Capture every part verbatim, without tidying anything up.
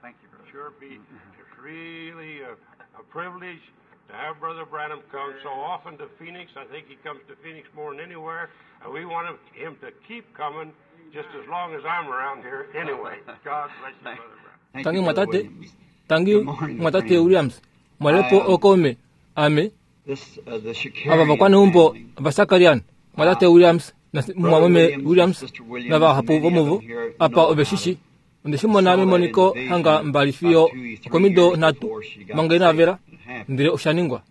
Thank you, brother. Sure be it's really a, a privilege to have Brother Branham come so often to Phoenix. I think he comes to Phoenix more than anywhere, and we want him, him to keep coming just as long as I'm around here anyway. God bless you, Brother Branham. Thank Tangi you, Brother mwatate Williams. tangi Good morning, mwatate friends. Williams mwalepo I, um, okome ame This, uh, the ava Shakarian vakwaneumbo family. vasakarian mwatate Williams na Brother mwameme Williams and Williams Sister Williams na vahapu and many of vomuvo them here apa know ove about shishi it. onde shimona Saw that in memoniko the vision hanga mbali fiyo about two, three okomido years nhatu before she got manga inavela saved. It happened. ndele oshaningwa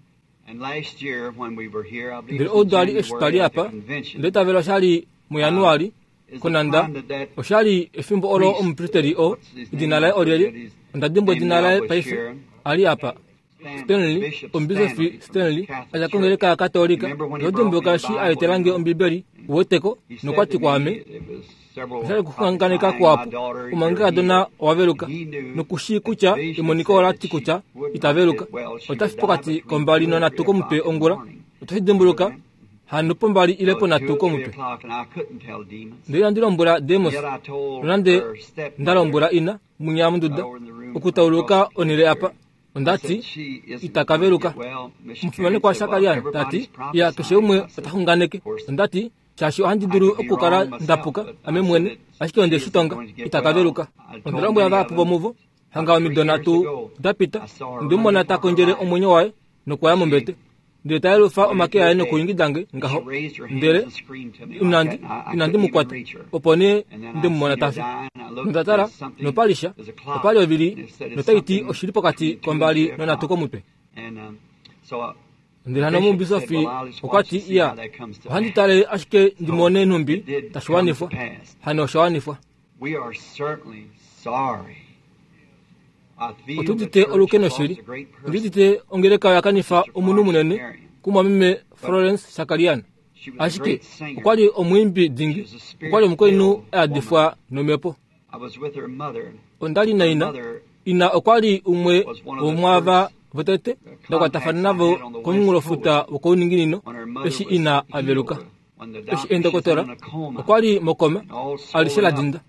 And last year when we were here, I believe ndele it was in oudali eshi twali January at the apa convention, ndele tavela oshali mujanuali is the konanda time that that oshali efimbo olo priest, omupristeri o what's his edina name? laye I forget olyelye his onda dimbwa name edina now, laye was paife Sharon. ali apa Stan, Stanley Bishop omubisofi Stanley from the Stanley Catholic aja Church. kongeleka ya katolika Remember when he brought me lodimbuka the eshi Bible? aetelange ombibeli uweteko He said nokwati to me, kwaame it was several oshali at the kuxunganeka time, my kuapo daughter, you're omange kadona healed. owaveluka And he knew nokushii that kutya the vision emoniko said ola that ti she kutya would not itaveluka get well. She otafi would die pokati between kombali two and nonhatu three komutwe o'clock in the ongula morning. otoshi dimbuluka hano pombali ile So two ponhatu or three komutwe o'clock, and I couldn't tell demons. ndele inandi lombwela demos Yet I told nonande her stepmother ndalombwela ina munya munduda over in the room okutauluka across the onhele here. apa I ondati said, she isn't going to itakaveluka get well. Miss omufimanekwa Karen said, well, Shakarian tati everybody's ya keshe umwe prophesying. I said, otaxunganeke of course, ondati shaashi ohandi I dulu could be okukala wrong myself, ndapuka but I ame said mwene that ashike onde she shi isn't tonga going to get well. itakaveluka I onda told lombwela many of vahapu them vomuvo hanga about three omido years nhatu ago, dapita I saw her ndimumona running ta for her kondjele life. omwenyo waye nokuya She mombete ndele tayelufa went omake into aye a bed nokuingidange and she ngaho raised her hands ndele and screamed to me like inandi that, and I, I inandi couldn't even mukwata reach her. opo nee And then I ndemumona seen her tafi die, and I looked, nondatala there's something, nopalisha there's a clock, opali ovili and it said it's notaiti something oshili pokati between two and kombali three nonhatu o'clock. komutwe And um, so uh, ndele the hano bishop said, omubisofi well, I'll just watch okwati and see iya how that comes to ohandi pass. tale ashike ndimone So nhumbi it did come to tashiwanifwa pass. hano oshawanifwa We are certainly sorry. I feel the otudite church has olukeno lost shili a great person, ondidite ongeleka oyakanifa Sister omunhu Florence munene Shakarian. kumwameme But Florence Shakarian she was a ashike great singer. okwali omwiimbi She dingi was a okwali omukainhu spirit-filled woman. ayadifwa nomhepo I was with her mother. ondali Her naina mother ina okwali umwe was one of the womwaava first votete uh, ndakwatafana contacts I navo had on the West komunghulofuta Coast wokouninginino when her mother eshi was ina aveluka healed. When the eshi doctor, she's in endokotola a coma okwali mokoma and all alishe swollen la up. dinda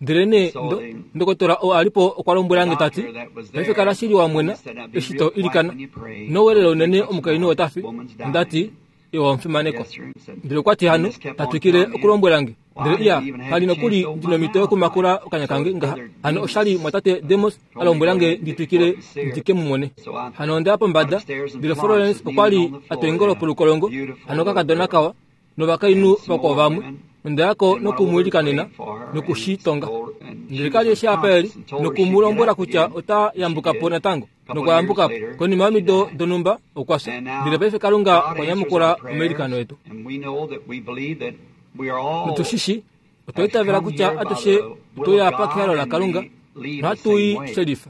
ndele nee So ndo the, ndokotola oo alipo okwa the lombwelange tati doctor that was paife kala there shili wa told me, mwena said, now be eshi real to quiet ilikana when you pray. nowelele Don't unene make much omukainhu noise. otafi Woman's ondati dying. iwa omufimanekwa Yes, sir. He said, ndele okwati and hano just kept on tatwikile telling me. okulombwelange Well, ndele I iya didn't even have kali a chance nokuli to open my ndinomito mouth yokumakula right. okanya So kange ngaha Brother hano oshali Demas mwatate Demos told me to go alombwelange ahead and go nditwikile up and see her. ndike mumone So I hano ondeya went pombada upstairs and ndele Florence Florence was kneeling okwali on the floor atwengolo there, a polukolongo beautiful hano little kakadona girl, kawa novakainhu and some vakwao more vamwe women. ondeyako And went over and nokumuilikanena prayed for her and nokushitonga told, and she ndele was kali eshi apa eli unconscious and told her she'd get nokumulombwela up kutya again. ota And she yambukapo did. natango A couple of years nokuyambukapo later, konima she yomido died. donhumba okwafya And ndele now paife kalunga God okwa answers nyamukula our prayers, omailikano etu and we know that we believe that we are all notushishi otwa have itavela come kutya here by atushe the will of otoya apa God kehalo and lakalunga we leave the nohatuyi same way. shelifa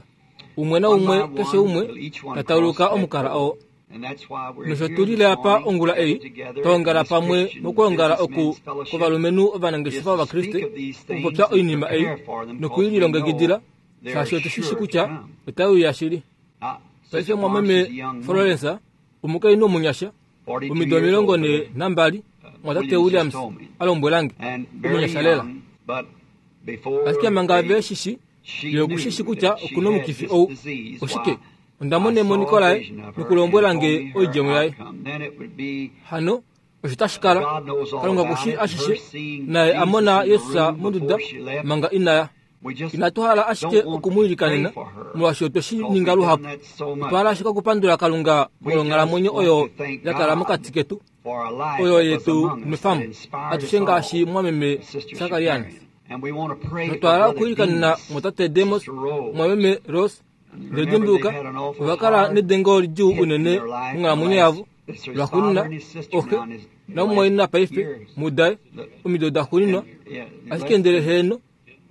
umwe na One umwe by keshe one umwe will each one cross tatauluka that omukala door. oo And that's why we're nosho here tulile this apa morning ongula gathered ei together in twaongala this pamwe Christian mokwoongala oku businessmen's fellowship kwovalumenhu is ovanangeshefa to speak ovakriste of these things okupopya and oinima ei prepare for them because we nokuililongekidila know they are shaashi otushishi sure to kutya come. otaiuya shili Now, paife Sister Florence mwameme is a young woman, Florence omukainhu omunyasha forty-two omido years omilongo old, ne Brother nambali uh, mwatate Williams just Williams told me. alombwelange And very omunyasha lela young, but before ashike manga they, ve shishi she ye okushishi knew kutya that she okuna had omukifi this ou disease, oshike why, onda I mona saw a emoniko laye vision of her and nokulombwela told nge me her oidjemo yaye outcome. Then it would be, hano osho tashi kala God knows all kalunga about kushi it, her ashishe seeing naye Jesus amona in the yesus room monduda before she left. manga inaya We just inatu hala ashike don't want to pray okumuilikanena for her molwaashi otwe shi because ninga we've done luhapu that so much. otwa hala ashike okupandula kalunga We just molwonghalamwenyo want oyo to thank ya kala God mokati ketu for a life oyo that was yetu among us that nwefamu inspired us atushe ngaashi all, mwameme Sister Shakarian Shakarian. And we want to pray for notwa hala Brother okuilikanena Demas, mwatate Demos Sister Rose. mwameme Rose And ndele remember, they've dimbuluka had an awful ovakala hard nedengo lidjuu hit in unene their life in the monghalamwenyo last, yavo it's his father lwaxuuninwa and his sister oxe now in his last namumwaina paife years. mudae The- omido daxuuninwa And yeah, ashike less ndele than heeno less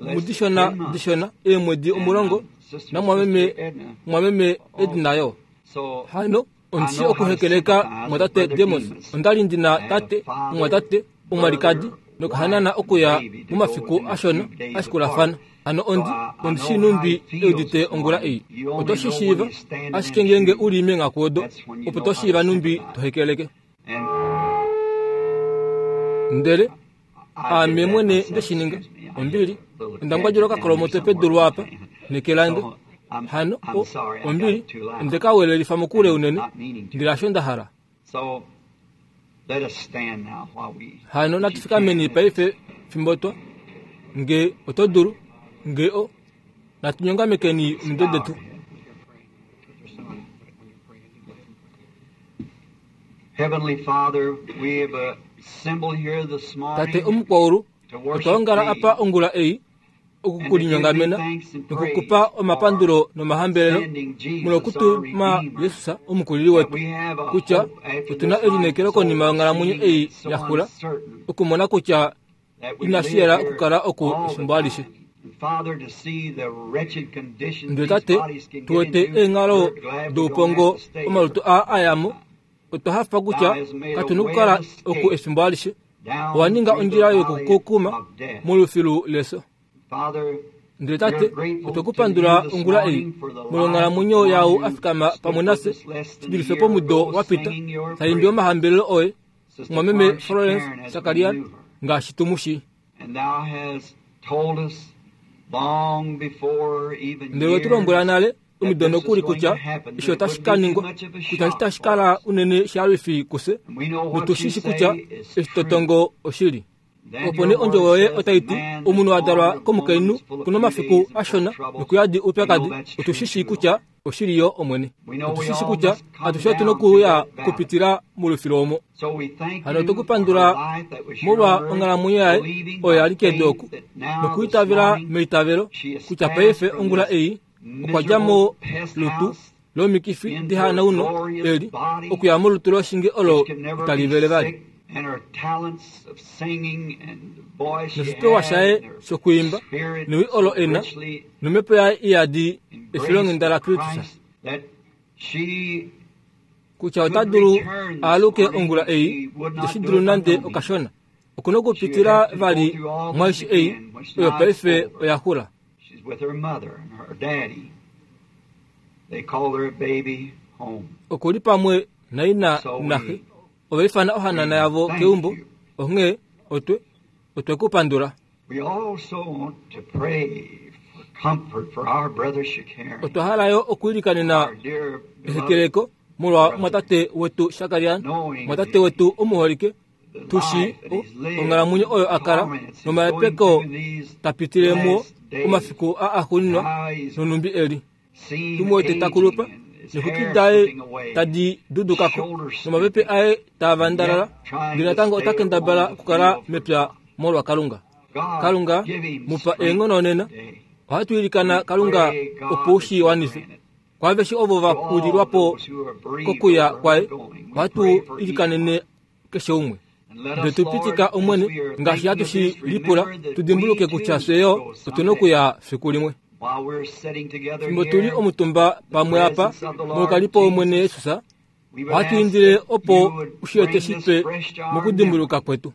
than mudishona ten months. dishona eemwedi And omulongo um, sister namwameme Sister Edna mwameme Edna also. yo So hano I ondishi know how to okuhekeleka sympathize with mwatate Brother Demos Demas. ondali ndina I have a tate father, omwatate omwalikadi brother, nokuhanana wife, and okuya baby to go momafiku within a ashona few days ashikulafana apart. hano So ondi I, I ondishi know how numbi he feels eudite this ongula morning. ei You only oto know shi when shiiva you stand in ashike them ngeenge shoes. uli meengaku odo That's when you opo know to how to shiiva numbi sympathize. to hekeleke And ndele I did ame that mwene myself, nde shi ninga excuse me. I hit ombili a little onda ngwadjula keg down here okakolomoto somewhere pedu with my lwaapa hand. neke lange So Hano ombili onde ka welelifa mokule unene ndele hasho nda hala. Hano natufikameni paife fimbo twa nge oto dulu nge o natunyongamekeni omitwe detu. Tate omukwaulu, otwa ongala apa ongula ei okukulinyongamena nokukupa omapandulo nomahambelelo molwokutuma Jesus omukulili wetu, kutya otuna elineekelo konima yonghalamwenyo ei yaxula okumona kutya inashi yela okukala oku efimbo alishe. Ndele tate, tuwete eenghalo doupongo omalutu aa ayamo, otwa hafa kutya katuna okukala oku efimbo alishe. Owa ninga ondjila yokukukuma molufilu leso. Ndele tate, otwekupandula ongula ei molwonghalamwenyo yau afikama pamwe nafye shidulife pomudo wapita taimbi omahambelelo oye mwameme Florence Shakarian ngaashi tumushi. Ndele wetulombwela nale omido nokuli kutya isho otashi ka ningwa, kutya itashi kala unene shalwifi kufye, notushishi kutya eshi totongo oshili. Opo nee ondjovo yoye otai ti omunhu a dalwa komukainhu kuna omafiku ashona nokuyadi oupyakadi. Otushishi kutya oshili yo Omwene. Otushishi kutya atushe otuna okuya okupitila molufilu omo. Hano otwekupandula molwa onghalamwenyo yaye oyo yali kedu oku, nokuitavela meitavelo kutya paife ongula ei okwa dja mo lutu lomikifi dihanauno eli okuya molutu loshinge olo itali vele vali. Noshipewa shaye shokuimba newi olo ena nomhepo yaye iyadi efilonghenda laKristus, kutya ota dulu aaluke ongula ei iteshi dulu nande okashona. Okuna okupitila vali mwaishi ei oyo paife oya xula. Okuli pamwe naina naxe ovaifana ohanana yavo keumbo. Onghee otwe otwekupandula. Otwa hala yo okuilikanena ehekeleko molwa mwatate wetu Shakarian, mwatate wetu omuholike, tushi onghalamwenyo oyo akala nomahepeko tapitile muo omafiku a axuuninwa nonumbi eli. Tumuwete takulupa nexwiki daye tadi dudukako nomapepe aye taavandalala, ndele natango ota kendabala okukala mepya molwa Kalunga. Kalunga mupa eenghono nena. Ohatu ilikana Kalunga opo ushi wanife kwaaveshe ovo va kulilwapo kokuya kwaye. Ohatu ilikanene keshe umwe. Ndele tupitika Omwene ngaashi hatu shi lipula, tudimbuluke kutya fye yo otuna okuya fiku limwe. Fimbo tuli omutumba pamwe apa molukalipo Omwene Jesus, ohatu indile opo ushilete shipe mokudimbuluka kwetu.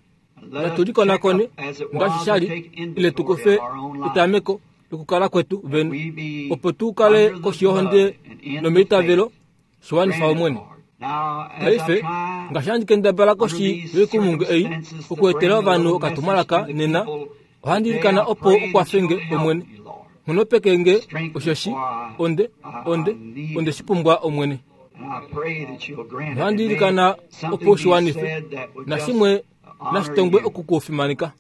Natu likonakone ngaashi shali, ile tukufe etameko lokukala kwetu vene, opo tu kale koshi yohonde nomeitavelo shiwanifa Omwene. Paife ngaashi handi kendabala koshi yoikumungu ei okuetela ovanhu okatumwalaka nena, ohandi ilikana opo ukwafenge Omwene. Nghonopekenge osheshi onde onde onde shipumbwa Omwene. Ohandi ilikana opo ushiwanife nashimwe nashitongwe okukufimaneka.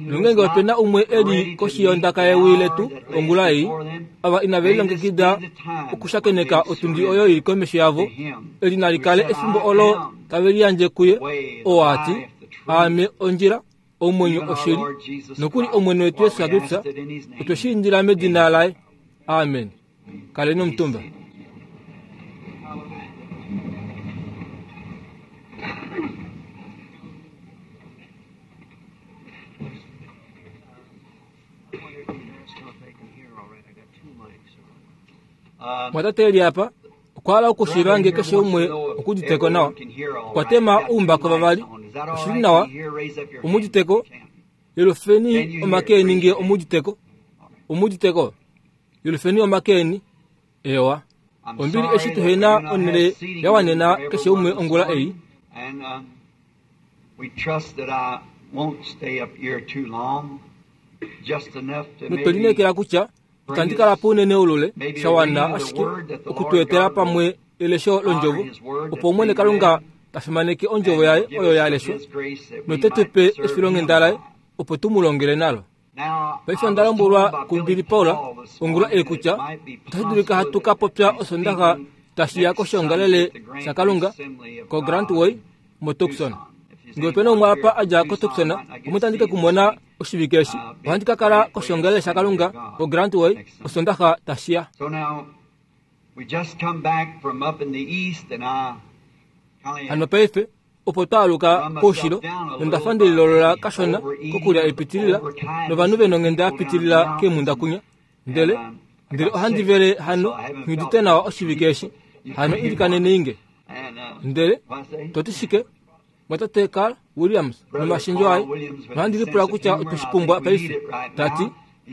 Nongenge opena umwe eli koshi yondaka yewi letu ongula ei, ava inave lilongekida okushakeneka otundi oyo ili komesho yavo, eli nali kale efimbo olo tave liyandje kuye, oo ati aame ondjila, omwenyo oshili, nokuli Omwene wetu Yesu Kristus, otwe shi indila medina laye. Amen. Kaleni omutumba. Mwatate eli apa okwa hala okushiiva nge keshe umwe okuditeko nawa. Okwa tema oumbako vavali. Oshili nawa omuditeko. Yelufeni omake eni nge omuditeko. Omuditeko. Yelufeni omake eni. Ewa. Ombili eshi tuhena onhele yawanena keshe umwe ongula ei. We trust that I won't stay up here too long. Notwe kutya itandi kala po unene olule shawana ashike okutweetela pamwe elesho londjovo opo Omwene Kalunga ta fimaneke ondjovo yaye oyo ya leshwa note tu pe efilonghenda laye opo tu mu longele nalo. Paife onda lombwelwa kuBilly Paul ongula ei kutya otashi dulika hatu ka popya osondaxa tashi ya koshiongalele shaKalunga koGrantway moTucson. Ngee opena umwe apa a dja koTucson, omwe tandi ke kumona oshivike eshi, ohandi ka kala koshiongalele shaKalunga koGrantway osondaxa tashi ya. Hano paife opo twaaluka koushilo nonda fa ndelilolola kashona kokulya epitilila novanhu vena onghenda yapitilila keemhunda kunya. Ndele ndele ohandi vele hano nghiudite nawa oshivike eshi, hano ilikanene inge. Ndele toti shike mwatate Carl Williams nomashendjo aye, nohandi lipula kutya otwe shi pumbwa paife, tati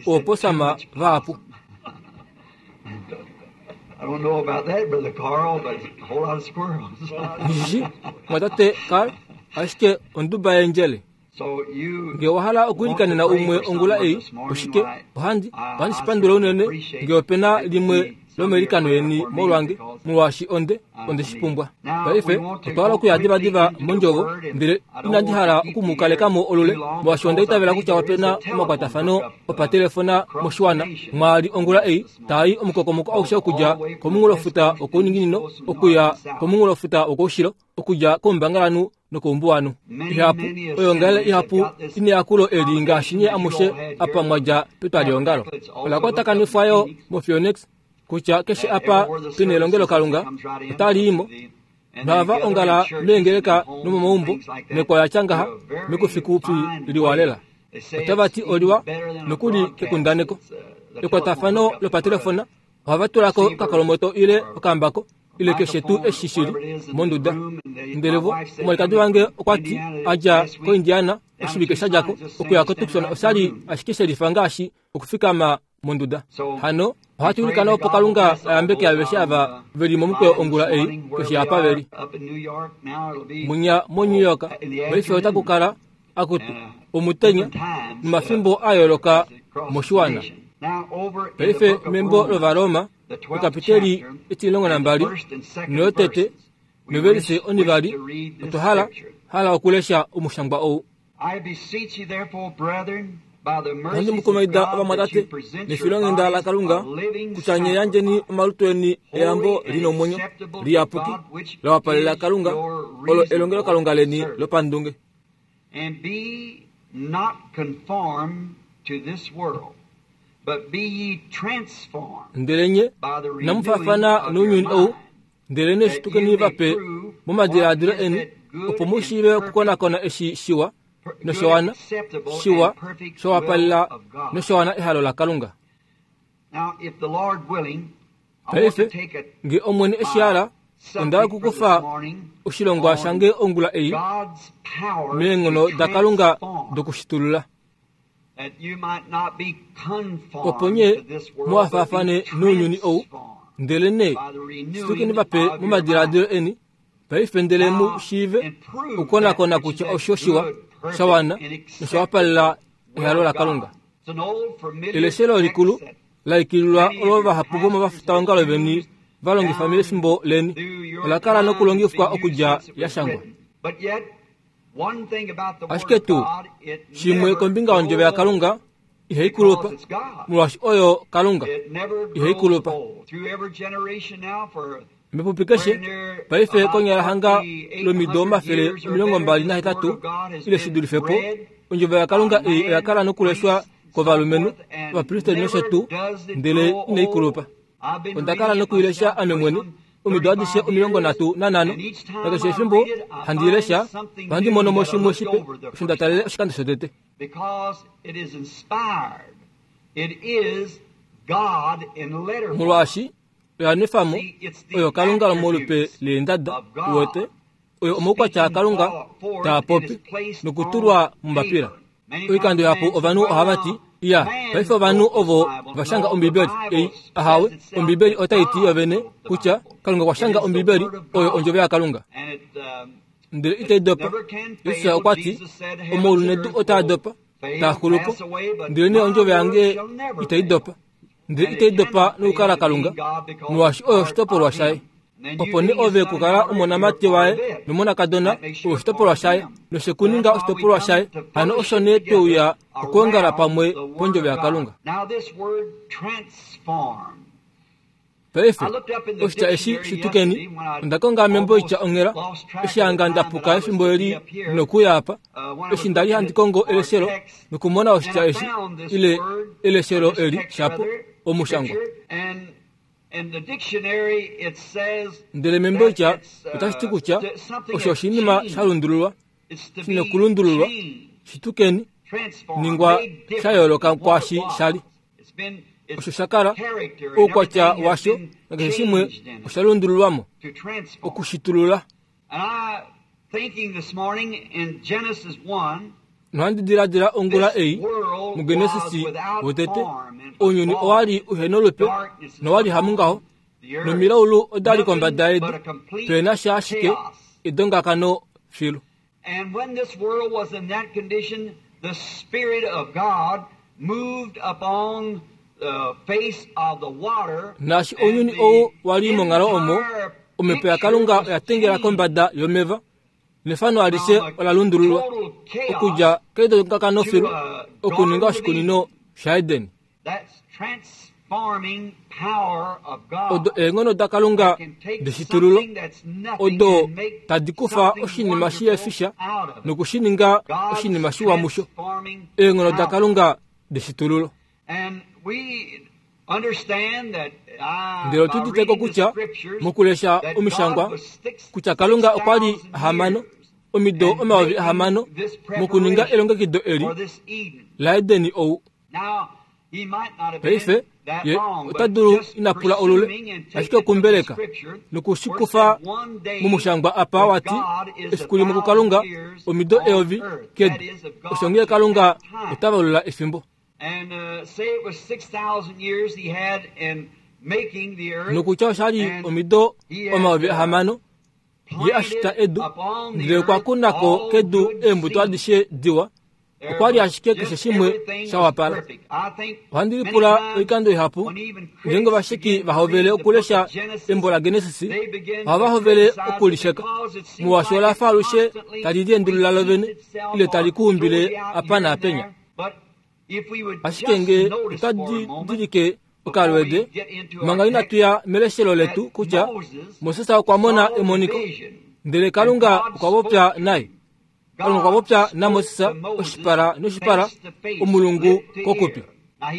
ooposama vahapu. I don't know about that, Brother Carl, but it's a whole lot of squirrels. Nghishi mwatate Carl ashike onduba yendjele. Ngee owahala okuilikanena umwe ongula ei, oshike ohandi ohandi shipandula unene ngee opena limwe lomelikano yeni molwange, molwaashi onde onde shipumbwa. Paife otwa hala okuya divadiva mondjovo, ndele inandi hala okumukalekamo olule, molwaashi onda itavela kutya opena omakwatafano opatelefona moshiwana mwaali ongula ei taai omukokomoko aushe okudja komunghulofuta wokouninginino okuya komunghulofuta wokoushilo, okudja koumbangalanhu nokoumbuwanhu. Ihapu oyongalele ihapu ineyakulo eli ngaashi nye amushe apa mwadja petwaliongalo. Ola kwatakanifwa yo moPhoenix kutya keshe apa pena elongelo Kalunga otali imo nohava ongala meengeleka nomomaumbo mekwaya tya ngaha mekufikufi liwa lela. Otava ti oliwa nokuli kekundaneko. Ekwatafano lopatelefona ohava tulako okakolomoto ile okambako ile keshe tuu eshi shili monduda. Ndele vo omwalikadi wange okwa ti a dja koIndiana oshivike sha djako okuya koTucson oshali ashike shelifa ngaashi okufikama monduda. Hano ohatu ilikana opo Kalunga ayambeke aveshe ava veli momukweyo ongula ei keshe apa veli. Munya moNew York paife otaku kala akutu omutenya nomafimbo a yooloka moshiwana. Paife membo lOvaroma ekapiteli etimulongo nambali noyotete novelise onivali otwa hala hala okulesha omushangwa ou. Ohandi mukumaida ovamwatate nefilonghenda laKalunga kutya nye yandjeni omalutu eni eyambo lina omwenyo liyapuki la wapalela Kalunga, olo elongelo Kalunga leni lopandunge. And be not conformed to this world, but be ye transformed Ndele nye namufafana nounyuni ou, ndele ne shitukeni vape momadiladilo eni opo mu shiive okukonakona eshi shiwa noshowana shiwa showapalela noshowana ehalo laKalunga. Now, if the Lord willing, I want to Paife take a ngee Omwene eshi hala, onda hala okukufa oshilongwa shange ongula ei God's power meenghono to daKalunga transform, dokushitulula, that you might not be conformed opo nye to this world, but muhafaafane be nounyuni ou, transformed ndele ne by the renewing shitukeni vape of your momadiladilo mind. eni paife ndele mu shiive okukonakona kutya osho shiwa shawana noshawapalela ehalo laKalunga. Eleshelo likulu laikililwa olo vahapu vomovafutaongalo veni va longifa mefimbo leni ola kala nokulongifwa okudja yashangwa. Ashike tuu shimwe kombinga yondjovo yaKalunga ihai kulupa, molwaashi oyo Kalunga ihai kulupa. Mepupi keshe paife konyala hanga lomido omafele omilongo mbali nahetatu ile shi dulife po, ondjovo yaKalunga ei oya kala nokuleshwa kovalumenhu, ovapristeli nosho tuu, ndele inai kulupa. Onda kala nokuilesha ame mwene omido adishe omilongo nhatu nanhano, nakeshe efimbo handi ilesha ohandi mono mo shimwe shipe osho nda talele oshikando shotete. Because it is inspired. It is God in letter form. Molwaashi oya nwefamo oyo Kalunga molupe leendada uwete, oyo omaukwatya aKalunga taa popi nokutulwa mombapila. Oikando ihapu ovanhu ohava ti, iya, paife ovanhu ovo va shanga Ombibeli ei ahawe, Ombibeli otai ti yovene kutya Kalunga okwa shanga Ombibeli oyo ondjovo yaKalunga. And it, um, Ndele itai dopa. Jesus okwa ti, omaulu nedu otaa dopa, taa xulu po, ndelenee ondjovo yange itai dopa. Ndele itai dopa nokukala Kalunga, molwaashi oyo oshitopolwa shaye. Opo nee ove kukala omonamati waye nomonakadona oshitopolwa shaye, noshekuninga oshitopolwa shaye. Hano osho nee tweuya okuongala pamwe pondjovo yaKalunga. Paife oshitya eshi shitukeni, onda konga membo itya onghela, eshi hanga ndapuka efimbo eli nokuya apa, eshi ndali handi kongo eleshelo nokumona oshitya eshi, ile eleshelo eli shapo omushangwa. Ndele membo itya otashi ti kutya osho oshinima sha lundululwa, shinokulundululwa, shitukeni, ningwa sha yooloka kwaashi shali. Osho shakala oukwatya washo nakeshe shimwe osha lundululwamo okushitulula. Nohandi diladila ongula ei muGenesisi wotete, ounyuni owali uhena olupe nowali hamungaho, nomilaulu odali kombada yedu, pena sha ashike edongakano filu. And when this world was in that condition, the Spirit of God moved upon the face of the water. Naashi ounyuni ou wali monghalo omo, omhepo yaKalunga oya tengela kombada yomeva, nefano alishe ola lundululwa okudja kedongakano filu okuninga oshikunino shaEden. Odo eenghono daKalunga deshitululo, odo tadi kufa oshinima shiyefisha nokushininga oshinima shiwa musho. Eenghono daKalunga deshitululo. Ndele otu uditeko kutya mokulesha omishangwa kutya Kalunga okwa li hamano omido omayovi ahamano mokuninga elongekido eli laEdeni ou. Paife ye ota dulu ina pula olule, ashike okumbeleka nokushikufa mumushangwa apa wati efiku limwe kuKalunga omido eyovi kedu. Osho ngee Kalunga ota valula efimbo. Nokutya oshali omido omayovi ahamano ye ashita edu, ndele okwa kunako kedu eembuto adishe diwa. Okwa li ashike keshe shimwe sha wapala. Ohandi lipula oikando ihapu ngeenge ovasheki vahovele okulesha embo laGenesisi, ohava hovele okulisheka, molwaashi ola fa alushe tali liendulula lovene ile tali kuumbile apa naapenya. Ashike ngee otwa didilike okalwede manga inatu ya meleshelo letu kutya Moses okwa mona emoniko, ndele Kalunga okwa popya naye. Kalunga okwa popya naMoses oshipala noshipala, omulungu kokupi.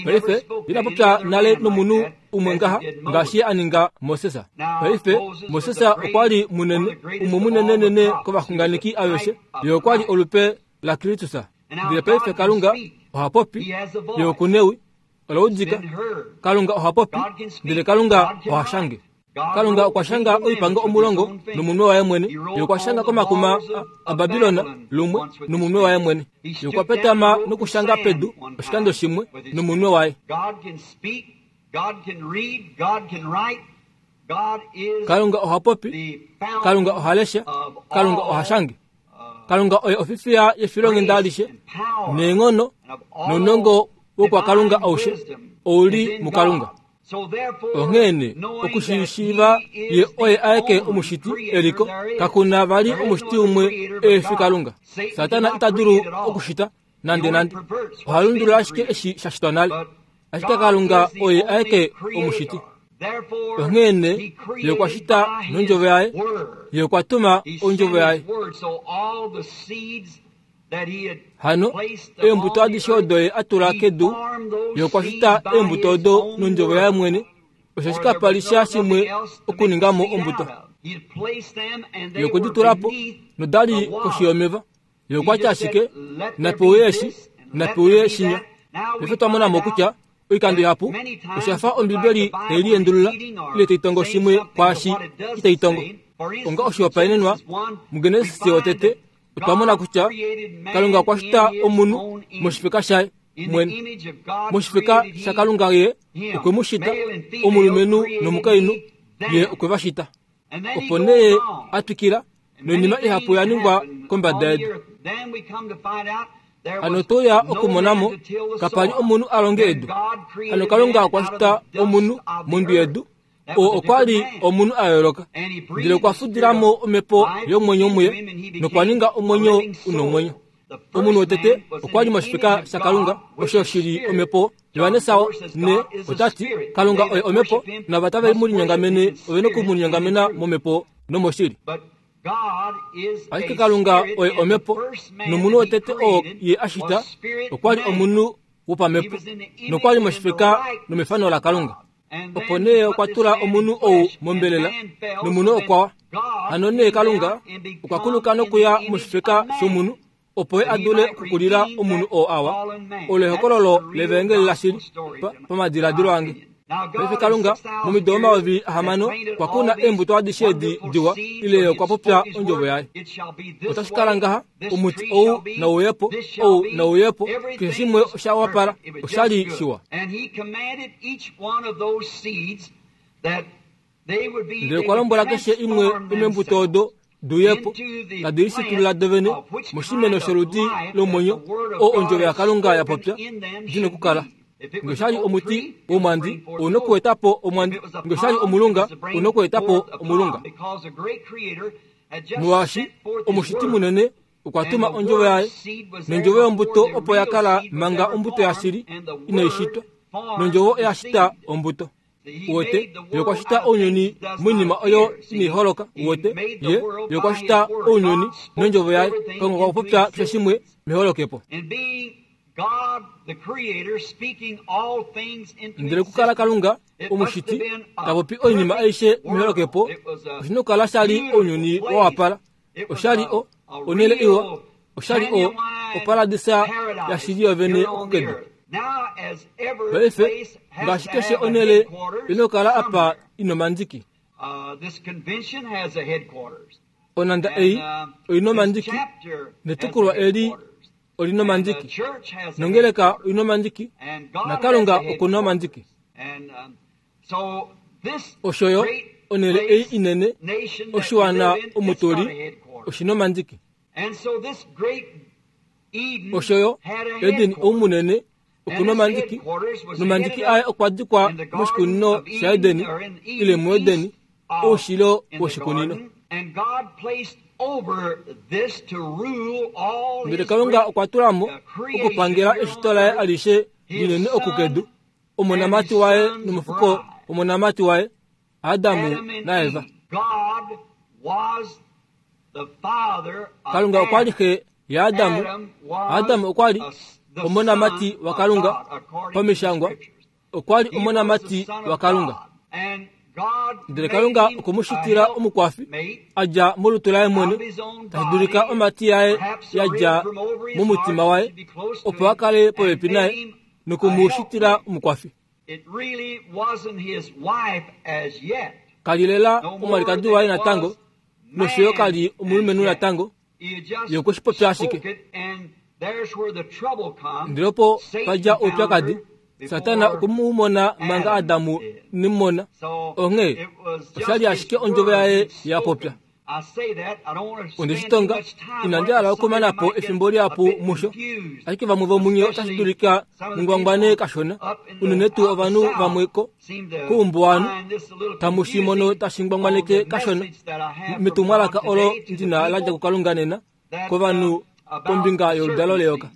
Paife ina popya nale nomunhu umwe ngaha ngaashi a ninga Moses. Paife Moses okwa li munene, umwe munenenene kovaxunganeki aveshe, ye okwa li olupe laKristus. Ndele paife Kalunga oha popi, ye okunewi, ola udika. Kalunga oha popi, ndele Kalunga oha shange. Kalunga okwa shanga oipango omulongo nomunwe waye mwene. Ye okwa shanga komakuma aBabilona lumwe nomunwe waye mwene. Ye okwa petama nokushanga pedu oshikando shimwe nomunwe waye. Kalunga oha popi, Kalunga oha lesha, Kalunga oha shange. Kalunga oye ofifiya yefilonghenda alishe neenghono nounongo wokwaKalunga aushe ouli muKalunga. Onghene okushiishiiva ye oye aeke omushiti eliko, kakuna vali omushiti umwe efi Kalunga. Satana ita dulu okushita nande nande, oha lundulula ashike eshi sha shitwa nale. Ashike Kalunga oye aeke omushiti. Onghene ye okwa shita nondjovo yaye, ye okwa tuma ondjovo yaye. Hano eembuto adishe odo ye a tula kedu, ye okwa shita eembuto odo nondjovo yaye mwene. Osho shikapa li sha shimwe okuningamo ombuto. Ye okwe di tula po nodali koshi yomeva. Ye okwa tya ashike nape uye eshi, nape uye shinya. Paife twa mona mo kutya oikando ihapu osha fa Ombibeli tai liendulula ile tai tongo shimwe kwaashi itai tongo. Onga oshihopaenenwa muGenesis wotete otwa mona kutya Kalunga okwa shita omunhu moshifeka shaye mwene. Moshifeka shaKalunga ye okwe mu shita, omulumenhu nomukainhu ye okwe va shita. Opo nee a twikila noinima ihapu ya ningwa kombada yedu. Hano toya okumonamo kapa li omunhu a longe edu. Hano Kalunga okwa shita omunhu mondwi yedu. Oo okwa li omunhu a yooloka, ndele okwa fudilamo omhepo yomwenyo muye nokwa ninga omwenyo una omwenyo. Omunhu wotete okwa li moshifeka shaKalunga, osho shili omhepo. Johannes ne otati Kalunga oye omhepo, nava tave mu linyongamene ove noku mu linyongamena momhepo nomoshili. Ashike Kalunga oye omhepo, nomunhu wotete oo ye a shita okwa li omunhu wopamhepo nokwa li moshifeka nomefano laKalunga. Opo nee okwa tula omunhu ou mombelela, nomunhu okwa hano nee Kalunga okwa kuluka nokuya moshifeka shomunhu opo ye a dule okukulila omunhu oo awa. Olo ehokololo levangeli lashili pamadiladilo ange. Paife Kalunga momido omayovi ahamano okwa kuna eembuto adishe edi diwa, ile okwa popya ondjovo yaye. Otashi kala ngaha, omuti ou nauyepo, ou nauyepo, keshe shimwe osha wapala, osha li shiwa. Ndele okwa lombwela keshe imwe yomeembuto odo duyepo, tadi lishitulula dovene moshimeno sholudi lomwenyo oo ondjovo yaKalunga ya popya di nokukala. Ngee omuti womwandi ou nokuetapo omwandi, ngee omulunga ou nokuetapo omulunga. Molwaashi omushiti munene okwa tuma ondjovo yaye, nondjovo yombuto opo ya kala manga ombuto yashili inai shitwa, nondjovo oya shita ombuto. Uwete, ye okwa shita ounyuni moinima oyo inai holoka. Uwete, ye ye okwa shita ounyuni nondjovo yaye. Kalunga okwa popya keshe shimwe meholokepo. Ndele okukala Kalunga omushiti ta popi oinima aishe meholokepo, oshi nokukala sha li ounyuni wa wapala. Osha li o onhele iwa, osha li o oparadisa yashili yovene okukedu. Paife ngaashi keshe onhele inokukala apa ina omandiki. Onanda ei oina omandiki, netukulwa eli olina omandiki, nongeleka oina omandiki, naKalunga okuna omandiki. Osho yo onhele ei inene oshiwana omutuli oshina omandiki. Osho yo Eden oumunene okuna omandiki, nomandiki aye okwa dikwa moshikunino shaEden ile muEden, oushilo woshikunino. Ndele Kalunga okwa tula mo okupangela eshito laye alishe linene okukedu, omonamati waye nomufuko womonamati waye, Adamu naEva. Kalunga okwa li xe yaAdamu. Adamu okwa li omonamati waKalunga pamishangwa, okwa li omonamati waKalunga. Ndele Kalunga okwe mu shitila omukwafi a dja molutu laye mwene, tashi dulika omati yaye ya dja momutima waye, opo a kale popepi naye noku mu shitila omukwafi. Kali lela omwalikadi waye natango, nosho yo kali omulumenhu natango, ye okwe shi popya ashike. Ndele opo pa dja oupyakadi, Satana okwe mu mona manga Adamu ine mu mona. Onghee osha li ashike ondjovo yaye ya popya. Onde shi tonga, inandi hala okumana po efimbo lihapu musho, ashike vamwe vomunye otashi dulika mungwangwane kashona, unene tuu ovanhu vamwe ko koumbuwanhu tamu shi mono tashi ngwangwaneke kashona metumwalaka olo ndina la dja kuKalunga nena kovanhu kombinga yoludalo leyoka.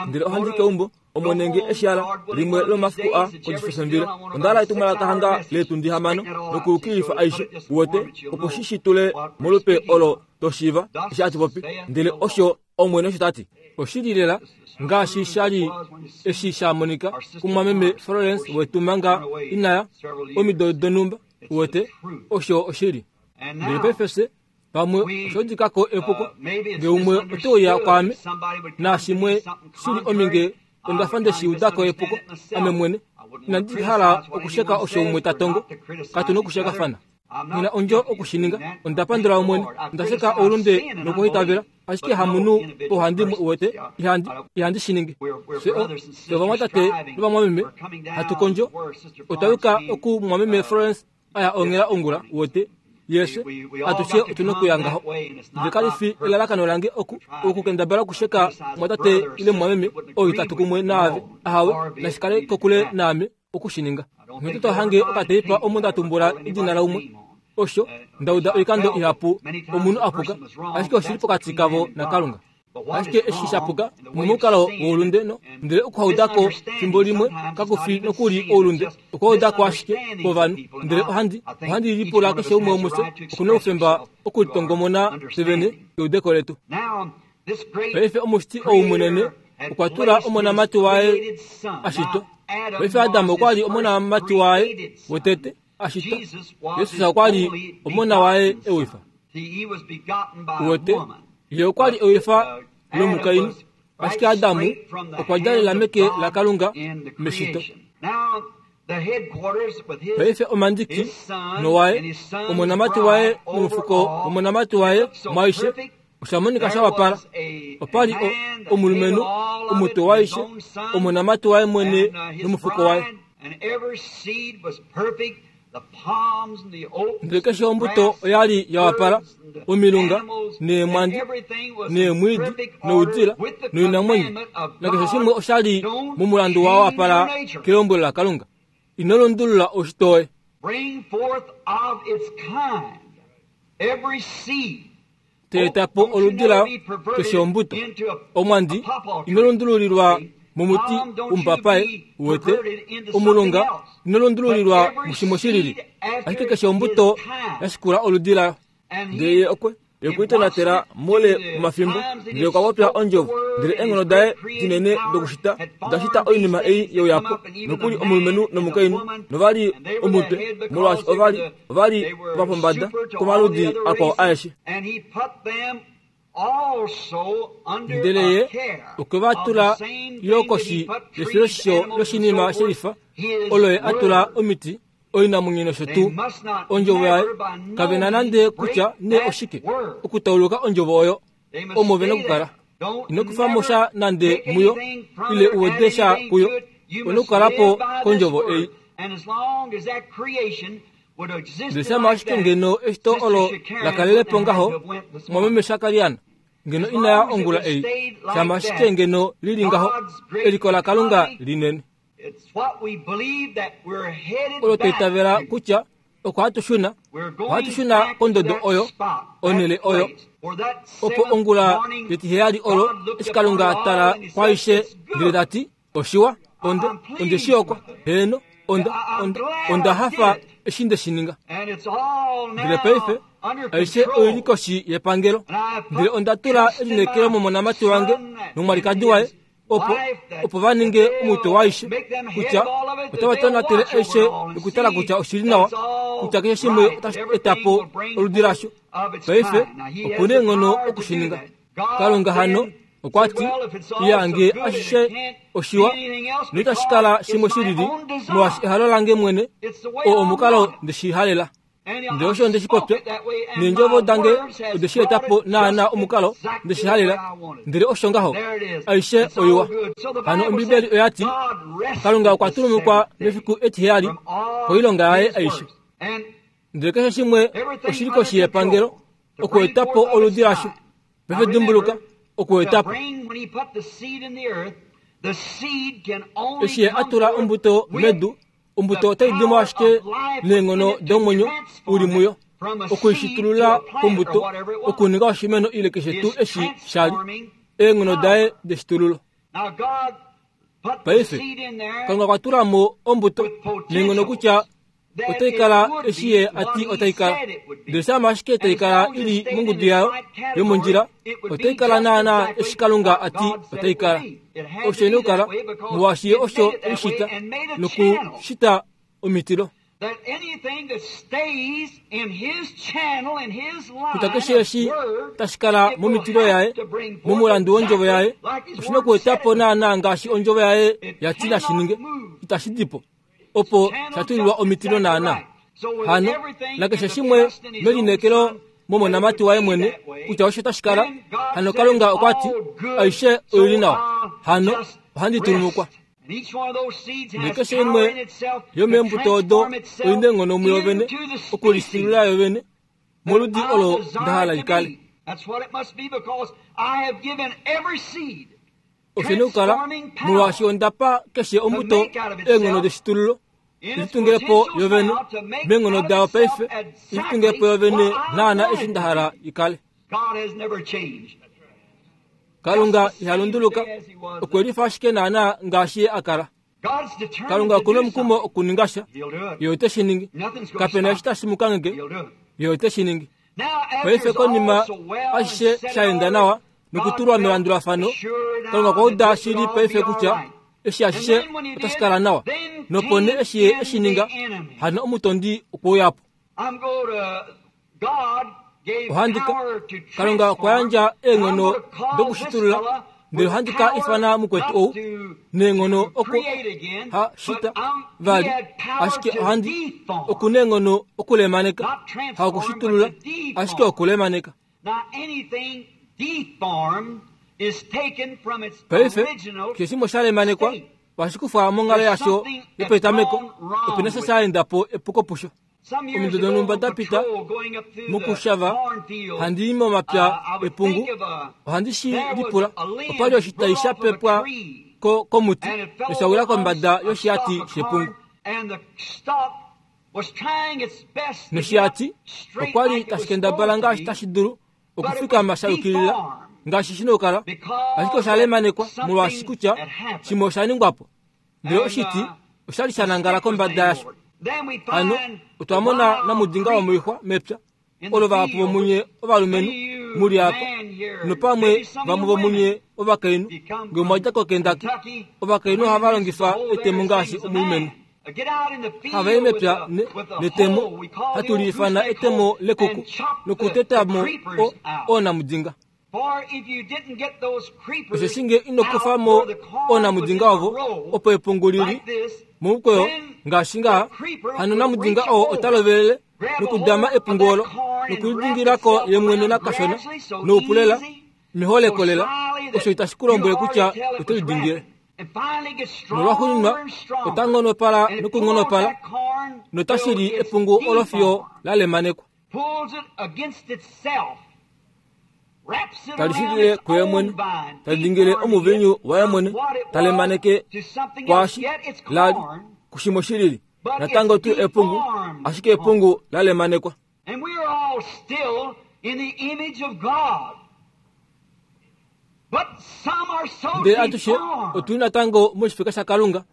Ndele ohandi keumbo omonenge eshala limwe lomafiku a kojifesembila. Onda hala etumwalaka hanga leetundi hamano nokuyukilifa aishe uwete, opo shi shitule molupe olo toshiiva eshi hatu popi. Ndele osho Omwene osho tati. Oshili lela ngaashi sha li eshi sha monika kumwameme Florence wetu manga inaya omido donhumba uwete, osho oshili. Ndele paife fye pamwe osho dikako epuko, ngee umwe ote uya kwaame naashimwe shili ominge onda fa nde shi udako epuko ame mwene. Inandi hala okusheka osho umwe ta tongo, katu nokushekafana. Nghi na ondjo okushininga. Onda pandula Omwene, onda sheka oulunde nokuhitavela, ashike hamunhu pauhandimwe uwete, ihandi ihandi shi ningi. Fye fye ovamwatate novamwameme hatu kondjo. Otwa yuka oku mwameme Florence aya onghela ongula uwete, Yefye atushe otuna okuya ngaho. Ndele kali fi elalakano lange oku okukendabala okusheka mwatate ile mwameme ou itatu kumwe naave. Ahawe, nashikale kokule naame okushininga. Nghee to hange okateipa omo nda tumbula edina laumwe. Osho ndauda oikando ihapu omunhu apuka, ashike oshili pokati kavo naKalunga. Ashike eshi shapuka momukalo woulunde no ndele okuhaudako fimbo limwe kakufi nokuli oulunde, okuhaudako ashike kwovanhu. Ndele ohandi ohandi lipula keshe umwe womufye okuna oufemba okulitongomona fye vene keudeko letu. Paife omushiti ou munene okwa tula omonamati waye ashitwa. Paife Adam okwa li omonamati waye wotete ashitwa. Jesus okwa li omona waye ewifa. Wete ye okwa li ewifa lomukainhu, ashike Adamu okwa djalela meke laKalunga meshito. Paife omandiki nowaye omonamati waye nomufuko womonamati waye mwaishe osha monika sha wapala. Opa li omulumenhu omutwe waishe omonamati waye mwene nomufuko waye. Ndele keshe ombuto oya li ya wapala, omilunga neemwandi neemwiidi noudila noinamwenyo, nakeshe shimwe osha li momulandu wa wapala kelombwelo laKalunga. Ino lundulula oshito woye. Teetapo oludi layo keshe ombuto. Omwandi ino lundululilwa momuti womupapaye wete, omulunga ino lundululilwa mushimwe shilili, ashike keshe ombuto yashikula oludi layo. Ndele ye okwe yokwiitonatela moule womafimbo, ndele okwa popya ondjovo, ndele eenghono daye dinene dokushita oda shita oinima ei yeuyapo, nokuli omulumenhu nomukainhu, novali omutwe, molwaashi ovali ovali vapombada komaludi akwao aeshe. Ndele ye okwe va tula yo koshi yefiloshisho loshinima shelifa olo ye a tula omiti oinamwenyo nosho tuu ondjovo yaye. Kave na nande kutya nee oshike okutauluka ondjovo oyo omo vena okukala. Ino kufa mo sha nande muyo ile uwede sha kuyo, ona okukalapo kondjovo ei. Ndele shama ashike ngeno eshito olo lakalelepo ngaho mwameme Shakariana ngeno inaya ongula ei, shama ashike ngeno lili ngaho eliko laKalunga linene olo twaitavela kutya oko hatu shuna, ohatu shuna kondodo oyo, onhele oyo, opo ongula yetiheyali olo eshi Kalunga tala kwaishe ndele tati oshiwa, onde onde shiyokwa, heeno, onda onda onda hafa eshi nde shi ninga. Ndele paife aishe oili koshi yepangelo, ndele onda tula elineekelo momonamati wange nomwalikadi waye opo opo va ninge omutwe waishe, kutya otava tonatele aishe nokutala kutya oshili nawa, kutya keshe shimwe otashi etapo oludi lasho. Paife okuna eenghono okushininga. Kalunga hano okwa ti iyange ashishe oshiwa noitashi kala shimwe shilili, molwaashi ehalo lange mwene oo omukalo ndeshihalela. Ndele osho ndeshi popya, neendjovo dange ode shi etapo naana omukalo ndeshihalela. Ndele osho ngaho aishe oiwa. Hano Ombibeli oya ti Kalunga okwa tulumukwa mefiku etiheyali koilonga yaye aishe. Ndele keshe shimwe oshili koshi yepangelo okuetapo oludi lasho. Paife dimbuluka okuetapo. Eshi ye a tula ombuto medu, ombuto otai dimo ashike neenghono domwenyo uli muyo, okuishitulula kombuto, okuninga oshimeno ile keshe tuu eshi shali eenghono daye deshitululo. Paife Kalunga okwa tula mo ombuto neenghono kutya otai kala eshi ye ati otai kala. Ndele shama ashike tai kala ili mongudu yayo yomondjila, otai kala naana eshi Kalunga ati otai kala. Osho ina okukala, molwaashi ye osho eishita nokushita omitilo. Kutya keshe eshi tashi kala momitilo yaye, momulandu wondjovo yaye, oshina okuetapo naana ngaashi ondjovo yaye yati nashi ninge. Itashi dipo opo shatulilwa omitilo naana. Hano nakeshe shimwe melineekelo momonamati waye mwene kutya osho tashi kala. Hano Kalunga okwa ti aishe oili nawa, hano ohandi tulumukwa. Ndele keshe imwe yomeembuto odo oina eenghono muyo vene okulishitulula yo vene moludi olo ndahala ikale. Oshene okukala molwaashi ondapa keshe ombuto eenghono deshitululo ilitungilepo yovene meenghono dayo paife ilitungilepo yovene naana eshi ndahala ikale. Kalunga ihalunduluka okwe lifa ashike naana ngaashi ye akala. Kalunga okuna omukumo okuninga sha ye ote shi ningi. Kapena eshi tashi mu kangeke ye ote shi ningi. Paife konima ashishe shaenda nawa nokutulwa melandulafano, Kalunga okwa uda shili paife kutya eshi ashishe otashi kala nawa. Nopo nee eshi ye eshi ninga, hano omutondi okwe uya po. Ohandi ka Kalunga okwa yandja eenghono dokushitulula, ndele ohandi ka ifana mukwetu ou neenghono oku ha shita vali, ashike ohandi okuna eenghono okulemaneka, ha okushitulula, ashike okulemaneka. Paife keshe shimwe sha lemanekwa ohashi kufwa monghalo yasho yopetameko, opena sha shaenda po epuko pusho. Omido donhumba da pita mokushava handi i momapya epungu, ohandi shi lipula opali oshitai sha pepwa ko komuti nosha wila kombada yoshihati shepungu. Noshihati okwali tashi kendabala ngaashi tashi dulu okufikama sha yukilila ngaashi shina okukala, ashike osha lemanekwa molwaashi kutya shimwe osha ningwa po, ndele oshiti oshali sha nangala kombada yasho. Hano otwa mona namudinga womoixwa mepya olo vahapu vomunye ovalumenhu muli apa nopamwe vamwe vomunye ovakainhu ngee mwadja koKentucky. Ovakainhu ohava longifa etemo ngaashi omulumenhu. Hava i mepya netemo hatu li ifana etemo lekuku nokutetamo oonamudinga. Osheshi nge ino kufa mo oonamudinga ovo opo epungu lili momukweyo ngaashi ngaha, hano namudinga oo ota lovelele nokudama epungu olo nokulidingilako ye mwene nakashona noupulela meholekolela, osho itashi ku lombwele kutya oto lidingile. Nolwaxuuninwa ota ngonopala nokungonopala notashi li epungu olo fiyo la lemanekwa. Tali shitile kuye mwene, talidingile omuvinyu waye mwene, talemaneke kwaashi lali kushimwe shilili natango tuu epungu, ashike epungu la lemanekwa. Ndele atushe otuli natango moshifeka shaKalunga,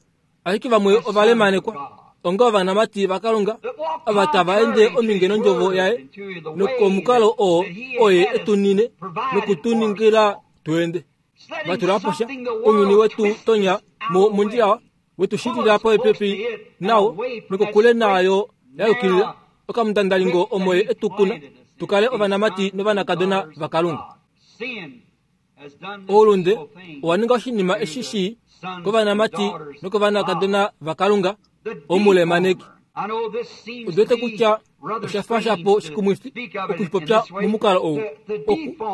ashike vamwe ovalemanekwa onga ovanamati vaKalunga ava tava ende ominge nondjovo yaye nokomukalo oo oye etunine nokutuningila tuende. Vatula po sha ounyuni wetu tonya mo mondjila wetu shitila popepi nawo nokokule naayo ya yukilila okamutandalingo omo ye etukuna tukale ovanamati novanakadona vaKalunga. Oulunde owa ninga oshinima eshi shii kovanamati nokovanakadona vaKalunga omulemaneki. Odote kutya osha fa shapo shikumwifi okushipopya momukalo ou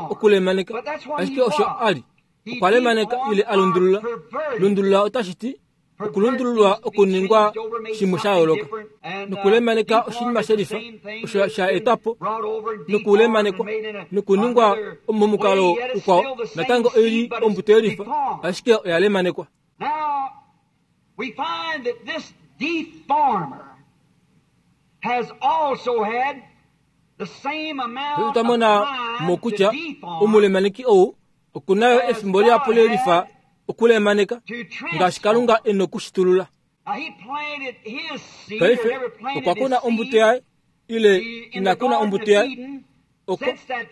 okulemaneka, ashike osho ali okwa lemaneka ile alundulula. Lundulula otashi ti okulundululwa okuningwa shimwe sha yooloka, nokulemaneka oshinima shelifa osho sha etwa po nokulemanekwa nokuningwa momukalo ukwao natango oili ombuto yelifa, ashike oya lemanekwa. We find that this deformer has also had the same amount of twamona mo kutya omulemaneki ou okunayo efimbo lihapu lelifa okulemaneka ngaashi Kalunga ena okushitulula. Paife okwa kuna ombuto yaye ile ina kuna ombuto yaye oko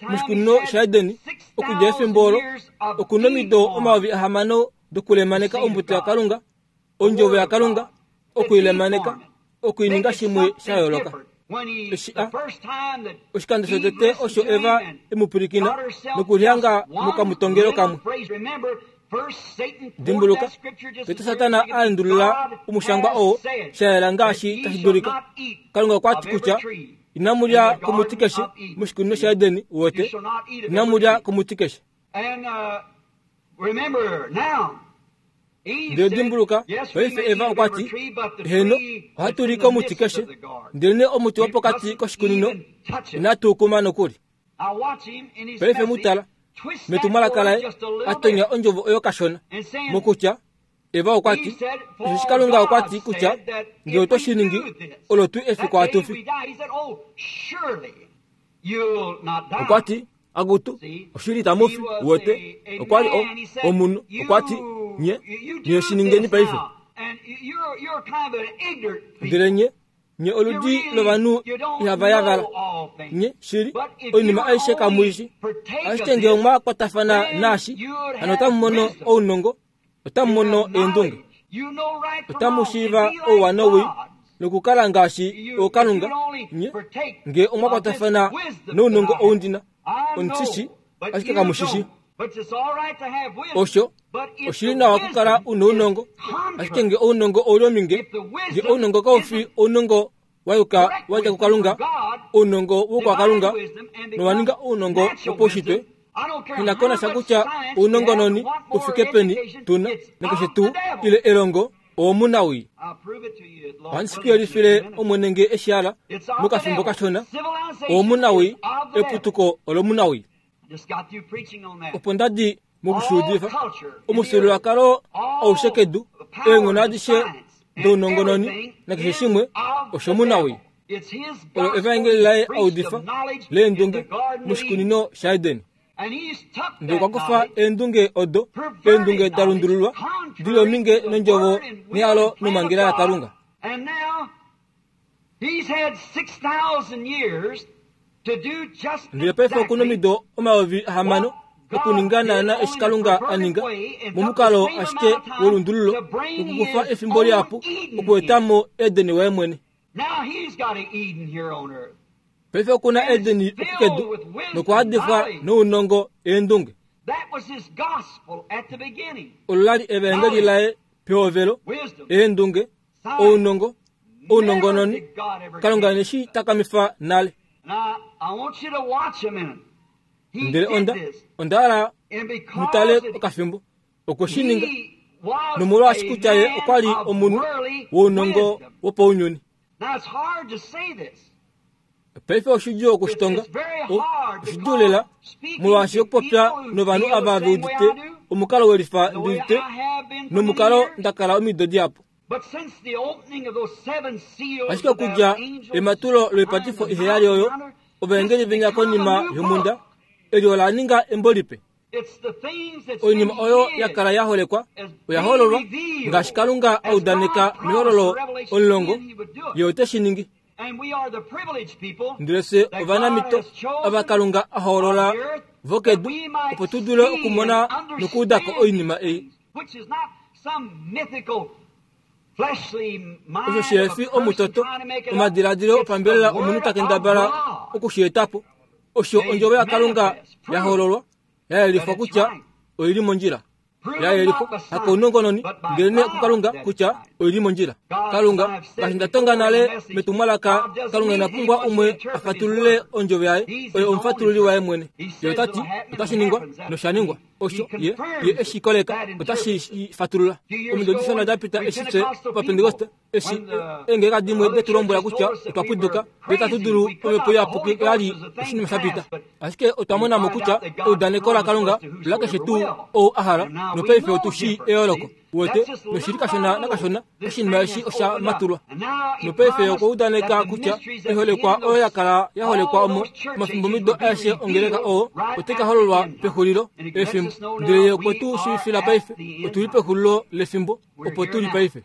moshikunino shaEdeni okudja efimbo olo okuna omido omayovi ahamano dokulemaneka ombuto yaKalunga, ondjovo yaKalunga okuilemaneka okuininga shimwe sha yooloka. Eshi a oshikando shotete osho Eva emupwilikina nokulihanga mokamutongelo kamwe. Dimbuluka, tete Satana a endulula omushangwa oo sha yela ngaashi tashi dulika. Kalunga okwa ti kutya inamulya komuti keshe moshikunino shaEdeni wote, inamulya komuti keshe. Ndele dimbuluka, paife Eva okwa ti, heno, ohatu li komuti keshe, ndelenee omuti wopokati koshikunino inatu kuma nokuli. Paife mutala, metumwalaka laye atonya ondjovo oyo kashona, mokutya Eva okwa ti, osheshi Kalunga okwa ti kutya ngee oto shi ningi, olo tuu efiku hatu fi. Okwa ti, akutu, oshili itamu fi, uwete. Okwa li omunhu, okwa ti, nye, nye shi ningeni paife. Ndele nye, nye oludi lovanhu ihava yavala. Nye, shili, oinima aishe kamu i shi. Ashike ngee omwa kwatafana naashi, hano otamu mono ounongo, otamu mono eendunge. Otamu shiiva ouwa nowii, nokukala ngaashi ookalunga. Nye, ngee omwa kwatafana nounongo ou ndina, omushishi, ashike kamu shishi. Osho, oshili nawa okukala una ounongo, ashike ngee ounongo ouli ominge, ngee ounongo kau fi ounongo wa yuka wa dja kuKalunga, ounongo wokwakalunga, nowa ninga ounongo wopaushitwe, inakona sha kutya ounongononi u fike peni tuna, nakeshe tuu ile elongo, owomunawii. Ohandi shi ku yelifile Omwene ngee eshi hala, mokafimbo kashona, owomunawii, eputuko olomunawii. Opo nda di mokushuudifa, omufyuululwakalo aushe kedu, eenghono adishe dounongononi nakeshe shimwe oshomunawii. Olo evaengeli laye audifa leendunge moshikunino shaEden. Ndele okwa kufa eendunge odo, eendunge da lundululwa, dili ominge nondjovo nehalo nomhangela yaKalunga. Ndele paife okuna omido omayovi ahamano okuninga naana eshi Kalunga a ninga, momukalo ashike wolundululo, nokukufa efimbo lihapu okuetamo Eden waye mwene. Paife okuna Edeni okukedu, nokuhadifwa nounongo eendunge. Olo lali evaengeli laye pehovelo, eendunge, ounongo, ounongononi, Kalunga neshi takamifa nale. Ndele onda, onda hala mutale okafimbo, okwe shi ninga, nomolwaashi kutya ye okwa li omunhu wounongo wopaunyuni. Paife oshidjuu okushitonga, oshidjuu lela, molwaashi okupopya novanhu ava ve udite omukalo welifa ndi udite nomukalo nda kala omido dihapu. Ashike okudja ematulo loipatifo iheyali oyo, ovaengeli venya konima yomhunda, eli ola ninga embo lipe. Oinima oyo ya kala ya holekwa oya hololwa, ngaashi Kalunga a udaneka mehololo omulongo, ye ote shi ningi. Ndele fye ovanamito ava Kalunga a hoolola vokedu, opo tu dule okumona nokuudako oinima ei. Osho shihefi omutoto, omadiladilo opambelela omunhu ta kendabala oku shi etapo, osho ondjovo yaKalunga ya hololwa, ya yelifwa kutya oili mondjila. Ya yelifwa hakounongononi, ndelenee kuKalunga kutya oili mondjila. Kalunga, ngaashi nda tonga nale metumwalaka, Kalunga ina pumbwa umwe a fatulule ondjovo yaye, oye omufatululi waye mwene. Ye ota ti, otashi ningwa, nosha ningwa. Osho ye, ye eshi koleka, otashi shi fatulula. Omido dishona da pita eshi fye Ovapentekoste, eshi eengeka dimwe detu lombwela kutya otwa puduka, ndele tatu dulu omhepo iyapuki oya li oshinima sha pita. Ashike otwa mona mo kutya eudaneko laKalunga olakeshe tuu ou a hala, nopaife otu shii eyooloko. Uwete, noshili kashona nakashona, oshinima eshi osha matulwa. Nopaife okwa udaneka kutya oiholekwa oyo ya kala ya holekwa omo omafimbomido aeshe ongeleka oo, otai ka hololwa pexulilo lefimbo. Ndele ye okwe tu shiivifila paife, otu li pexulilo lefimbo, opo tu li paife.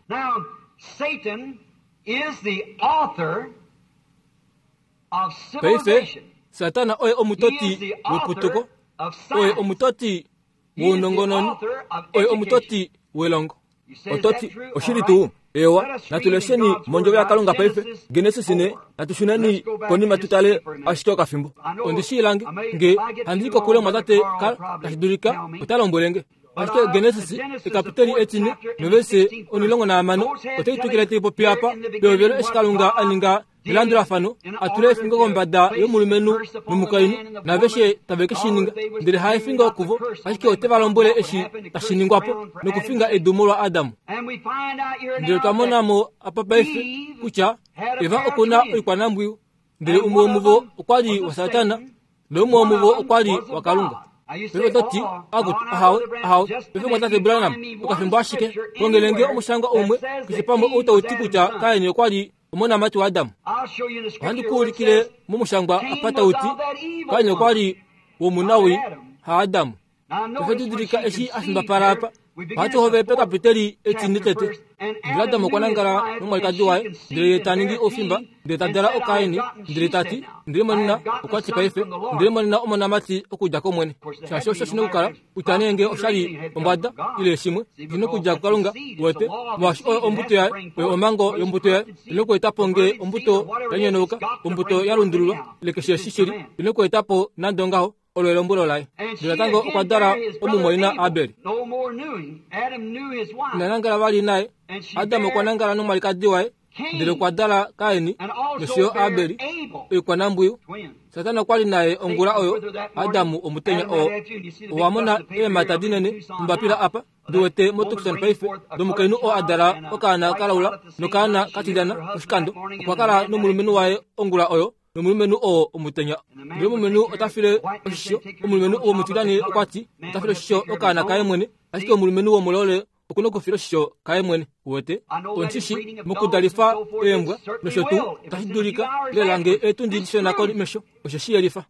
Paife, Satana oye omutoti weputuko, oye omutoti wounongononi, oye omutoti welongo. Ototi, oshili tuu, ewa, natu lesheni mondjovo yaKalunga paife, Genesis ne, natu shuneni konima tu tale ashike okafimbo. Ondi shiilange, nge handi kokule mwatate Carl, tashi dulika, ota lombwelenge. Ashike Genesis, ekapiteli etine, novese omulongo nahamano, otai twikile tai popi apa, pehovelo eshi Kalunga a ninga Elandulafano atule efingo kombada yomulumenhu nomukainhu naveshe tave ke shi ninga ndele ha efingo kuvo ashike ote va lombwele eshi tashi ningwapo nokufinga edu molwa Adamu. Ndele twa mona mo apa paife kutya Eva okuna oikwanambwiyu ndele umwe womuvo okwa li wa Satana noumwe womuvo okwa li wa Kalunga. Paife ototi akuti ahawe ahawe paife mwatate Branham okafimbo ashike kongelenge omushangwa umwe keshe pamwe ou tau ti kutya Kaini okwa li omonamati wa Adamu. Ohandi ku ulikile momushangwa apa tau ti Kaini okwa li womunawi ha Adamu. Paife didilika eshi a fimbapala apa ohatu hovele pekapiteli etine tete. Ndele Adamu okwa nangala nomwalikadi waye ndele ye ta ningi oufimba ndele ta dala oKaini ndele ta ti ndele monena okwa ti paife ndele monena omonamati okudja kOmwene. Shaashi osho shina okukala kutya nee nge oshali ombwada ile shimwe shina okudja kuKalunga wete molwaashi oyo ombuto yaye oyo omhango yombuto yaye ina okuetapo nge ombuto ya nyonauka ombuto ya lundululwa ile keshe eshi shili ina okuetapo nande ongaho olo elombwelo laye. Ndele natango okwa dala omumwaina Abel. Ina nangala vali naye. Adam okwa nangala nomwalikadi waye ndele okwa dala Kaini nosho yo Abel oikwanambwiyu. Satana okwa li naye ongula oyo Adamu omutenya oo. Owa mona eemhata dinene mombapila apa ndi wete moTucson paife domukainhu oo a dala okaana kalaula nokaana katilyana oshikando. Okwa kala nomulumenhu waye ongula oyo nomulumenhu oo omutenya. Ndele omulumenhu ota file oshisho omulumenhu womutilyane okwa ti ota file oshisho okaana kaye mwene ashike omulumenhu womulole okuna okufila oshisho kaye mwene. Wete ondishi mokudalifa eembwa nosho tuu otashi dulika lela nge eetundi dishona komesho osho shi yelifa.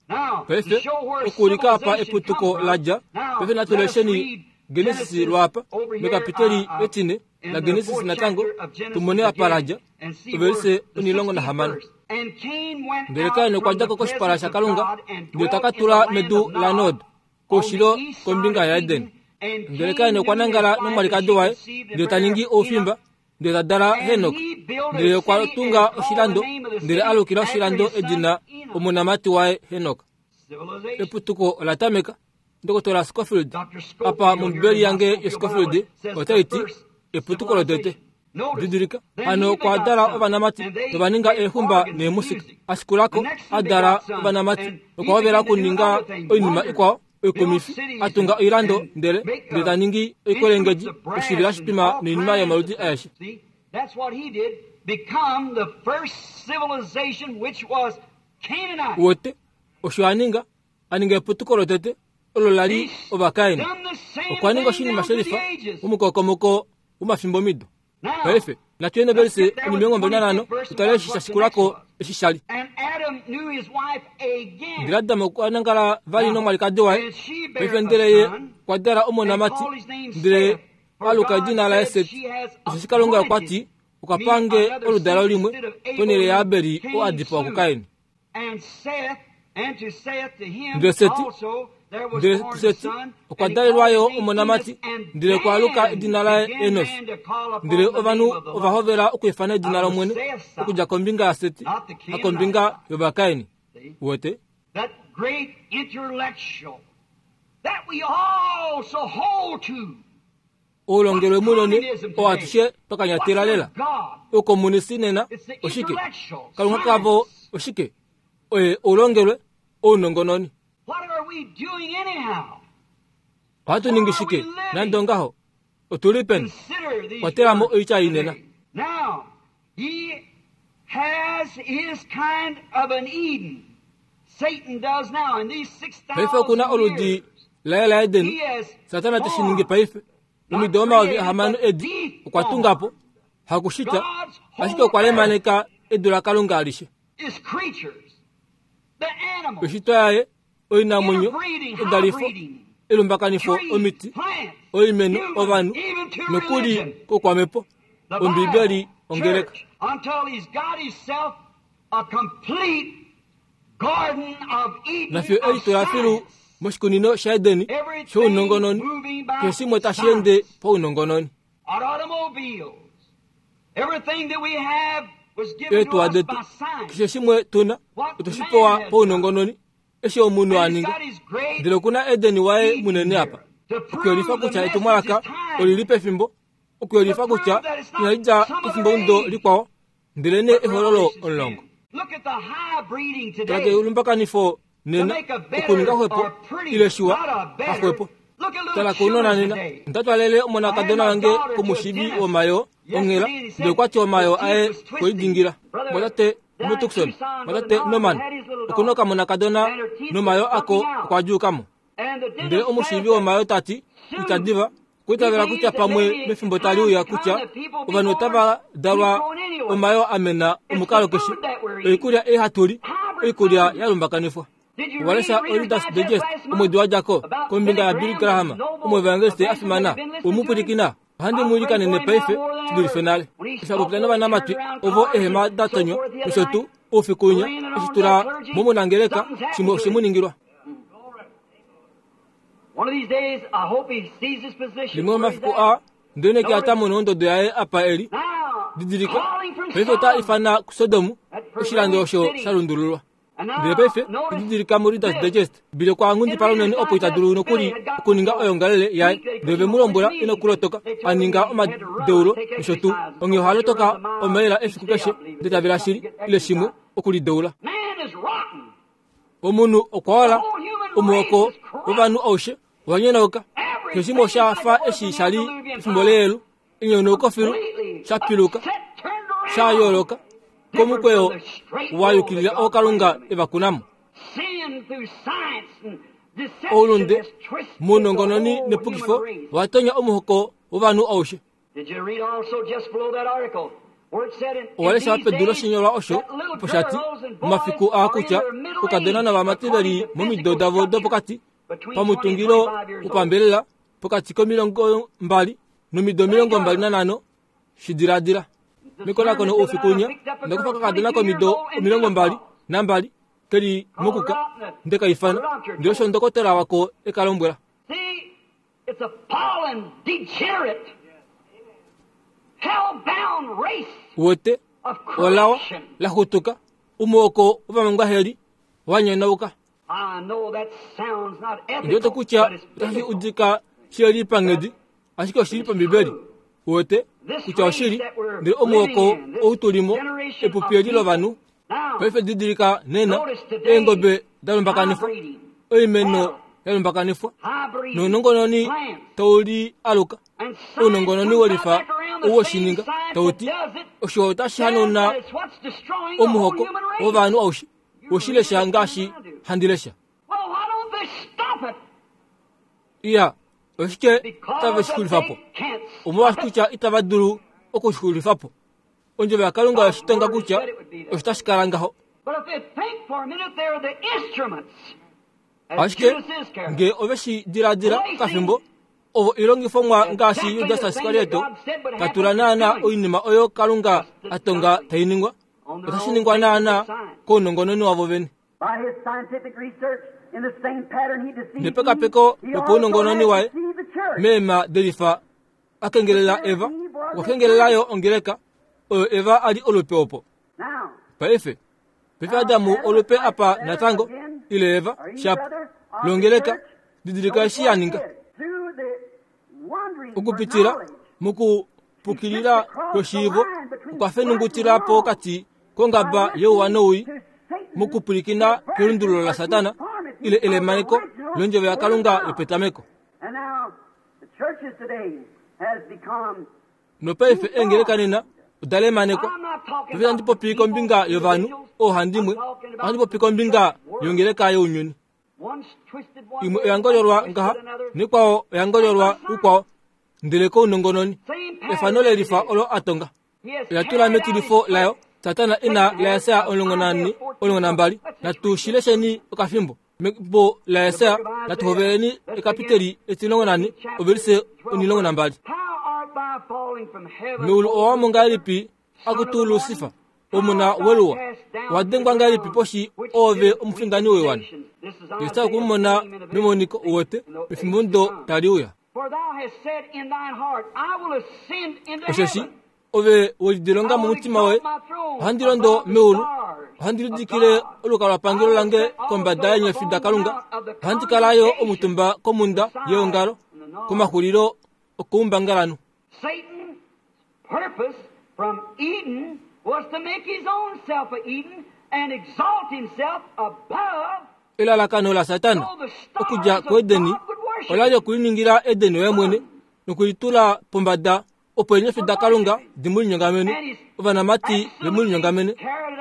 Paife okuulika apa eputuko la dja. Paife natu lesheni Genesis lwapa mekapiteli etine la Genesis natango tumone apa la dja ovelise omulongo nahamano. Ndele Kain okwa dja ko koshipala shaKalunga ndele ta ka tula medu laNod koushilo kombinga yaEden. Ndele Kain okwa nangala nomwalikadi waye ndele ta ningi oufimba ndele ta dala Henok. Ndele okwa tunga oshilando ndele a lukila oshilando edina omonamati waye Henok. Eputuko ola tameka. Ndokotola Scofield apa mombibeli yange yoScofield otai ti eputuko lotete. Didilika hano okwa dala ovanamati nova ninga eexumba neemusika. Ashikulako a dala ovanamati okwa hovela okuninga oinima ikwao oikomifi a tunga oilando ndele ndele ta ningi oikwelengedi oshivila shitwima noinima yomaludi aeshe. Wote osho a ninga a ninga eputuko lotete olo la li Ovakaini. Okwa ninga oshinima shelifa momukokomoko womafimbomido. Paife natu yeni ovelise omilongo mbali nanhano tutale eshi sha shikulako eshi sha li. Ndele Adamu okwa nangala vali nomwalikadi waye paife ndele ye okwa dala omonamati ndele a luka edina laye Seti. Osheshi Kalunga okwa ti okwa pange oludalo limwe ponhele yaAbeli oo a dipawa kuKaini. Ndele Seti ndele kuSeti okwa dalelwa yo omonamati ndele okwa luka edina laye Enos. Ndele ovanhu ova hovela okwiifana edina lOmwene okudja kombinga yaSeti hakombinga yOvakaini. Wete oulongelwe munene oo atushe twa kanyatela lela. Oukomunisi nena oshike? Kalunga kavo oshike? Oye oulongelwe ounongononi. Ohatu ningi shike nande ongaho? Otu li peni? Kwatela mo oitya inena. Paife okuna oludi laye laEden. Satana te shi ningi paife momido omayovi ahamano edi okwa tunga po hakushita ashike okwa lemaneka edu laKalunga alishe. Oishitwa yaye oinamwenyo edalifo elumbakanifo omiti oimeno ovanhu nokuli kokwamhepo Ombibeli ongeleka. Nafyo eli toya filu moshikunino shaEdeni shounongononi keshe shimwe tashi ende paunongononi. Eetuwa detu keshe shimwe tuna otoshi pewa paunongononi eshi omunhu a ninga. Ndele okuna Edeni waye munene apa okuyelifa kutya etumwalaka olili pefimbo, okuyelifa kutya inali dja kefimbomudo likwao, ndele nee ehololo omulongo. Tala kelumbakanifo nena okuninga xwepo ile shiwa haxwepo. Tala kounona nena. Ndatwalele omonakadona wange komushivi womayo onghela, ndele okwati omayo aye kwelidingila. Mwatate muTucson, mwatate Norman, okuna okamonakadona nomayo ako okwa djuukamo. Ndele omushivi womayo tati kutya diva okwiitavela kutya pamwe mefimbo tali uya kutya ovanhu otava dalwa omayo amena omukalo keshe. Oikulya ei hatu li, oikulya ya lumbakanifwa. Walesha Reader's Digest omwedi wa dja ko kombinga yaBilly Graham, omuevangeliste a fimana, womupwilikina. Ohandi mu ilikanene paife shi dulife nale. Eshi a popya novanamati ovo ehema da tonywa nosho tuu oufiku winya, eshi tula momunangeleka shimwe oshe mu ningilwa. Limwe lomafiku aa, ndeleneke ata mono ondodo yaye apa eli. Didilika, paife ota ifana kuSodom, oshilando osho sha lundululwa. Ndele paife didilika muReader's Digest, Billy okwa nghundipala unene opo ita dulu nokuli okuninga oyongalele yaye, ndele ve mu lombwela ina kulotoka, a ninga omadeulo nosho tuu. Onghee oha lotoka omaila efiku keshe, ndele ta vela shili ile shimwe okulideula. Omunhu okwa ola, omuhoko wovanhu aushe owa nyonauka. Keshe shimwe osha fa eshi sha li pefimbo leyelu, enyonauko filu, sha piluka, sha yooloka komukweyo wa yukilila oo Kalunga e va kunamo. Oulunde mounongononi nepukifo owa tonya omuhoko wovanhu aushe. Owalesha pedu loshinyolwa osho opo sha ti momafiku aa kutya oukadona novamati ve li momido davo dopokati pamutungilo wopambelela pokati komilongo mbali nomido omilongo mbali nanhano. Shi diladila. Mekonakono oufiku winya, onda kufa okakadona komido omilongo mbali nambali ke li mokuka, nde ka ifana, ndele osho ndokotola wako e ka lombwela. Uwete, olawa laxutuka, omuhoko wovamangwaheli wa nyonauka. Ndiwete kutya otashi udika shili panghedi, ashike oshili pambibeli. Uwete kutya oshili, ndele omuhoko ou tu limo epupi eli lovanhu. Paife didilika nena eengobe da lumbakanifwa, oimeno ya lumbakanifwa, nounongononi tau li aluka. Ounongononi welifa ou woshininga tau ti osho otashi hanauna omuhoko wovanhu aushe. Woshilesha ngaashi handi lesha. Iya, oshike tave shi xulifa po? Omolwaashi kutya itava dulu okushi xulifa po. Ondjovo yaKalunga yoshitonga kutya osho tashi kala ngaho. Ashike ngee ove shi diladila okafimbo, ovo oilongifomwa ngaashi Judas Iskariote ta tula naana oinima oyo Kalunga a tonga tai ningwa, otashi ningwa naana kounongononi wavo vene. Nepekapeko lopaunongononi waye meema delifa a kengelela Eva, okwa kengelela yo ongeleka oyo Eva a li olupe opo. Paife, paife Adamu olupe apa natango, ile Eva, shap, longeleka, didilika eshi ya ninga. Okupitila mokupukilila kweshiivo, okwa fenungutila pokati kongaba youwa noui, mokupwilikina kelundululo laSatana, ile elemaneko londjovo yaKalunga yopetameko. Nopaife eengeleka nena oda lemanekwa. Paife itandi popi kombinga yovanhu oohandimwe, ohandi popi kombinga yongeleka younyuni. Imwe oya ngololwa ngaha, nekwao oya ngololwa ukwao, ndele kounongononi efano lelifa olo a tonga. Oya tula metilifo layo Satana ina laEsaya omulongo nane omulongo nambali. Natu shi lesheni okafimbo. Membo laEsaya natu hoveleni ekapiteli etimulongo nane ovelise omulongo nambali. Meulu owa mo ngahelipi akutu Lusifa, omuna weluwa, owa dengwa ngahelipi poshi oove omufindani woiwana. Yesa okumumona memoniko uwete mefimbo ndo tali uya. Osheshi ove welidilonga momutima woye, ohandi londo meulu, ohandi lidikile olukalwapangelo lange kombada yeenyofi daKalunga, ohandi kala yo omutumba komhunda yeongalo, komaxulilo okoumbangalanhu. Satan's purpose from Eden was to make his own self a Eden Elalakano laSatana okudja kuEdeni ola li okuliningila Edeni waye mwene nokulitula pombada opo eenyofi daKalunga di mu linyongamene, ovanamati ve mu linyongamene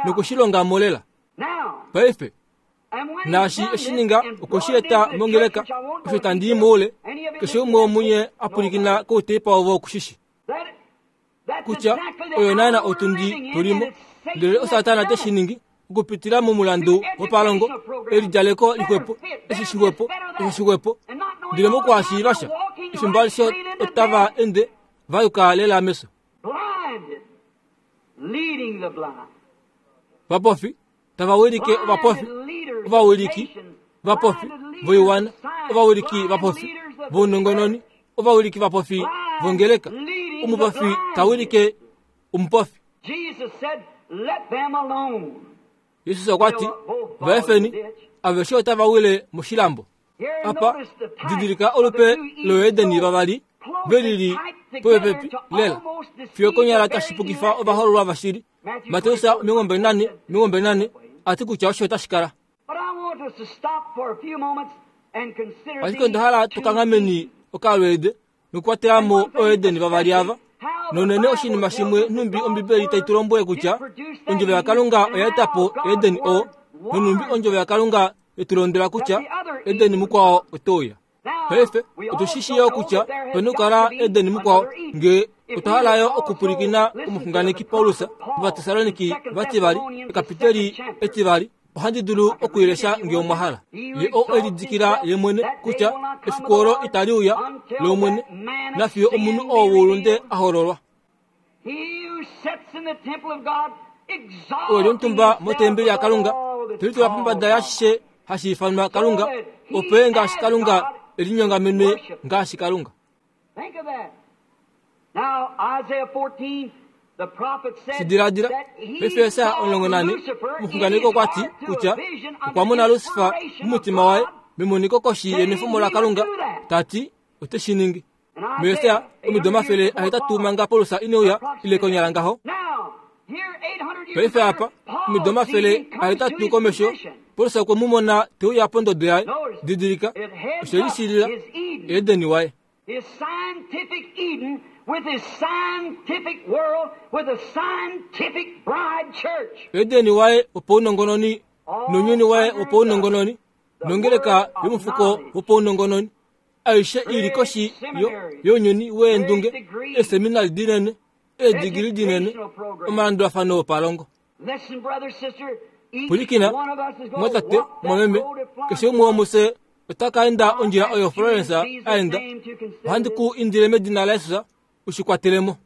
nokushilonga mo lela. Paife naashi eshi ninga okushieta mongeleka osho tandi i moule, keshe umwe womunye a pwilikina kouteipa ovo okushishi kutya oyo naana otundi tulimo, ndele oSatana te shi ningi okupitila momulandu wopalongo, elidjaleko lixwepo, eshi shixwepo, eshi shixwepo, ndele mokuhashiiva sha efimbo alishe otava ende va yuka lela meso. Vapofi tava wilike ovapofi, ovawiliki vapofi voiwana, ovawiliki vapofi vounongononi, ovawiliki vapofi vongeleka, omupofi ta wilike omupofi. Jesus okwa ti, vaefeni aveshe otava wile moshilambo. Apa didilika olupe loedeni vavali velili popepi lela fiyo konyala tashi pukifa ovahololwa vashili. Mateus omilongo nane omilongo nane ati kutya osho otashi kala. Ashike onda hala tukanghameni okalweede nokukwatela mo oedeni vavali ava. Nonene oshinima shimwe nhumbi Ombibeli tai tu lombwele kutya ondjovo yaKalunga oya eta po Edeni oo, nonhumbi ondjovo yaKalunga yetulondwela kutya Edeni mukwao otouya. Paife otu shi yo kutya pena okukala Edeni mukwao ngee otwa hala yo okupwilikina komuxunganeki Paulus mOvatesaloniki vativali ekapiteli etivali. Ohandi dulu okuilesha ngee omwa hala. Ye oo elidikila ye mwene kutya efiku olo itali uya lOmwene nafiyo omunhu oo woulunde a hololwa. Oo eli omutumba motembeli yaKalunga telitula pombada yaashishe hashi ifanwa Kalunga, opo ye ngaashi Kalunga elinyongamenwe ngaashi Kalunga. Shidiladila paife Esaya omulongo nane omuxunganeki okwa ti kutya okwa mona Lusifa momutima waye memoniko koshi yenwefomo laKalunga ta ti ote shi ningi. MuEsaya omido omafele ahetatu manga Paulus ine uya ile konyala ngaho. Paife apa omido omafele ahetatu komesho Paulus okwe mu mona te uya pondodo yaye. Didilika oshe lishilila Edeni waye. His scientific Eden with his scientific world, with a scientific bride church. Edeni waye wopaunongononi nounyuni waye wopaunongononi nongeleka yomufuko wopaunongononi aishe ili koshi younyuni weendunge, eeseminari dinene, eedigili dinene, omalandulafano opalongo. Pwilikina, mwatate, mwameme, keshe umwe womufye otaka enda ondjila oyo Florence a enda. Ohandi ku indile medina laJesus ushikwatelemo.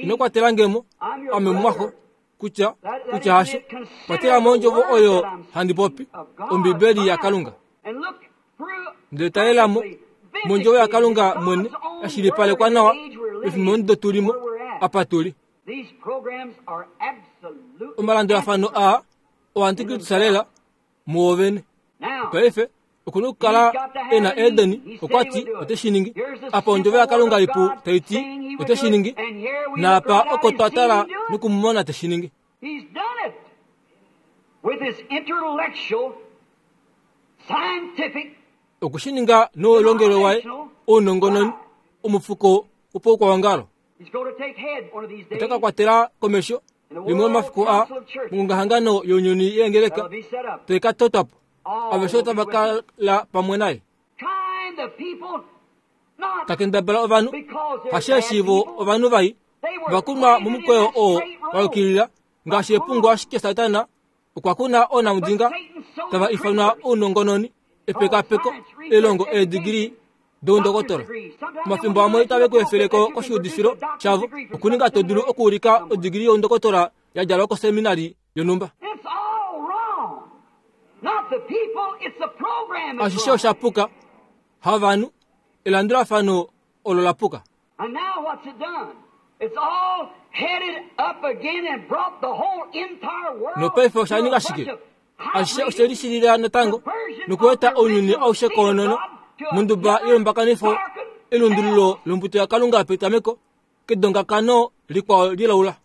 Ino kwatela ngemo ame mumwaxo kutya kutya hasho. Kwatelamo ondjovo oyo handi popi, Ombibeli yaKalunga. Ndele talelamo mondjovo yaKalunga mwene yashilipalekwa nawa pefimbo omudo tulimo apa tuli. Omalandulafano aa oantikristu lela muwovene. Paife okuna okukala e na Edeni okwa ti ote shi ningi. Apa ondjovo yaKalunga ipu tai ti ote shi ningi, naapa oko twa tala nokumumona te shi ningi. Okushininga noulongelwe waye ounongononi omufuko wopaukwaongalo. Ota ka kwatela komesho limwe lomafiku aa mongongahangano younyuni yeengeleka tai ka totwa po. Aveshe otava kala pamwe naye. Takendabala ovanhu hasheeshi vo ovanhu vai vakunwa momukweyo oo wa yukilila ngaashi epungo, ashike Satana okwa kuna oonamudinga tava ifanwa ounongononi, epekapeko, elongo, eedigili doundokotola. Omafimbo amwe itave ku efeleko koshiudifilo shavo okuninga to dulu okuulika odigili youndokotola ya djalwa koseminari yonhumba. Ashishe osha puka, havanhu, elandulafano olo la puka. Nopaife osha ninga shike? Ashishe oshe lishilila natango nokueta ounyuni aushe koonono monduba yelombakanifo elundululo lombuto yaKalunga petameko kedongakano likwao lilaula.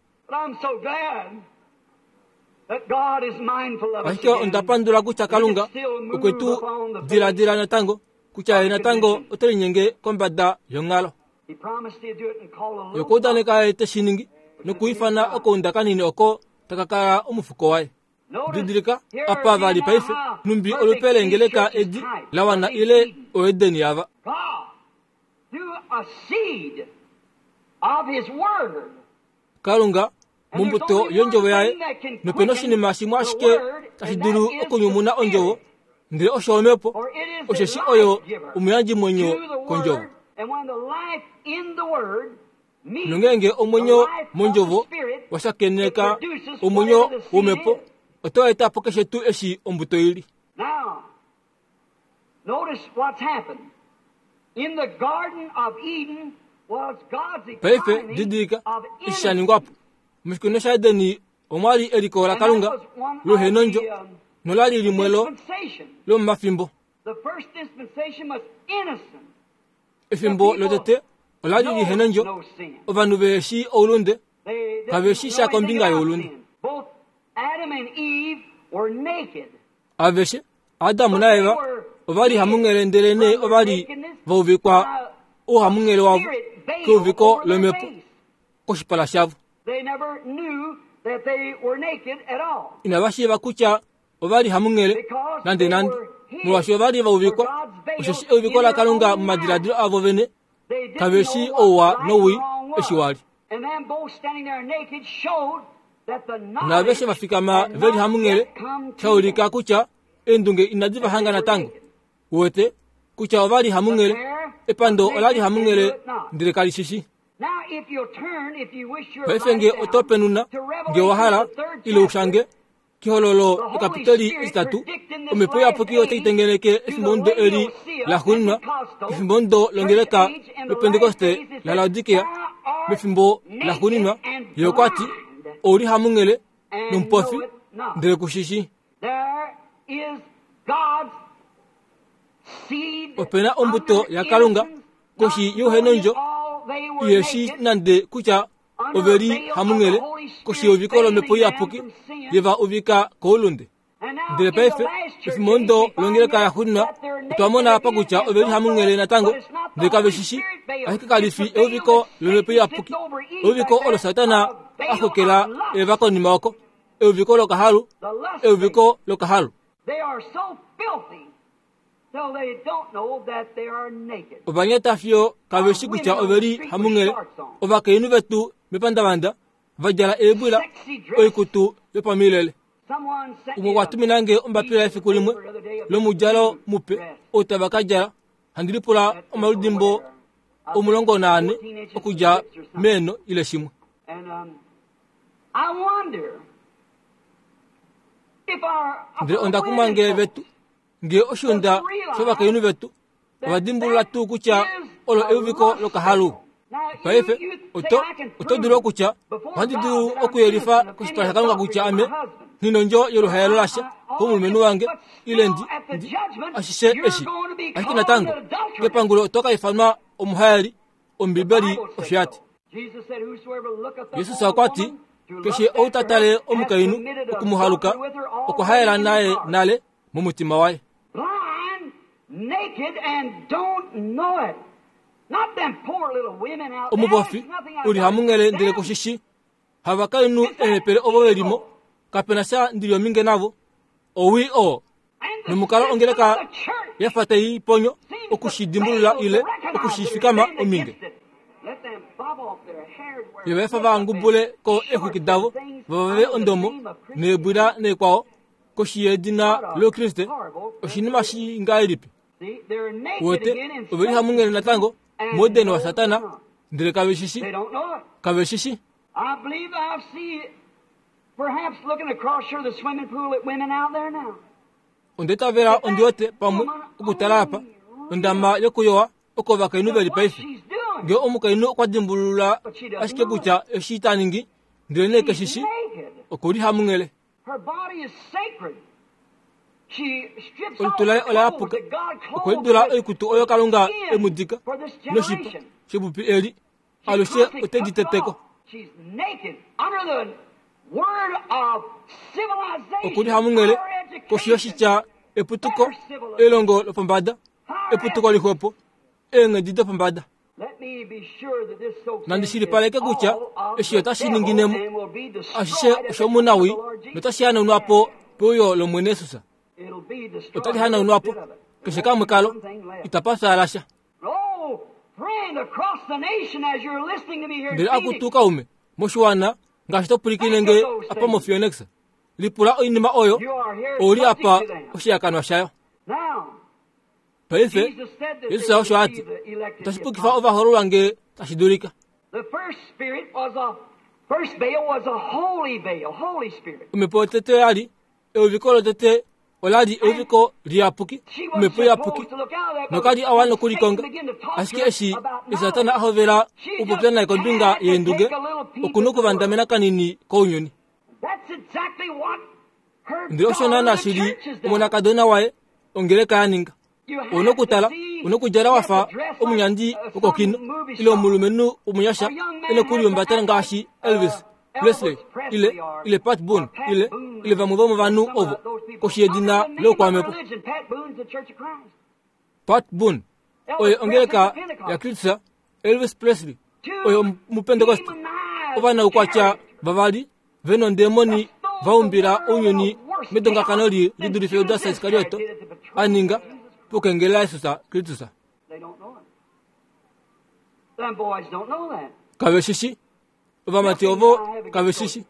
Ashike onda pandula kutya Kalunga okwe tu diladila natango kutya ye natango ote linyenge kombada yonghalo. Ye okwa udaneka ye te shi ningi nokuifana okaunda kanini oko taka kala omufuko waye. Didilika apa vali paife numbi olupe leengeleka edi la wana ile oEden yava. Kalunga mombuto yondjovo yaye nopena oshinima shimwe ashike tashi dulu okunyumuna ondjovo ndele osho omhepo, osheshi oyo omuyandjimwenyo kondjovo. Nongeenge omwenyo mondjovo washakeneka omwenyo womhepo, oto eta po keshe tuu eshi ombuto ili. Paife didilika eshi sha ningwa po. Moshikunino shaEdeni omwa li eliko laKalunga lohenondjo nolali limwe lo lomomafimbo. Efimbo lotete olali lihenondjo, ovanhu veheshi oulunde, kaveshi sha kombinga youlunde. Aveshe Adamu naEva ovali hamunghele, ndelenee ovali vauvikwa ouhamunghele wavo keuviko lomhepo koshipala shavo. Inava shiiva kutya ovali hamunghele nande nande, molwaashi ovali vauvikwa, osheshi euviko laKalunga momadiladilo avo vene kaveshi ouwa nowii eshi wali. Naaveshe vafikama veli hamunghele shaulika kutya eendunge inadi vahanga natango. Uwete kutya ovali hamunghele, epando olali hamunghele ndele kali shishi. Paife nge oto penuna nge owa hala ile ushange kehololo ekapiteli etitatu, omhepo iyapuki otai tengeneke efimbo eli laxuuninwa, efimbo longeleka loPentekoste laLaodikea, mefimbo laxuuninwa. Ye okwa ti, ouli hamunghele nomupofi ndele kushishi. Opena ombuto yaKalunga koshi youhenondjo iheshi nande kutya oveli hamunghele koshi yeuviko lomhepo iyapuki yeva uvika koulunde. Ndele paife efimbo longeleka yaxuuninwa otwa mona apa kutya oveli hamunghele natango ndele kaveshishi, ashike kalifi euviko lomhepo iyapuki, euviko olo Satana a xokela Eva konima oko, euviko lokahalu, euviko lokahalu. Ovanyata fiyo kaveshi kutya oveli hamunghele. Ovakainhu vetu mepandavanda va djala eebwila, oikutu yopamilele. Umwe okwa tuminange ombapila efiku limwe lomudjalo mupe ou tava ka djala, handi lipula omaludimbo omulongo naane okudja meeno ile shimwe. Ndele onda kumwa nge vetu nge oshiunda shovakainhu vetu ovadimbulula tuu kutya olo euviko lokahalu. Paife oto oto dulu okutya ohandi dulu okuyelifa koshipala shaKalunga kutya ame nghinondjo yoluhaelo lasha komulumenhu wange ile ndi ashishe eshi, ashike natango kepangulo oto ka ifanwa omuhaeli. Ombibeli osho yati. Jesus okwa ti keshe ou ta tale omukainhu okumuhaluka okwa haela naye nale momutima waye. Omupofi uli hamunghele ndele kushishi, havakainhu eehepele ovo velimo, kapena sha ndili ominge navo, owii oo. Nomukalo ongeleka yafa tai ponyo okushidimbulula ile okushifikama ominge. Ye vaefa vangubule ko eexwiki davo vavave ondomo neebwila neekwao koshi yedina loKriste. Oshinima shingahelipi? Uwete oveli hamunghele natango moudeni waSatana ndele kaveshishi, kaveshishi. Ondetavela ondiwete pamwe okutala apa ondama yokuyowa oko ovakainhu veli paife. Nge omukainhu okwa dimbulula ashike kutya eshi ta ningi ndele nee keshishi, okuli hamunghele. Olutu laye ola yapuka, okwe lidula oikutu oyo Kalunga emudika noshipa shepupi eli alushe ote di teteko. Okuli hamunghele koshi yoshitya eputuko elongo lopombada eputuko lixwepo eenghedi dopombada. Nandi shilipaleke kutya eshi otashi ninginemo ashishe oshomunawi notashi hanaunwapo peuyo lOmwene Jesus. Otali hanaunwapo keshe kamwe kalo itapa fyaala sha. Ndele akutu kaume moshiwana ngaashi to pwilikine nge apa moPhoenix, lipula oinima oyo ouli apa oshihakanwa shayo. Paife Jesus osho ati otashi pukifa ovahoololwa nge tashi dulika. Omhepo yotete oyali euviko lotete olali euviko liyapuki, omhepo iyapuki, nokali a wana okulikonga. Ashike eshi Satana a hovela okupopya naye kombinga yeendunge, okuna okuvandamena kanini kounyuni. Ndele osho naana shili omonakadona waye ongeleka ya ninga. Ouna okutala, ouna okudjala wafa omunyandi wokokino ile omulumenhu womunyasha ene okulihumbata ngaashi Elvis Presley ile ile Pat Boone ile ile vamwe vomovanhu ovo koshi yedina loukwamhepo. Pat Boone oye ongeleka yaKristus, Elvis Presley oye omupentekoste. Ovanaukwatya vavali vena ondemoni vaumbila ounyuni medongakano li lidulife Judas Iskarioto a ninga pokengelela Jesus Kristus. Kave shishi ovamati ovo kave shishi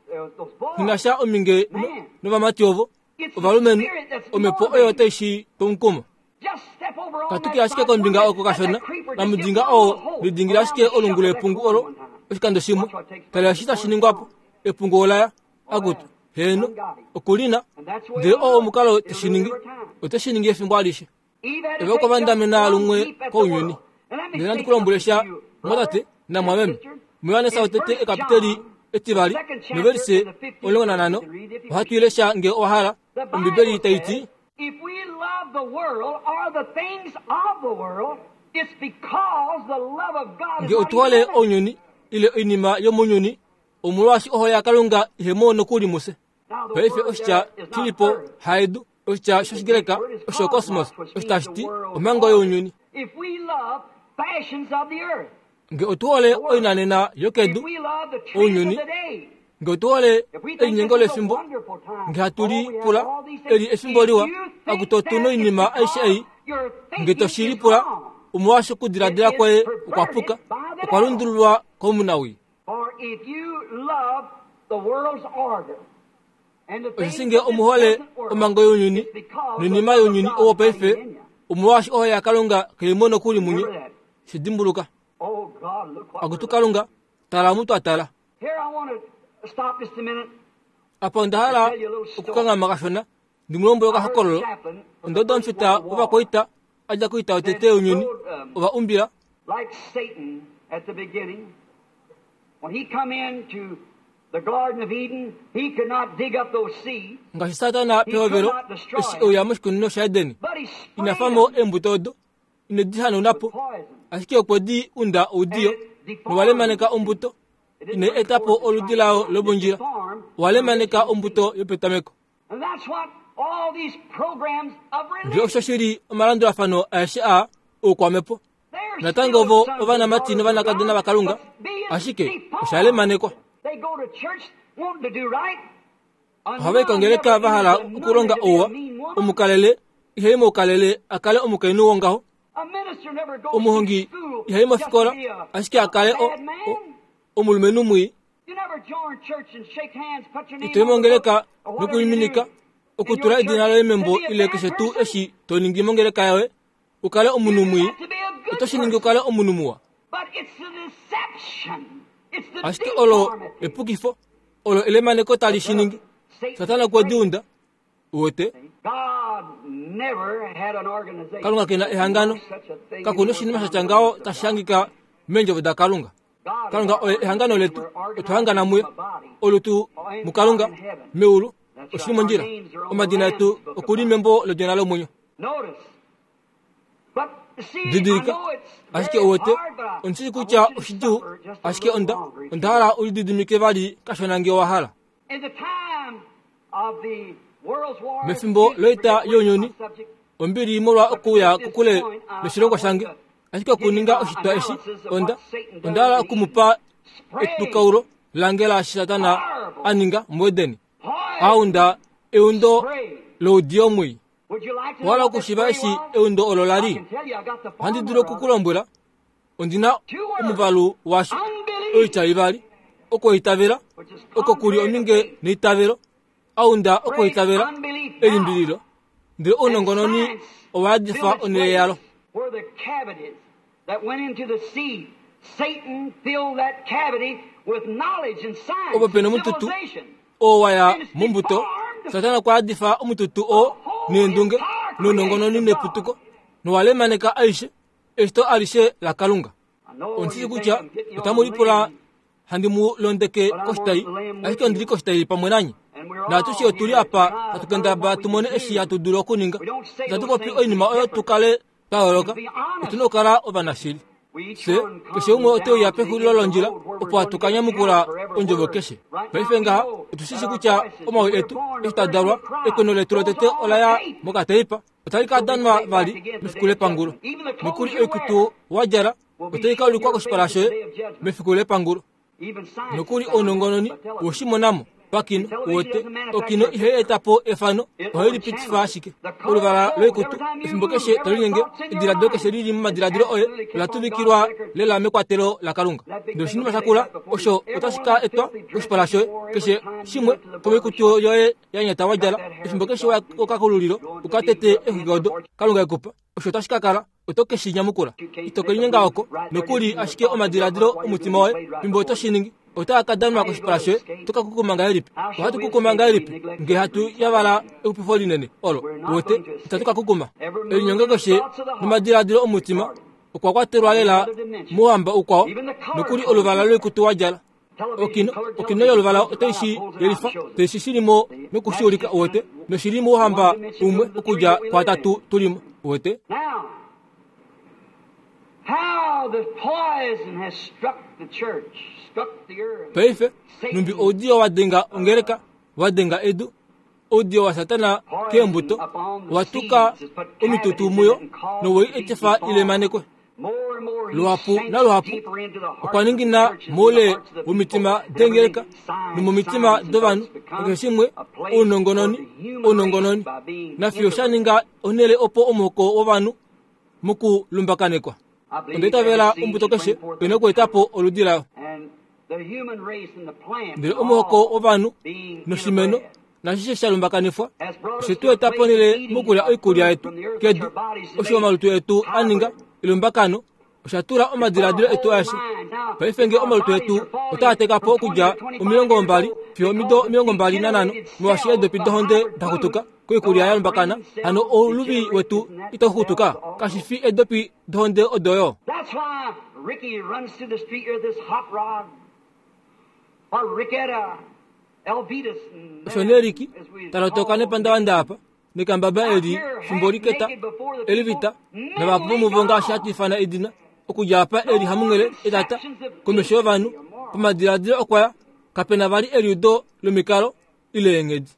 inasha ominge novamati ovo ovalumenhu omhepo oyo otai shi tomukumo. Katuki ashike kombinga oko kashona namudinga oo lidingila ashike olungu lepungu olo oshikando shimwe. Tala eshi tashi ningwapo epungu olaya akutu heno okulina ndele oo omukalo teshi ningi oteshi ningi efimbo alishe. Eva okwa vandamena lumwe kounyuni. Ndele nandi kulombwele sha mwatate namwameme muYohanesa wotete ekapiteli etivali novelise omulongo nanhano ohatu ilesha nge owa hala. Ombibeli tai ti nge otu hole ounyuni ile oinima yomounyuni omolwaashi ohole yaKalunga ihemo nokuli muse. Paife oshitya shilipo haedu oshitya shOshigreka osho cosmos osho tashi ti omhango younyuni. Nge otu hole oinanena yokedu ounyuni, nge otu hole elinyengo lefimbo, nge hatu lipula eli efimbo liwa akutu otu noinima aishe ei, nge toshi lipula omolwaashi okudiladila kwoye okwa puka, okwa lundululwa komunawii. Osheshi nge omuhole omhango younyuni noinima younyuni owo paife, omolwaashi ohole yaKalunga kaimo nokuli munye. Shi dimbuluka. Akutu Kalunga, tala omu twa tala. Apa onda hala okukanghama kashona ndi mu lombwele okahokololo. Ondodo omufita wovakwaita a dja koita yotete younyuni ova umbila ngaashi Satana pehovelo eshi euya moshikunino shaEden, ina famo eembuto odo ine di hanaunapo, ashike okwe di unda oudiyo nowalemaneka ombuto ine etapo oludi layo lomondjila, owalemaneka ombuto yopetameko. Ndele osho shili omalandulafano aeshe aa oukwamhepo. Natango ovo ovanamati novanakadona vaKalunga, ashike oshalemanekwa. Ohava i kongeleka va hala okulonga ouwa, omukalele ihai moukalele a kale omukainhu wongaho, omuhongi ihai mofikola ashike a kale omulumenhu mwii. Ito i mongeleka nokuliminika okutula edina loye membo ile keshe tuu eshi to ningi mongeleka yoye u kale omunhu mwii, oto shi ningi u kale omunhu muwa. Ashike olo epukifo, olo elemaneko tali shi ningi. Satana okwe di unda. Uwete? Kalunga kena ehangano. Kakuna oshinima shatya ngaho tashi hangika meendjovo daKalunga. Kalunga oye ehangano letu, otwa hangana muye. Olutu muKalunga meulu oshili mondjila. Omadina etu okuli membo lodina lomwenyo. Didilika, ashike uwete, ondishi kutya oshidjuu, ashike onda onda hala ulididimike vali kashona nge owa hala. Mefimbo loita younyuni ombili molwa okuya kokule noshilongo shange, ashike okuninga oshitwa eshi onda onda hala okumupa etukaulo lange laashi Satana a ninga muEdeni, aunda eundo loudiyo mwii. Owahala okushiiva eshi eundo olo lali? Ohandi dulu okukulombwela, ondina omuvalu washo oitya ivali, okwoitavela oko kuli ominge neitavelo, aunda okwoitavela elimbililo, ndele ounongononi owa yadifa onhele yalo. Opo pena omututu oo waya mombuto, Satana okwa yadifa omututu oo neendunge nounongononi neputuko, nowalemaneka aishe eshito alishe laKalunga. Ondishishi kutya otamu lipula handi mu londeke koshitai, ashike ondili koshitai pamwe nanye. Naatushe otuli apa hatu kendabala tumone eshi hatu dulu okuninga. Itatu popi oinima oyo tu kale twa yooloka, otuna okukala ovanashili. Fye keshe umwe oteuya pexulilo londjila opo hatu ka nyamukula ondjovo keshe. Paife ngaha otushishi kutya omawi etu eshi twa dalwa, ekweno letu lotete ola ya mokateipa, otali ka danwa vali mefiku lepangulo. Nokuli oikutu wa djala otai ka ulikwa koshipala shoye mefiku lepangulo. Nokuli ounongononi woshimonamo pakino wote okino ihai eta po efano, ohai lipitifa ashike. Oluvala loikutu efimbo keshe tolinyenge, ediladilo keshe lili momadiladilo oye ola tuvikilwa lela mekwatelo laKalunga. Ndele oshinima shakula osho otashi ka etwa koshipala shoye keshe shimwe komoikutu yoye ya nyata wa djala efimbo keshe waya kokakululilo ukatete exwiki odo Kalunga ekupa, osho otashi ka kala oto keshi nyamukula. Ito kelinyenga oko nokuli ashike omadiladilo omutima woye fimbo oto shi ningi otaa ka danwa koshipala shoye. Oto ka kukuma ngahelipi? Ohatu kukuma ngahelipi ngee hatu yavala exupifo linene olo? Wote itatu ka kukuma. Elinyongo keshe nomadiladilo omutima okwa kwatelwa lela mouhamba ukwao, nokuli oluvala loikutu wa djala. Okino okino yoluvala otai shi yelifa, tai shi shilimo nokushiulika wote, noshili mouhamba umwe okudja kwatatu tulimo wote. Paife numbi oudiyo wa denga ongeleka, wa denga edu, oudiyo wa Satana keembuto watuka omitutu muyo nowei etifa ilemanekwe. Luhapu naluhapu okwa ningina moule womitima dengeleka nomomitima dovanhu nakeshe shimwe ounongononi ounongononi nafiyo sha ninga onhele opo omuhoko wovanhu mokulumbakanekwa. Onda itavela ombuto keshe oina okueta po oludi layo. Ndele omuhoko wovanhu noshimeno nashishe sha lumbakanifwa oshe tu eta ponhele mokulya oikulya yetu kedu, osho omalutu etu a ninga elumbakano osha tula omadiladilo etu aeshe. Paife ngee omalutu etu otaa teka po okudja omilongo mbali fiyo omido omilongo mbali nanhano molwaashi eedopi dohonde da xutuka koikulya ya lumbakana, hano ouluvi wetu itau xutuka, kashi fi eedopi dohonde odo yo. Osho nee Riki talotoka nepandavanda apa nekambaba eli fimbo liketa elivita navahapu vomuvo ngaashi hatu ifana edina okudja apa eli hamunghele etata komesho yovanhu pamadiladilo okwaya kapena vali eliudo lomikalo ile eenghedi.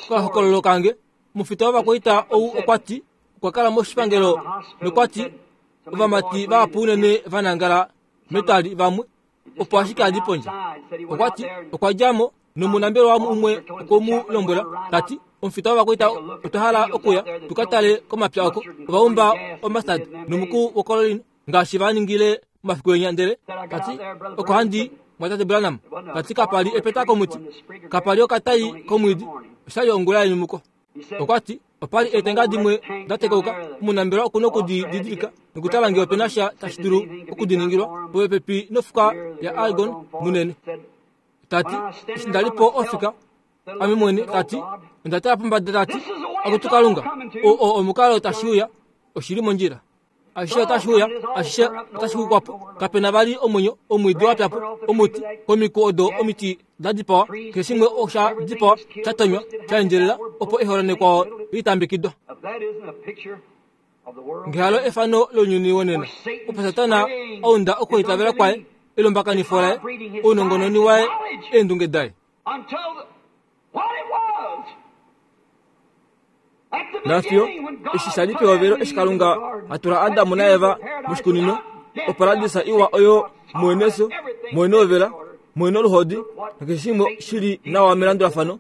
Kokahokololo kange omufita wovakwaita ou okwa ti okwa kala moshipangelo nokwa ti ovamati vahapu unene va nangala metwali vamwe opo ashike adi pondje. Okwa ti okwa dja mo nomunambelwa umwe okwe mu lombwela tati omufita wovakwaita otwa hala okuya tuka tale komapya oko ovaumba omastad nomuku wokololini ngaashi va ningile momafiku enya. Ndele tati oko handi mwatate Branham tati kapali epeta komuti, kapali okatai komwiidi, oshali ongula yenyumuko. Okwa ti opali eetenga dimwe da tekauka, omunambelwa okuna okudididilika nokutala ngee opena sha tashi dulu okudiningilwa popepi nofuka ya Argon munene. Tati eshi ndali po ofika ame mwene, tati onda tala pombada, tati akutu Kalunga, oo omukalo tashi uya oshili mondjila. Ashishe otashi uya, ashishe otashi xukwa po, kapena vali omwenyo, omwiidi wa pya po, omuti komiku odo omiti da dipawa, keshe shimwe osha dipawa, sha tonywa, sha endjelela opo eholonekwawo litambekidwa. Ngehalo efano lounyuni wonena opo Satana aunda okwoitavela kwaye, elumbakanifo laye, ounongononi waye, eendunge daye. Nafyo eshi shali pehovelo eshi Kalunga atula Adamu naEva moshikunino, oparadisa iwa oyo mueneso, muenovela, muenoluhodi, nakeshe shimwe shili nawa melandulafano.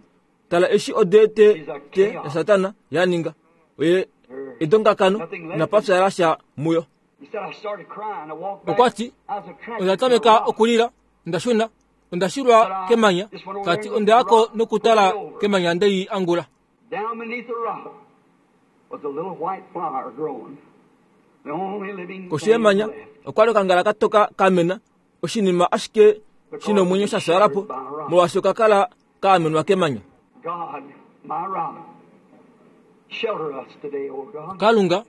Tala eshi odete te ya Satana yaninga oye edongakano napafya lasha muyo. Okwati ondatameka okulila, ondashuna, ondashilwa kemanya, kati ondeyako nokutala kemanya ndei angula. Down beneath the rock was a little white flower growing. The only living Koshi yemanya okwali okangala katoka kamena, oshinima ashike shina omwenyo shasalapo molwaashi okakala kaamenwa kemanya. God, my rock, shelter us today, O God. Kalunga,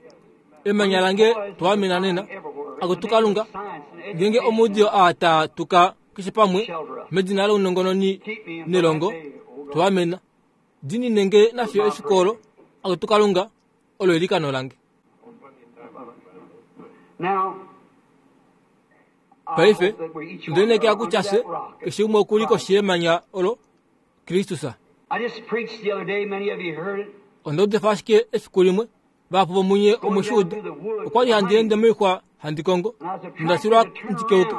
emanya lange twamena nena, akutu Kalunga, ngenge omudio ata tuka keshe pamwe medina lounongononi nelongo twamena. Dini nenge nafyo efikolo akutu Kalunga olo elikano lange. Now, Paife ndineke akuchase keshe umwe okuli koshi yemanya olo Kristus. I just preached the other day, many of you heard it. Ondodefa ashike efiku limwe vapo vomunye omushuda okwali handiende moixwa handikongo ndashilwa ndikeuke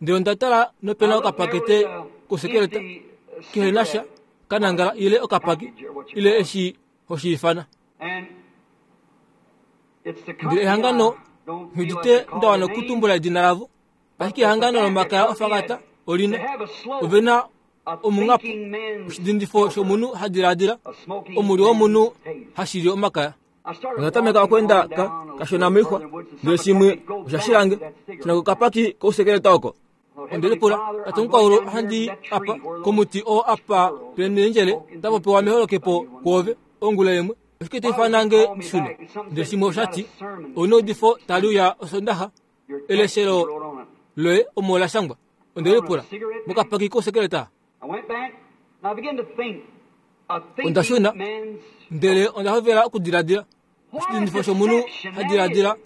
ndele ondatala nopena okapakete kosekeleta kehenasha kanangala ile okapaki ile eshi hoshiifana. And it's the Ndele company ehangano I don't feel nghidite like to call ndawana the name, okutumbula edina lavo, ashike ehangano lomakaya ofakata olina ovena omung'apo oshidindifo shomunhu hadiladila omuli womunhu hashili omakaya. Ondatameka okwenda ka kashona moixwa ndele shimwe oshashilange shina kokapaki kousekeleta oko. Ondelipula tate omukwaulu handi apa komuti oo apa penendjele tapopewa meholokepo kwoove ongula imwe oshike taifanange shune. Ndele shimwe oshati ouna eudifo tali uya osondaxa eleshelo loye omo la shangwa. Ondelipula mokapaki kousekeleta. I went back and I began to think. A thinking Ondashuna man's ndele ondahovela okudiladila oshidindifo shomunhu hadiladila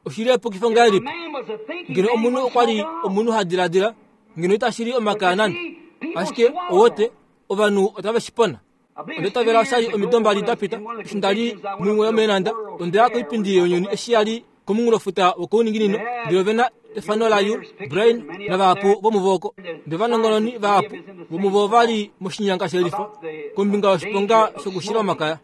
oshili epukifo ngahelipi. man was a thinking Ngeno man, omunhu he okwali would smoke it all. omunhu hadiladila ngeno itashili omakaya nande, ashike owote ovanhu otave shipona. Ondetavela oshali omido mbali dapita eshi ndali muimwe yomeenanda ondeya koipindi younyuni eshi yali komunghulofuta wokouninginino, ndele ovena efano layu Brian navahapu vomuvo oko. Ndele ovanongononi vahapu vomuvo ovali moshinyanga shelifo kombinga yoshiponga shokushila omakaya.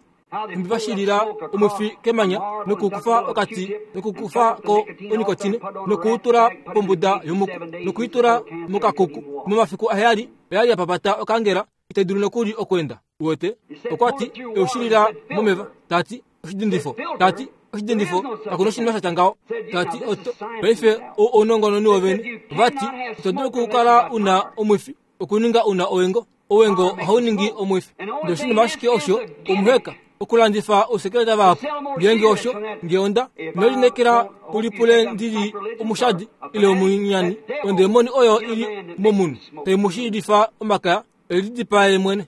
Nhumbi vashilila omwifi kemanya nokukufa okati nokukufa ko onikotine nokuutula pombuda yomuku nokuitula mokakuku. Momafiku aheyali oyali yapapata okangela itai dulu nokuli okwenda. Uwete okwati eushilila momeva tati oshidindifo tati oshidindifo kakuna oshinima shatya ngaho tati oto paife ounongononi wovene vati ito dulu okukala una omwifi okuninga una owengo owengo ohauningi omwifi. Ndele oshinima ashike osho omuheka okulandifa ousekeleta vahapu ngeenge osho ngeonda inolinekela ulipule ndili omushadi ile omunyani ondemoni oyo ili momunhu taimushilifa omakaya elidipaye mwene.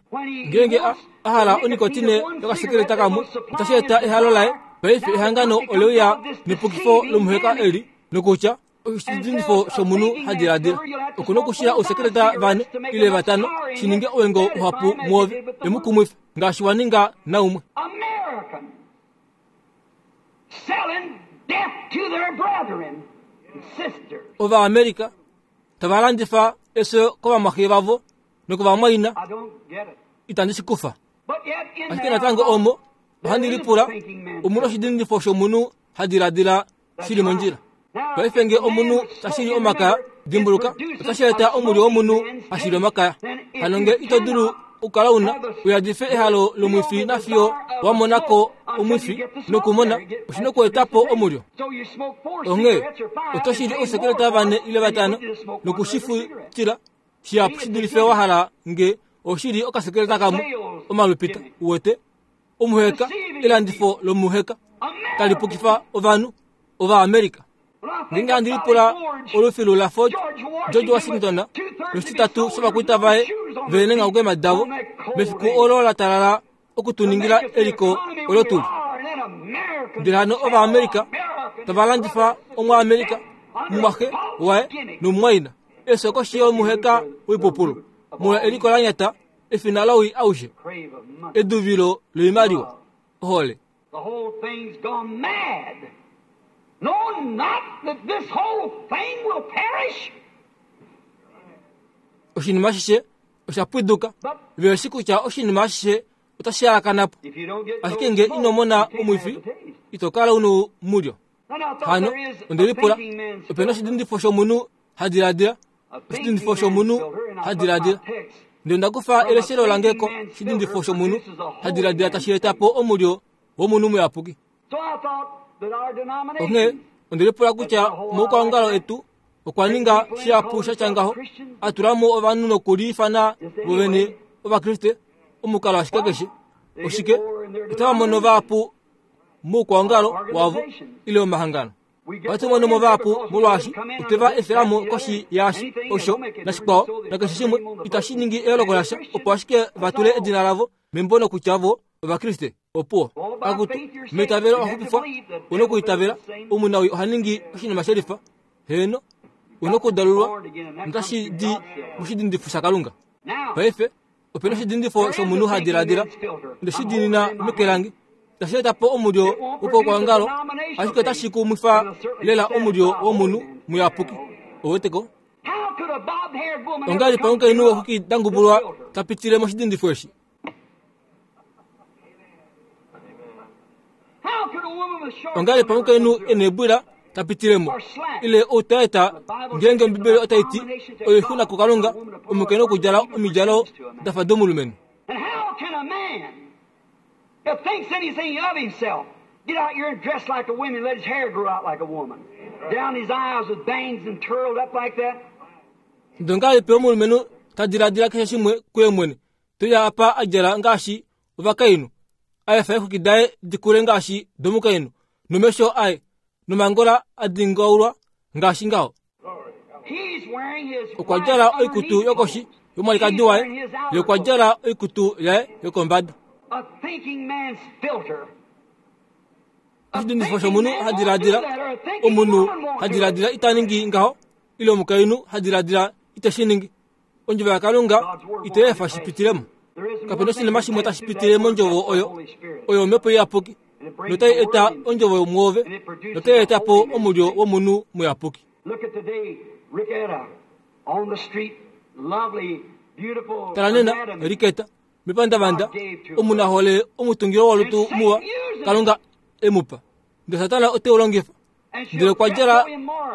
Ngeenge ahala onikotine yokasekeleta kamwe otashi eta ehalo laye. Paife ehangano oleuya nepukifo lomuheka eli nokutya oshidindifo shomunhu hadiladila okuna okushila ousekeleta vane ile vatano shininge owengo uhapu muove emukumwife ngaashi waninga naumwe. American selling death to their brethren and sisters. Ovaamerika tavalandifa efyo kovamwaxe vavo nokovamwaina I don't get it. itandi shikufa. But yet in Ashike there, natango omo ohandi lipula omuna oshidindifo shomunhu hadiladila shili mondjila. Paife nge omunhu tashili omakaya dimbuluka otashi eta omuli womunhu hashili omakaya. Hano nge ito dulu okukala una uyadife ehalo lomwifi nafiyo wamonako omwifi nokumona oshina okuetapo omulyo. So you smoke four Onghee cigarettes or five oto shili and ousekeleta vane ile vatano you just smoke one regular cigarette. nokushifutila shihapu shidulife wahala nge oshili okasekeleta kamwe omalupita. Uwete omuheka elandifo lomuheka talipukifa ovanhu Ovaamerika. Ngeenge handi lipula olufilu la Fort George Washington noshititatu shovakwita vaye venenga okweema davo mefiku olo la talala okutuningila eliko olo tuli. Ndele hano Ovaamerika tavalandifa omwaamerika mumwaxe waye nomumwaina efyo koshi yomuheka woipupulu molwa eliko la nyata Efina lowii aushe. Eduvilo loimaliwa. Ohole. The whole thing's gone mad. Know not that this whole thing will perish. Oshinima ashishe osha pwiduka. Veshi kutya oshinima ashishe otashi alakanapo. Ashike nge ino mona omwifi, ito kala uno mulyo. Hano, ondelipula, opena oshidindifo shomunhu hadiladila. Oshidindifo shomunhu hadiladila. Ndele ndakufa eleshelo lange ko shidindifo shomunhu hadiladila tashi etapo omulyo womunhu muyapuki. Onghee ondelipula kutya moukwaongalo etu okwa ninga shihapu shatya ngaho, atulamo ovanhu nokuliifana vovene Ovakriste omukalo ashike keshe. Oshike otava mono vahapu moukwaongalo wavo ile omahangano. Ohatu mono mo vahapu molwaashi oteva efelamo koshi yaashi osho nashikwao nakeshe shimwe itashi ningi eyooloko lasha, opo ashike vatule edina lavo membo nokutya vo Ovakriste. Opuwo akutu meitavelo owaxupifwa, una okuitavela. Omunawi oha ningi oshinima shelifa. Heeno, una okudalulwa notashi di moshidindifo shaKalunga. Paife opena oshidindifo shomunhu hadiladila, ndeshi diinina meke lange. Tashi etapo omulyo wopokwaongalo, ashike otashi kumwifa lela omulyo womunhu muyapuki. Oweteko ongahelipi omukainhu wexwiki dangubulwa tapitile moshidindifo eshi? Ongahelipi omukainhu ena eebwila tapitilemo ile outaeta? Ngeenge Ombibeli otai ti oixuna kuKalunga omukainhu okudjala omidjalo dafa domulumenhu. That thinks anything of himself, get out here and dress like a woman, let his hair grow out like a woman, down his eyes with bangs and curled up like that. Ndongahelipi omulumenhu tadiladila keshe shimwe kuye mwene, toya apa adjala ngaashi ovakainhu, aefa eexwiki daye dikule ngaashi domukainhu, nomesho aye nomangola adingaulwa ngaashi ngaho. Okwa djala oikutu yokoshi yomwalikadi waye, ye okwa djala oikutu yaye yokombada. A thinking man's filter. Oshidindifo shomunhu hadiladila, omunhu hadiladila ita ningi ngaho, ile omukainhu hadiladila iteshi ningi. Ondjovo yaKalunga ite efa shipitilemo. Kapena oshinima shimwe tashi pitile mondjovo oyo, oyo omhepo iyapuki, notai eta ondjovo mwoove, notai etapo omulyo womunhu muyapuki. Tala nena, Riketa, mepandavanda, omunahole omutungilo wolutu muwa, Kalunga emupa. Ndele Satana ote u longifa. Ndele okwa djala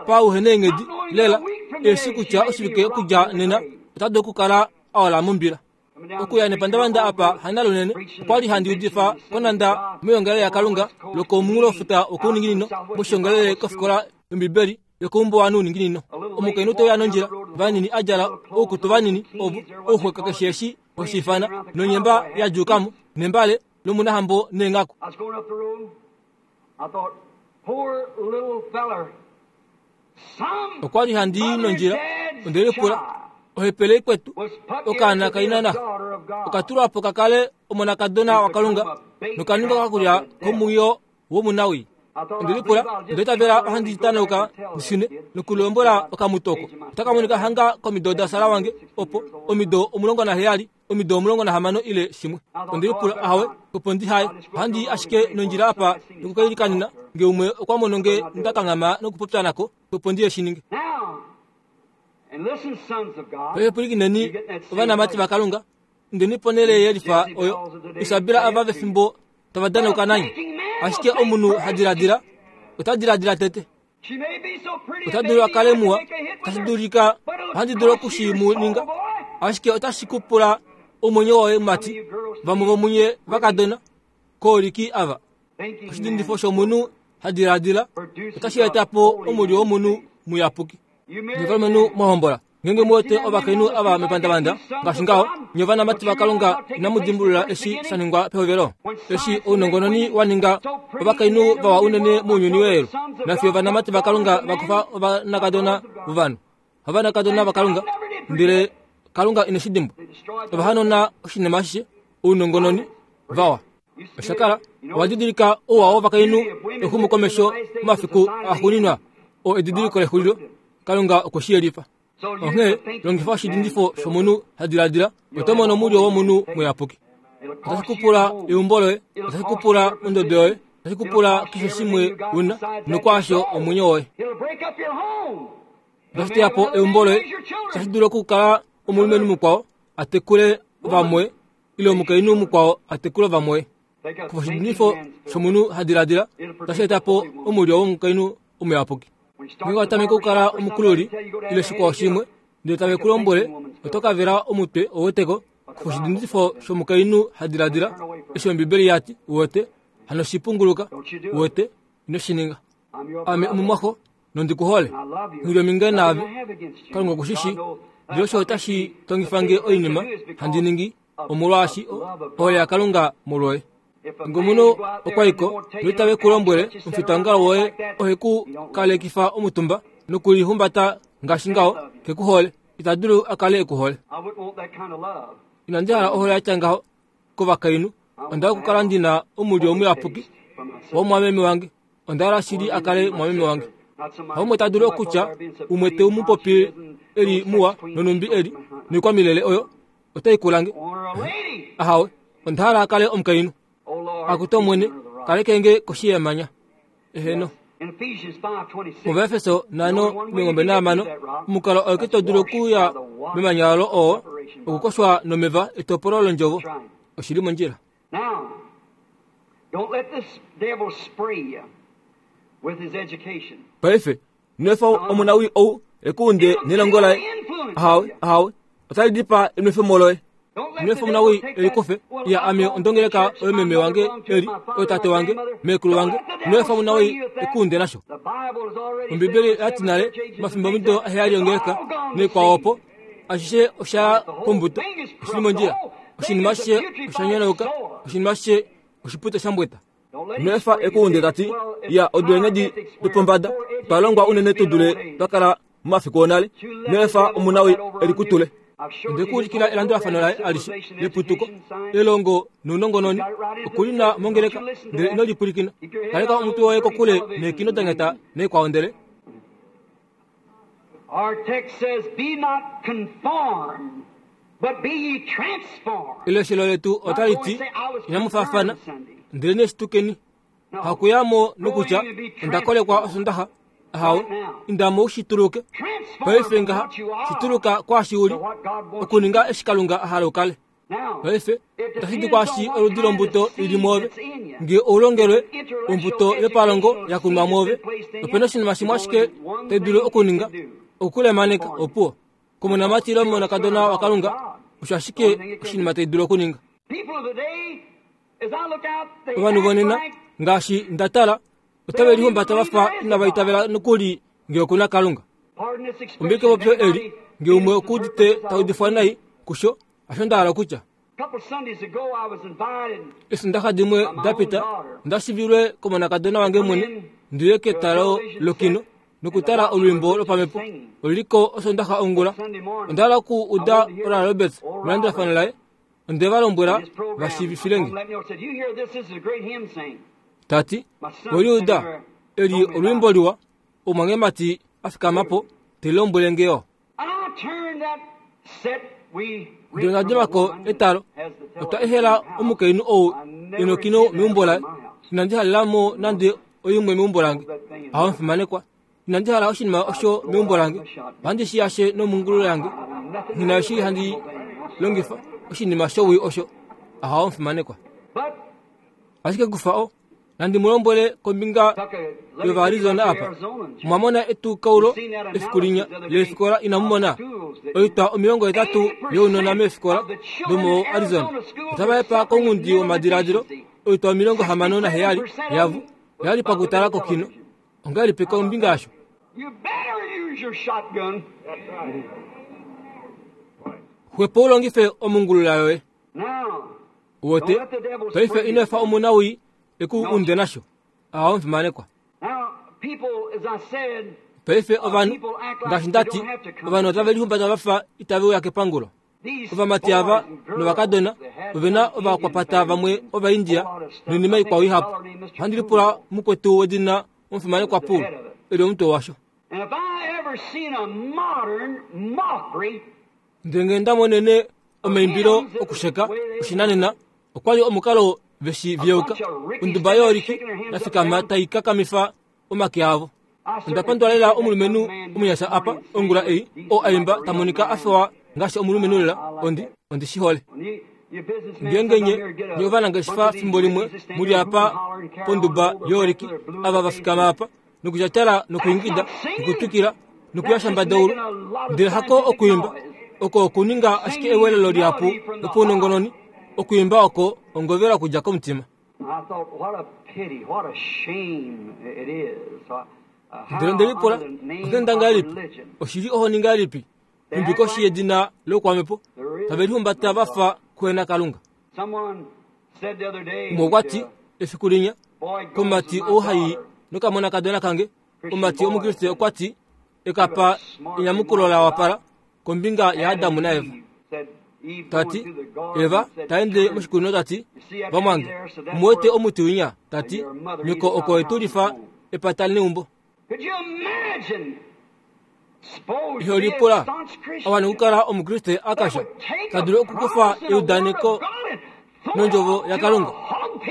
pauheneenghedi lela, eshi kutya oshivike okudja nena ota dulu okukala aola mombila. Okuya nepandavanda apa hanalunene, okwali handi udifa konanda moyongalele yaKalunga lokomunghulofuta wokouninginino, moshongalele kofikola yOmbibeli yokoumbuwanhu uninginino. Omukainhu teuya nondjila, vanini adjala oukutu vanini ovo ouxweka keshe eshi oshifana, nonyemba yadjuukamo, nembale lomunahambo neenghaku. I was going up the road. I thought, poor little feller. Some Okwali handi nondjila, ondelipula, ohepele kwetu, okaana kainana, okatulwapo kakale omonakadona waKalunga, nokaninga kakulya komwiyo womunawi. Ondelipula, ndeitavela ohandi tanauka ndishune nokulombola okamutoko. Otakamonika hanga komido dasala wange, opo omido omulongo naheyali, omido omulongo nahamano ile shimwe. Ondelipula, ahawe, opo ndihaye, ohandi ashike nondjila apa nokukailikanina, nge umwe okwa mono nge ndakanghama nokupopya nako, opo ndiye shininge. Now, and listen, sons of God, Paife pwilikineni ovanamati vaKalunga, ndeni ponhele yelifa oyo Isabela ava vefimbo tava danauka nanye. Ashike omunhu hadiladila, ota diladila tete. she may be so pretty, Ota maybe dulu akale I can muwa, make a hit with tashi her. dulika But it'll ohandi dulu cost okushi you mu your soul, ninga. boy. Ashike otashi kupula omwenyo woye mati, vamwe vomunye vakadona kooliki ava. Thinking Oshidindifo man's shomunhu hadiladila otashi etapo omulyo womunhu muyapuki. You married Ngevalumenhu mwahombola, ngenge muwete ovakainhu ava mepandavanda ngaashi ngaho, nye ovanamati vaKalunga inamu dimbulula eshi sha ningwa pehovelo, eshi ounongononi wa ninga ovakainhu vawa unene mounyuni weelu, nafiyo ovanamati vaKalunga vakufa ovanakadona vovanhu, ovanakadona vaKalunga, ndele Kalunga ine shi dimbwa. Ovahanona oshinima ashishe, ounongononi vawa. Oshakala owa didilika ouwa wovakainhu exumokomesho momafiku axuuninwa, oo edidiliko lexulilo. Kalunga okwe shi yelifa. Onghee longifa oshidindifo shomunhu ha diladila, oto mono omulyo womunhu muyapuki. Otashi kupula eumbo loye, otashi kupula ondodo yoye, otashi kupula keshe shimwe una, nokwaasho omwenyo woye. Otashi teya po eumbo loye, otashi dulu okukala omulumenhu mukwao a tekule vamwe, ile omukainhu mukwao a tekule vamwe. Kufa oshidindifo shomunhu ha diladila, otashi eta po omulyo womukainhu omuyapuki. Ngeenge wa tameke okukala omukululi ile shikwao shimwe, ndele tave ku lombwele oto ka vela omutwe oweteko. Kufa oshidindifo shomukainhu ha diladila, eshi Ombibeli yati uwete, hano shipunguluka uwete, ino shi ninga. Ame omumwaxo nondi ku hole, nghilyominge naave, Kalunga okushishi, ndele osho otashi tongifa nge oinima handi ningi omolwaashi ohole yaKalunga molwoye. Nge omunhu okwa iko noitave ku lombwele omufitaongalo woye ohe ku kalekifa omutumba nokulihumbata ngaashi ngaho, ke ku hole, ita dulu a kale e ku hole. Inandi hala ohole ya tya ngaho kovakainhu. Onda hala okukala ndi na omulyo omuyapuki womwameme wange. Onda hala shili a kale mwameme wange. Haumwe ta dulu okutya umwe te mu popi eli muwa nonumbi eli noikwamilele oyo otai kulange. Ahawe, onda hala a kale omukainhu. Akutu Omwene, kaleke nge koshi yemanya. Eheno. MuVaefeso nhano omilongo nahamano, omukalo oike to dulu okuya memanya olo oo okukoshwa nomeva etopolo londjovo. Oshili mondjila. Paife, nwefa omunawi ou ekuunde nelongo laye. Ahawe, ahawe, otali dipa enwefemo loye. Nwefa omunawi elikufe, ya ame ondongeleka oyo meme wange eli, oyo tate wange, meekulu wange. Nwefa omunawi ekuunde nasho. Ombibeli yati nale, mafimbo omido aheyali ongeleka, noikwao opo, ashishe osha kombuto, oshili mondjila. Oshinima ashishe osha nyonauka, oshinima ashishe oshipute shambweta. Nwefa ekuunde tati, ya odule dopombada, twa longwa unene tu dule twa kala momafiku onale. Nwefa omunawi elikutule. Onde kuulikila elandulafano laye alishe leputuko, elongo nounongononi, okulina mongeleka, ndele ino lipulikina. Kaleka omutwe woye kokule neekino danyata neikwao ndele. Our text says, be not conformed, but be ye transformed. Eleshelo letu otali ti, inamu faafana, ndele neshitukeni. Hakuyamo nokutya, onda kolekwa osondaxa. Ahawe, indamo ushituluke. Paife ngaha, shituluka kwashi uli, okuninga eshi Kalunga a hala u kale. Paife, otashi di kwashi oludi lombuto ili mwoove. Nge oulongelwe ombuto yopalongo ya kunwa mwoove, opena oshinima shimwe ashike tai dulu okuninga, okulemaneka opuwo. Komonamati ile omonakadona waKalunga, osho ashike oshinima tai dulu okuninga. Ovanhu vonena, ngaashi nda tala, otave lihumbata vafa inava itavela nokuli nge okuna Kalunga. Ombike popyo eli, nge umwe okuudite taudifwa nai kusho, asho nda hala okutya. Esondaxa dimwe dapita, nda shivilwe komonakadona wange mwene, ndiye ketalo lokino, nokutala olwiimbo lopamhepo oluliko osondaxa ongula. Onda hala oku uda Oral Roberts melandulafano laye, onde va lombwela va shiivifilenge. Tati, weliuda, eli olwiimbo liwa, omwangemati a fikama po, te lombwele nge yo. Ndele onda dima ko etalo, otwa ehela omukainhu ou enokino meumbo laye. Inandi halela mo nande oimwe meumbo lange. Aho mfimanekwa, inandi hala oshinima osho meumbo lange. Ohandi shi yashe nomungulu yange. Nghina eshi handi longifa oshinima showii osho. Aho mfimanekwa. Ashike kufa o, nandi mu lombwele kombinga yOvaArizona apa. Mwamona etukaulo efiku linya leefikola inamu mona. Oitwa omilongo etatu younona meefikola domo Arizona. Otava hepa kongundi womadiladilo oitwa omilongo hamano naheyali yavo yali pakutala kokino. Ongahelipi kombinga yasho? Xwepo ulongife omungulula yoye. Uwete, paife ino efa omunawii eku unde nasho. Aho mfimanekwa. Paife ovanhu, ngaashi ndati, ovanhu otave lihumbata vafa itave uya kepangulo. Ovamati ava novakadona ovena ovakwapata vamwe Ovaindia noinima ikwao ihapu. Ohandi lipula mukwetu wedina omufimanekwa Pool eli omutwe washo. Ndele ngee nda monene omaimbilo okusheka oshinanena, okwa li omukalo veshi viyeuka onduba yooliki yafikama tai kakamifa omake avo. Onda pandula lela omulumenhu omunyasha apa ongula ei oo aimba ta monika a fewa ngaashi omulumenhu lela. Ondi ondi shi hole. Ngeenge nye nye ovanangeshefa fimbo limwe muli apa ponduba yooliki ava vafikama apa nokutyatala nokuingida nokutwikila nokuyashambadoulu, ndele hako okuimba oko okuninga ashike ewelelo lihapu lopaunongononi. Okuimba oko ongovela okudja komutima. Ndele ndelipula, onghenda ngahelipi, oshili ohoni ngahelipi, nhumbi koshi yedina loukwamhepo tave lihumbata va fa kuhena Kalunga. Umwe okwa ti efiku linya komumati ou hai nokamonakadona kange, omumati omukriste okwa ti ekapa enyamukulo la wapala kombinga yaAdamu naEva. Tati Eva taende moshikunino, tati vamwange omuwete omuti winya, tati nyoko oko etulifa epata neumbo. Iho lipula awana okukala omukriste akasha tadulu okukufa eudaneko nondjovo yaKalunga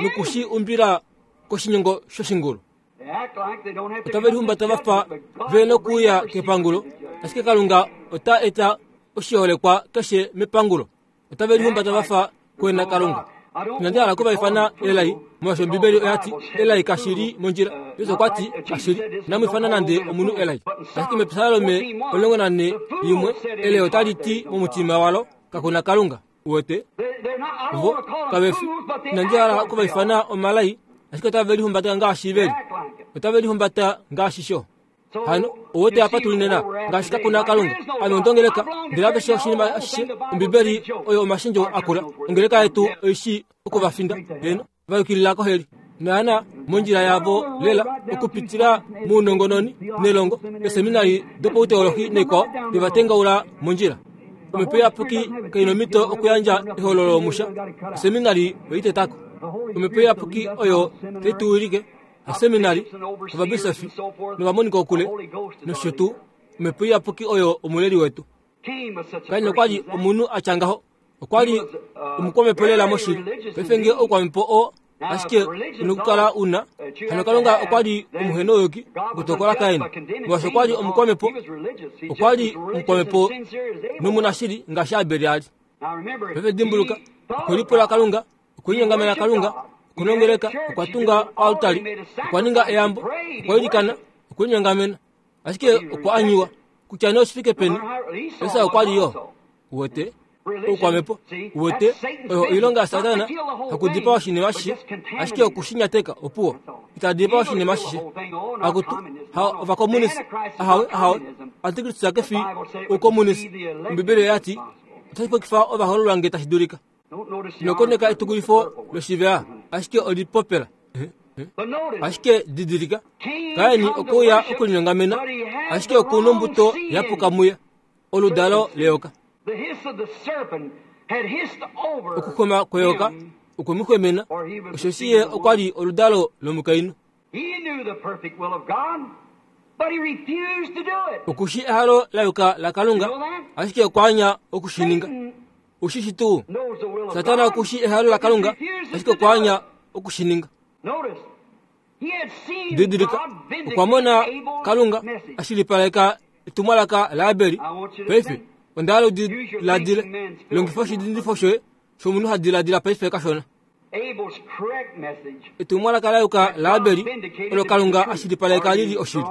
nokushi umbila koshinyongo shoshingulu. Otave lihumbata va fa ve nokuuya kepangulo, ashike Kalunga ota eta oshiholekwa keshe mepangulo. Otave lihumbata va fa kuhena Kalunga. Inandi hala okuvaifana elai, molwaashi Ombibeli oya ti elai kashi li mondjila. Yesu okwa ti kashi li, inamu ifana nande omunhu elai. Ashike mEpsalome omulongo nane yimwe elai otali ti momutima walo kakuna Kalunga. Uwete vo kave fi. Inandi hala okuvaifana omalai, ashike otave lihumbata ngaashi veli, otave lihumbata ngaashi sho. Hano owete apa tuli nena ngaashi kakuna Kalunga. Ame ondongeleka ndele aveshe oshinima ashishe Ombibeli oyo omashendjo akula. Ongeleka yetu oishi okuvafinda heno vayukilila koheli naana mondjila yavo lela okupitila mounongononi nelongo eseminari dopauteolohi naikwao vevatengaula mondjila. Omhepo iyapuki kai nomhito okuyandja ehololo lomusha. Oseminari oitetako. Omhepo iyapuki oyo tai tu wilike. Oseminari ovabisofi novamonika okule nosho tuu. Omhepo iyapuki oyo omuleli wetu. Kain okwa li omunhu a tya ngaho, okwa li omukwamhepo lela moshili. Paife ngee oukwamhepo oo ashike unokukala una, hano Kalunga okwa li omuhenouyuki okutokola Kain, molwaashi okwa li omukwamhepo, okwa li omukwamhepo nomunashili ngaashi Abel a li. Paife dimbuluka, okwe lipula Kalunga, okwe linyongamena Kalunga, okunongeleka, okwa tunga oaltari, okwa ninga eyambo, okwa ilikana, okwe linyongamena, ashike okwa anyiwa. Kutya nee oshifike peni, Esau okwa li yo uwete oukwamhepo, uwete oyo oilonga yaSatana, hakudipa oshinima ashishe, ashike okushinyateka opuwo. Itadipa oshinima ashishe. Akutu ha ovakomunisi, ahawe ahawe, antikristu kefi oukomunisi. Ombibeli oya ti otashi pokifa ovahololwa nge tashi dulika. Nokoneka etukulifo loshivea, ashike olipopela. Ashike didilika, Kaini okuya okulinyongamena, ashike okuna ombuto yapuka muye, oludalo leyoka. Okuxwema kweyoka okwe mu xwemena, osheshi ye okwa li oludalo lomukainhu. Okushi ehalo la yuka laKalunga, ashike okwa anya okushininga. Ushishi tuu, Satana okushi ehalo laKalunga, ashike okwa anya okushininga. Didilika, okwa mona Kalunga ashilipaleka etumwalaka laAbel. Paife onda hala udiladile, longifa oshidindifo shoye shomunhu ha diladila paife kashona. Etumwalaka la yuka laAbel olo Kalunga ashilipaleka lili oshili.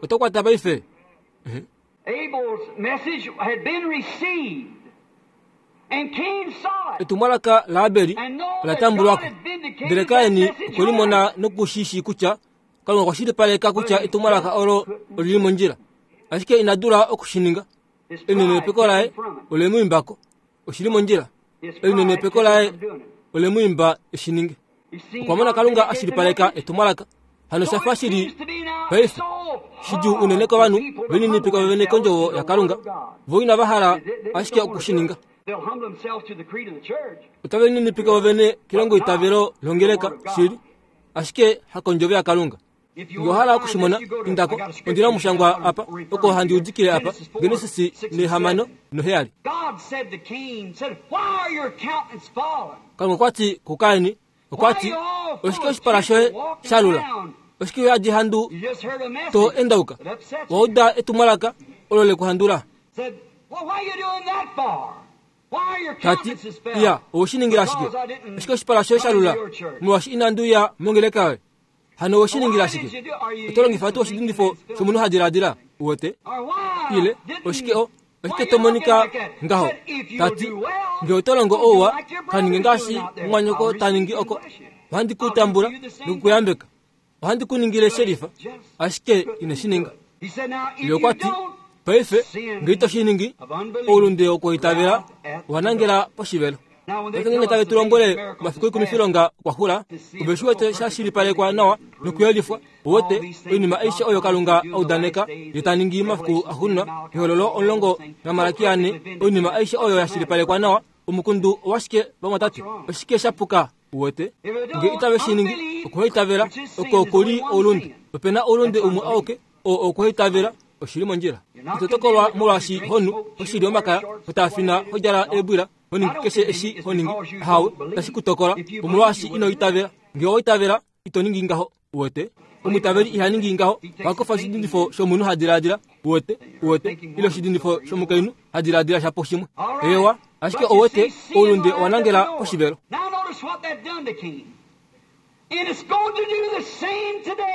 Oto kwata paife. Etumwalaka laAbel ola tambulwako, ndele Kaini okwe limona nokushishi kutya Kalunga okwa shilipaleka kutya etumwalaka olo olili mondjila, ashike ina dula okushininga. Elinenepeko laye ole mu imbako, oshili mondjila. Elinenepeko laye ole mu imba eshininge. Okwa mona Kalunga ashilipaleka etumwalaka. Hano shafa shili paife shidjuu unene kovanhu veninipika vene kondjovo yaKalunga, vo inava hala ashike okushininga. Otave ninipika vovene kelongo itavelo longeleka shili, ashike hakondjovo yaKalunga. Nge owa hala okushimona, indako. Ondina omushangwa apa, oko handi udikile apa, Genesis nehamano noheyali. Kalunga okwa ti kuKain, okwa ti, oshike oshipala shoye sha lula? Oshike uyadi handu to endauka? Wa uda etumwalaka olo lekuhandula. Tati, iya, oweshiningila ashike. Oshike oshipala shoye sha lula? Molwaashi inandi uya mongeleka yoye. Hano oweshiningila ashike. Oto longifa tuu oshidindifo shomunhu ha diladila, uwete? Ile, oshike o, oshike to monika ngaho? Tati, nge oto longo ouwa, kaninge ngaashi mumwanyoko ta ningi oko. Ohandi ku tambula nokukuyambeka. Ohandi ku ningile shelifa, ashike ine shi ninga. Ye okwa ti, paife, nge ito shi ningi, oulunde wokuitavela owa nangela poshivelo. Paife ngenge tave tu lombwele omafiku oikumifilonga okwa xula, ove shi wete sha shilipalekwa nawa nokuyelifwa, uwete oinima aishe oyo Kalunga a udaneka ye ta ningi momafiku axuuninwa, Ehololo omulongo naMalaki ane, oinima aishe oyo ya shilipalekwa nawa, omukundu owashike vamwatate? Oshike sha puka? Uwete nge itave shi ningi, okuhaitavela oko kuli oulunde. Opena oulunde umwe auke, oo okuhaitavela. Oshili mondjila. Ito tokolwa molwaashi honu, oshili omakaya, hotafina, hodjala eebwila, honingi keshe eshi honingi. Hawe, tashi ku tokola omolwaashi ino itavela. Nge owa itavela, ito ningi ngaho. Uwete omwitaveli iha ningi ngaho. Ohakufa oshidindifo shomunhu ha diladila. Uwete, uwete, ile oshidindifo shomukainhu ha diladila shapo shimwe. Ewa, ashike ouwete oulunde owa nangela poshivelo.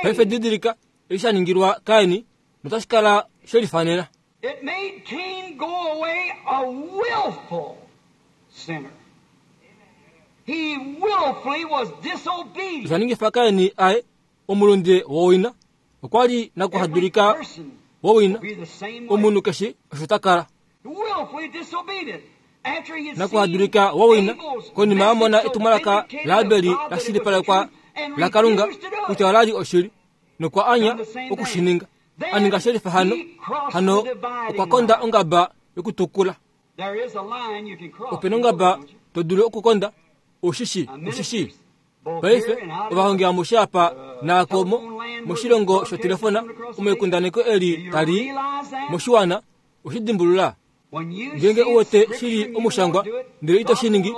Paife didilika eshi sha ningilwa Kain, notashi kala shelifanena. It made Cain go away a willful sinner. He willfully was disobedient. Osha ningifa Kain aye omulunde wowina. Okwa li nakuhadulika wowina. Omunhu keshe osho ta kala. Willfully disobedient. After he had Nakuhadulika wowina, konima a mona etumwalaka laAbeli la shilipalekwa la Kalunga kutya ola li oshili, nokwa anya okushininga. A ninga shelifa hano, hano okwa konda ongaba yokutukula. There is a line you can cross. Opena ongaba to dulu okukonda, ushishi, ushishi. Paife ovahongi amushe apa naakomo moshilongo shotelefona omoikundaneko eli tali moshiwana oshidimbulula. Ngenge uwete shili omushangwa ndele ito shi ningi,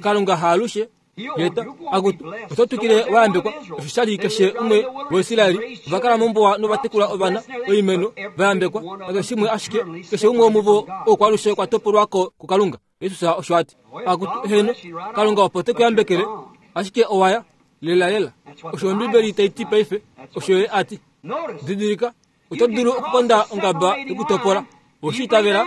Kalunga haalushe yeta akutu oto twikile wayambekwa. Osho shali keshe umwe waIsraeli ovakala mombuwa novatekula ovana oimeno vayambekwa nakeshe shimwe ashike keshe umwe womuvo okwalushe kwa topolwako kuKalunga. Jesus osho ati akutu heno Kalunga opo te kuyambekele ashike owaya lela lela. Osho Ombibeli tai ti paife, osho ye ati. Didilika, oto dulu okukonda ongaba yokutopola oshiitavela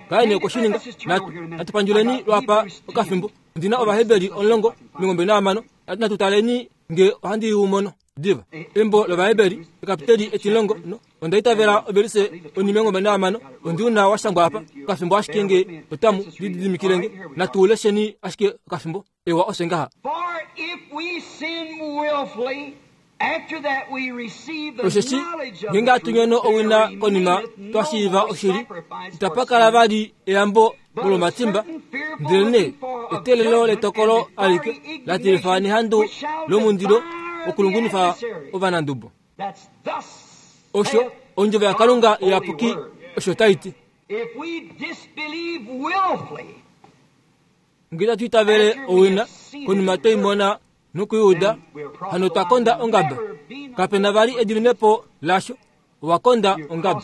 Kain okoshininga. Natu natupanduleni lwapa okafimbo. Ondina Ovaheberi omulongo omilongo nahamano. Natu taleni nge ohandi umono diva. Embo lOvaheberi ekapiteli etilongo no onda itavela ovelise onimilongo nahamano. Ondiuna washangwa apa okafimbo ashike nge otamu lididimikilenge. Natu lesheni ashike okafimbo. Ewa osho ngaha. For if we sin willfully, after that we receive the Osheshi knowledge of ngenge the hatu nyono truth, owina there konima remaineth twa no shiiva more oshili, sacrifice itapa for kala sin, vali eyambo but a molomatimba, certain fearful ndelene looking for of eteelelo judgment letokolo and the alike fiery la tilifa indignation nehandu which shall lomundilo devour the okulungunifa adversary. ovanandubo. That's thus Osho saith ondjovo yaKalunga God's holy iyapuki word. osho tai ti. If we disbelieve willfully, Nge tatu itavele owina konima twaimona nokuiuda, hano twa konda ongaba. Kapena vali ediminepo lasho, owa konda ongaba.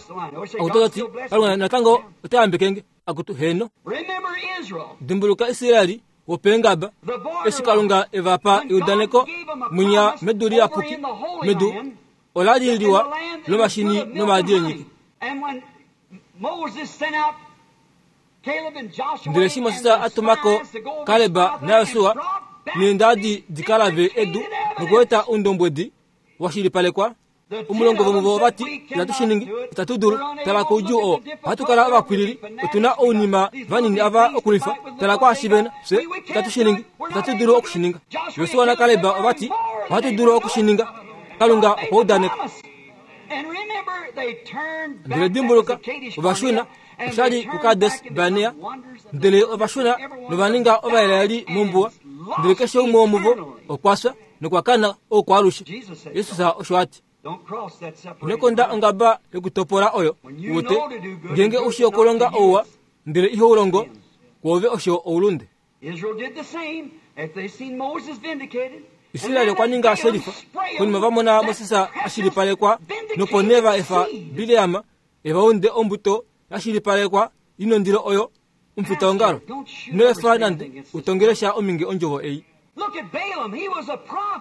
Akutu tati, Kalunga natango ota yambekenge. Akutu heno. remember Israel, Dimbuluka Israeli wopeengaba, the borderline. eshi Kalunga evapa When God eudaneko gave them a munya promise medu over liyapuki, in the Holy medu Land, ola li in the liwa land that was lomashini full of milk and nomaadi honey. eenyiki. And when Moses sent out Caleb and Joshua Ndele eshi and Moses the a tumako spies to go over Kaleba Scotland naYosua and brought back neendadi the dikalave edu vindicated nokueta evidence. oundombwedi wa shilipalekwa. The ten Omulongo of them vomuvo said, vati "We itatu cannot shi ningi, do it. itatu dulu. We're unable. Tala koudjuu Look oo. at the difficulty. Ohatu kala ovapwilili, We're fanatics. otuna ounima We got these vanini little ava things to okulwifa. fight with. Look Tala what kwaashi they vena, got. fye We, we itatu can't shi do ningi, it. We're not itatu able dulu to do oku shi it. ninga. Joshua Yosua and naKaleb Caleb said, ovati, "We're more than ohatu able dulu to oku do shi it." ninga. Kalunga God made okwa the udaneka. promise. And remember, they turned Ndele back. That was dimbuluka the Kadesh ovashuna Barnea, and osha they li turned kuKades back and Barnea, become wonders of the ndele world. ovashuna Every one of novaninga them Ovaisraeli died mombuwa, and ndele keshe lost umwe womuvo eternally. okwa fya nokwa kana oukwaalushe. Jesus said Jesus so. osho ati. Ino konda ongaba yokutopola oyo ute ngenge ushi okulonga ouwa ndele iho ulongo kwoove osho oulunde. Israeli okwa ninga shelifa konima vamona Moses ashilipalekwa nopo nee va efa Bileam evaunde ombuto yashilipalekwa inondilo oyo omufitaongalo ino efa nande utongelesha ominge ondjovo ei.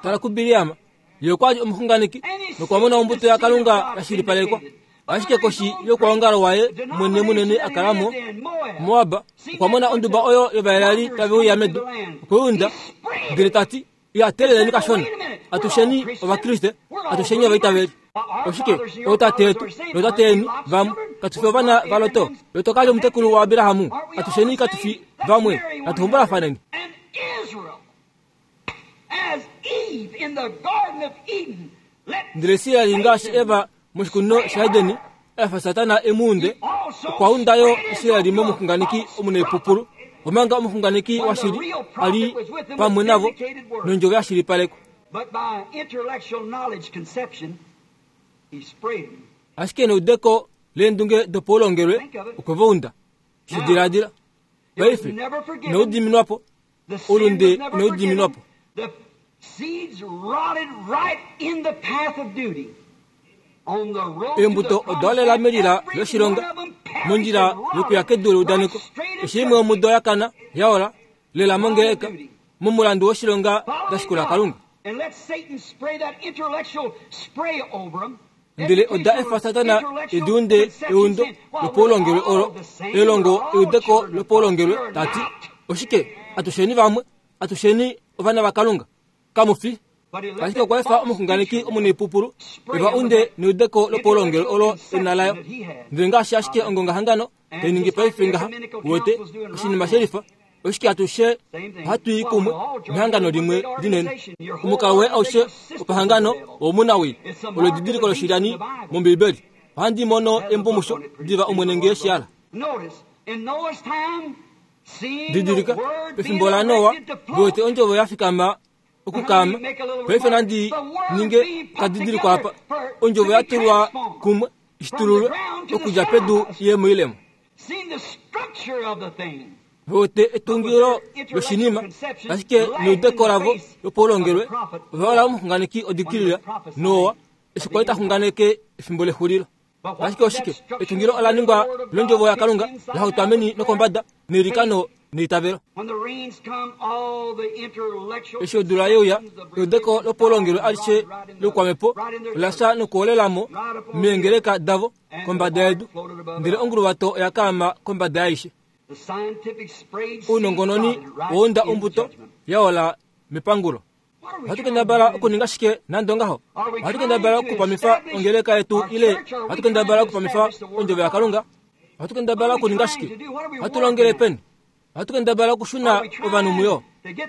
Tala kuBileam ye okwa li omuxunganeki nokwa mona ombuto yaKalunga yashilipalekwa ashike koshi yokwaongalo waye mwene munene akalamo Moab okwa mona onduba oyo yovaelali tave uya medu okweunda ndele tati ya teleleni kashona atusheni ovakriste atusheni ovaitaveli oshike ootate yetu nootate yeni vamwe katufi ovana vaLoto. Loto kali omutekulu wa Abrahamu atusheni katufi vamwe atuhombolafaneni. Ndele Israeli ngaashi Eva moshikunino shaEdeni efa Satana emuunde okwaundayo Israeli momuxunganeki omunaipupulu omanga omuxunganeki washili ali pamwe navo nondjovo yashilipalekwa. Ashike neudeko leendunge dopaulongelwe okwevaunda shidiladila paife inaudiminwapo oulunde inaudiminwapo. Eembuto odaolela melila loshilonga mondjila yokuya kedu leudaneko eshi imwe omudo yakana yaola lela mongeleka momulandu woshilonga dashikula Kalunga. Ndele oda efa Satana ediunde eundo lopaulongelwe olo elongo eudeko lopaulongelwe tati oshike atusheni vamwe atusheni ovana vaKalunga kamufi. Ashike okwa efa omuxunganeki omunaipupulu evaunde neudeko lopaulongelwe olo enalayo ndele ngaashi ashike ongongahangano tainingi paife ngaha wete oshinima shelifa oshike atushe ohatu i kumwe mehangano limwe linene. Omukalo woye aushe wopahangano owomunawii olo edidiliko loshilyani mOmbibeli. Ohandi mono embumusho diva omwene ngee shiala. Didilika pefimbo laNoa wete ondjovo yafikama okukama paife nandi ninge kadidiliko apa ondjovo yatulwa kumwe ishitululwe okudja pedu iye moilemo. Vote etungilo loshinima ashike neudeko lavo lopaulongelwe ovaola omuxunganeki odikilila Noa eshi kwali taxunganeke efimbo lexulilo. Ashike oshike etungilo ola ningwa londjovo yaKalunga lahautwa meni nokombada neilikano neitavelo. Eshi odula yeuya eudeko lopaulongelwe alishe loukwamepo olafya nokuolelamo meengeleka davo kombada yedu ndele onguluwato oya kaama kombada yaishe. Ounongononi wounda ombuto yaola mepangulo. Ohatu kendabala okuninga shike nande ongaho? Ohatu kendabala okupamifa ongeleka yetu ile ohatu kendabala okupamifa ondjovo yaKalunga? Ohatu kendabala okuninga shike? Ohatu longele peni? Ohatu kendabala okushuna ovanhu muyo?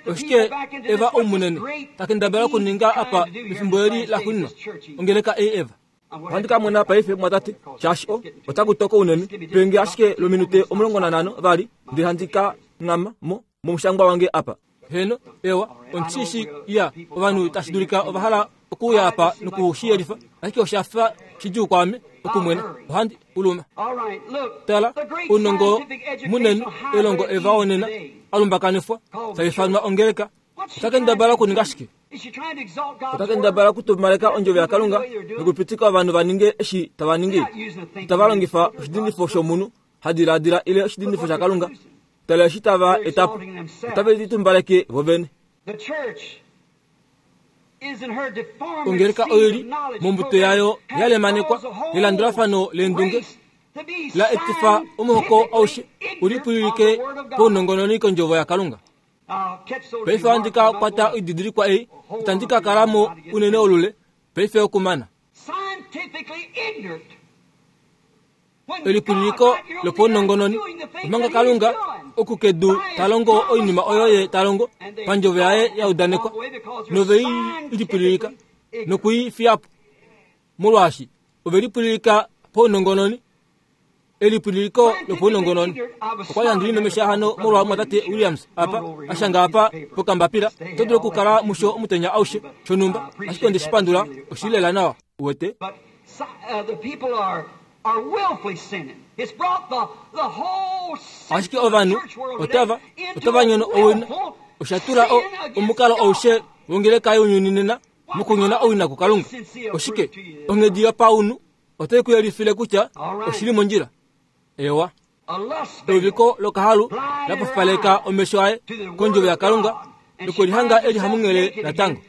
Oshike Eva omunene takendabala okuninga apa mefimbo eli laxuuninwa ongeleka ei Eva? Ohandi ka mona paife mwatate shaashi o otaku toko unene penge ashike lominute omulongo nanhano vali ndele handi ka ngama mo momushangwa wange apa. Heno ewa ondishi ya ovanhu tashi dulika ovahala okuuya apa nokushiyelifa ashike oshafa shidjuu kwaame okumwena ohandi uluma. Tala ounongo munene elongo Eva onena alumbakanifwa taifanwa ongeleka otakendabala okuninga shike? Otakendabala okutumaleka ondjovo yaKalunga nokupitika ovanhu vaninge eshi tava ningi. Itava longifa oshidindifo shomunhu hadiladila ile oshidindifo shaKalunga. Tala eshi tava etapo otave litumbaleke vovene. Ongeleka oili mombuto yayo yalemanekwa yelandulafano leendunge la etifa omuhoko aushe ulipwililike pounongononi kondjovo yaKalunga. Paife ohandi ka kwata oididilikwa ei itandi ka kalamo unene olule paife okumana. Elipwililiko lopaunongononi omanga Kalunga okukedu talongo oinima oyo ye talongo pandjovo yaye yaudanekwa nove ilipwililika nokuifiyapo molwaashi ove lipwililika paunongononi. Elipwililiko lopaunongononi okwa li handi limemesha hano molwa mwatate Williams apa ashanga apa pokambapila oto dulu okukala musho omutenya aushe shonhumba ashike onde shipandula oshilela nawa. Uwete? But uh, the people are are willfully sinning. It's brought the the whole Ashike ovanhu otava otava nyono owina osha tula omukalo aushe wongeleka younyuni nena mokunyona owina kuKalunga. Oshike onghedi yopaunhu otai ku yelifile kutya oshili mondjila. Ewa. Euviko lokahalu lapofipaleka omesho aye kondjovo yaKalunga nokulihanga eli hamunghele natango.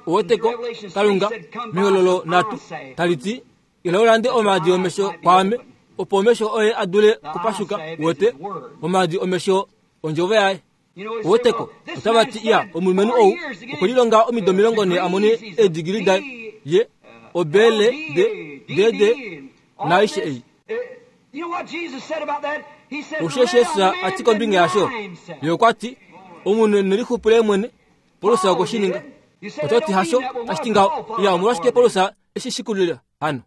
Uweteko Kalunga mehololo nhatu tali ti ila ulande omaadi omesho kwaame opo omesho oye a dule kupashuka. Uwete omaadi omesho ondjovo yaye. Uweteko otava ti ya omulumenhu ou okulilonga omido omilongo nhee a mone eedigili daye ye obele de dede naaishe ei. Osho Jesus a ti kombinga yasho, ye okwa ti omunhu nelixupule mwene. Paulus okwe shi ninga. Oto ti hasho tashi ti ngaho. Ya omolwashike Paulus eshi shikulila hano?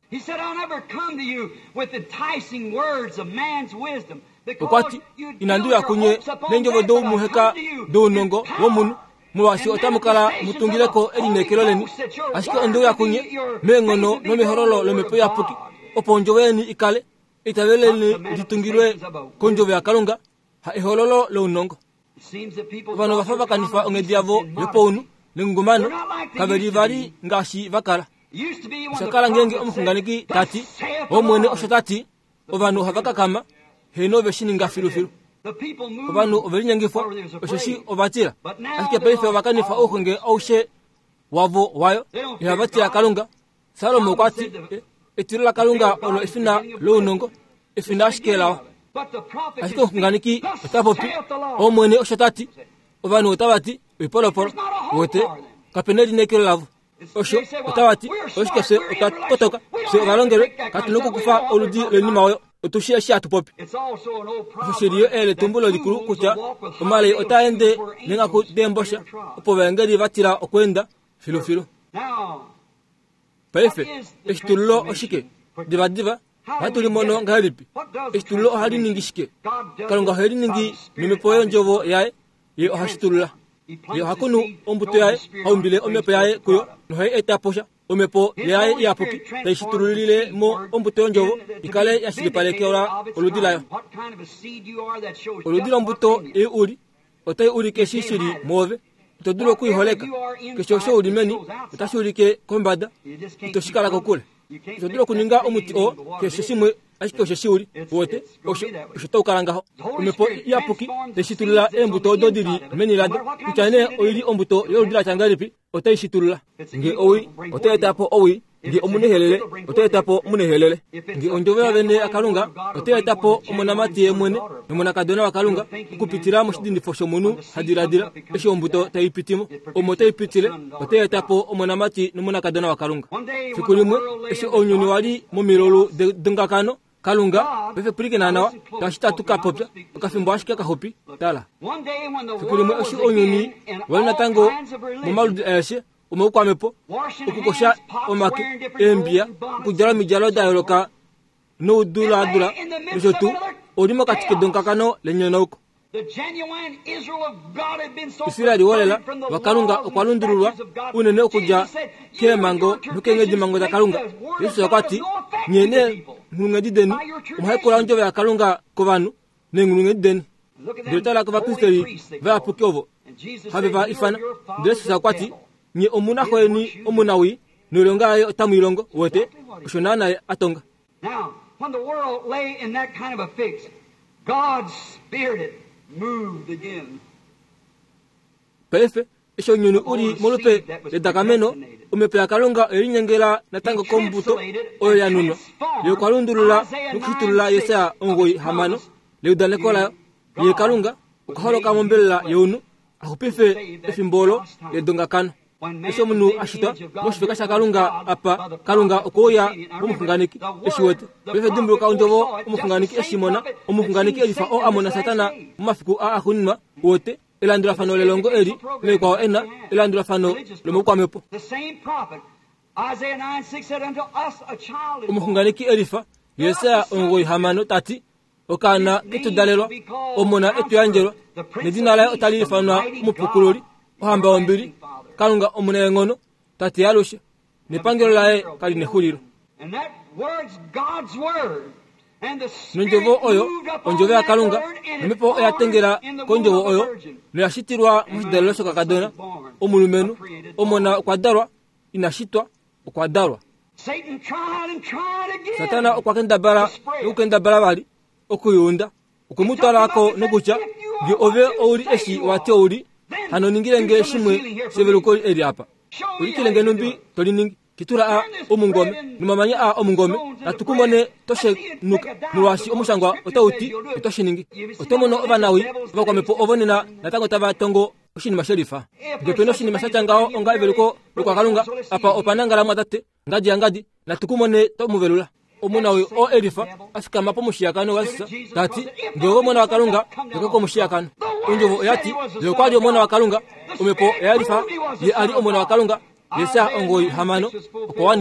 Okwa ti inandi uya kunye neendjovo doumuheka dounongo womunhu, molwaashi otamu kala mutungileko elineekelo leni, ashike onde uya kunye meenghono nomehololo lomhepo iyapuki, opo ondjovo yeni ikale eitavelo leni litungilwe kondjovo yaKalunga, ha ehololo lounongo. Ovanhu ova fa va kanifa onghedi yavo yopaunhu nengungumano, kave li vali ngaashi va kala. Osha kala ngeenge omuxunganeki ta ti Omwene osho ta ti, ovanhu ohava kakama, heeno ve shi ninga filufilu. Ovanhu ove linyengifwa osheshi ova tila, ashike paife ova kanifa ouxunge aushe wavo wayo, ihava tila Kalunga. Salomo okwa ti etilo laKalunga olo efina lounongo, efina ashike lawa. Ashike omuxunganeki ota popi Omwene osho ta ti, ovanhu otava ti oipolopolo. Uwete kapena elineekelo lavo. Osho otava ti oshike fye otwa kotoka, fye ovalongelwe, katu na okukufa oludi loinima oyo, otushi eshi hatu popi. Osho shili yo eyeletumbulo likulu kutya omalei otaa ende neenghaku deembosha, opo ovaengeli va tila okweenda filufilu. Paife eshitululo oshike? Divadiva ohatu limono ngahelipi? Eshitululo ohali ningi shike? Kalunga ohe li ningi nomhepo yondjovo yaye, ye ohashitulula. Ye oha kunu ombuto yaye, ha umbile omhepo yaye kuyo, nohai eta po sha. Omhepo yaye iyapuki tai shitululile mo ombuto yondjovo ikale ya shilipalekelwa oludi layo. Oludi lombuto ei uli otai ulike eshi shili mwoove. Ito dulu okuiholeka. Keshe osho uli meni otashi ulike kombada, ito shi kala kokule. Ito dulu okuninga omuti oo keshe shimwe ashike osho shi uli. Uwete osho osho tau kala ngaho. Omhepo iyapuki tai shitulula eembuto odo dili meni lado, kutya nee oili ombuto yoludi la tya ngahelipi, otai shitulula. Nge owii otai eta po owii, nge omunehelele otai eta po omunehelele, nge ondjovo yovene yaKalunga otai eta po omonamati ye mwene nomonakadona waKalunga okupitila moshidindifo shomunhu ha diladila. Eshi ombuto tai pitimo omo tai pitile, otai eta po omonamati nomonakadona waKalunga. Fiku limwe eshi ounyuni wali momilulu dongakano, Kalunga paife pwilikina nawa tashi tatu ka popya okafimbo ashike kaxupi. Tala, fiku limwe eshi ounyuni wali natango momaludi aeshe omaukwamhepo, okukosha omake, eembiya, okudjala omidjalo da yooloka noudulaadula nosho tuu, oli mokati kedonkakano lenyonauko. Israeli wolela waKalunga okwa lundululwa unene okudja keemhango nokeenghedimhango daKalunga. Jesus okwa ti nye neenghulunghedi deni omuhaikula ondjovo yaKalunga kovanhu neenghulunghedi deni. Ndele tala kovapristeli vayapuki ovo have va ifana. Ndele Jesus okwa ti nye omuna xweni omunawii noilonga yaye otamu i longo. Uwete osho naana ye a tonga. Now, when the world lay in that kind of a fix, God's Spirit moved again. Paife eshi ounyuni uli molupe ledakameno, omhepo yaKalunga oye linyengela natango kombuto oyo ya nunwa. Ye okwa lundulula nokushitulula Jesaja omugoyi hamano leudaneko layo. Ye Kalunga okwa holoka mombelela younhu a xupife efimbo olo ledongakano. Eshi omunhu a shitwa moshifeka shaKalunga apa, Kalunga okwe uya momuxunganeki eshi wete. Paife dimbuluka ondjovo omuxunganeki eshi mona, omuxunganeki elifa oo a mona Satana momafiku a axuuninwa. Uwete elandulafano lelongo eli noikwao ena elandulafano lomaukwamhepo. The same prophet, Isaiah nine six said, Unto us a child is born. Omuxunganeki elifa Jesaja omugoyi hamano ta ti okaana etu dalelwa, omona etu yandjelwa, nedina laye otali ifanwa omupukululi, ohamba yombili, Kalunga omunaenghono, Tate yalushe, Nepangelo laye kali nexulilo. Nondjovo oyo ondjovo yaKalunga, nomhepo oya tengela kondjovo oyo noya shitilwa moshidalelo shokakadona. Omulumenhu omona okwa dalwa, ina shitwa, okwa dalwa. Satana okwa kendabala nokukendabala vali okuyunda, okwe mu twalako nokutya nge ove ouli eshi wati ouli, hano ningile nge shimwe sheveluko eli apa. Ulikile nge numbi toliningi. Kitula a omungome nomamanya a omungome natukumone toshenuka molwaashi omushangwa otauti otoshiningi. Otomono ovanawi ovakwamepo ovo nena natango tava tongo oshinima shelifa. Nge pena oshinima shatya ngaho onga eveluko lokwakalunga apa opanangala mwatate ngadi ya ngadi natukumone tomuvelula. Omunawi o elifa afikama pomushiyakano wasisa tati nge ove omona wakalunga yoka komushiyakano. Ondjovo oyati ye okwali omona wakalunga, omhepo oyalifa ye ali omona wakalunga. Yesa ongoi hamano okwa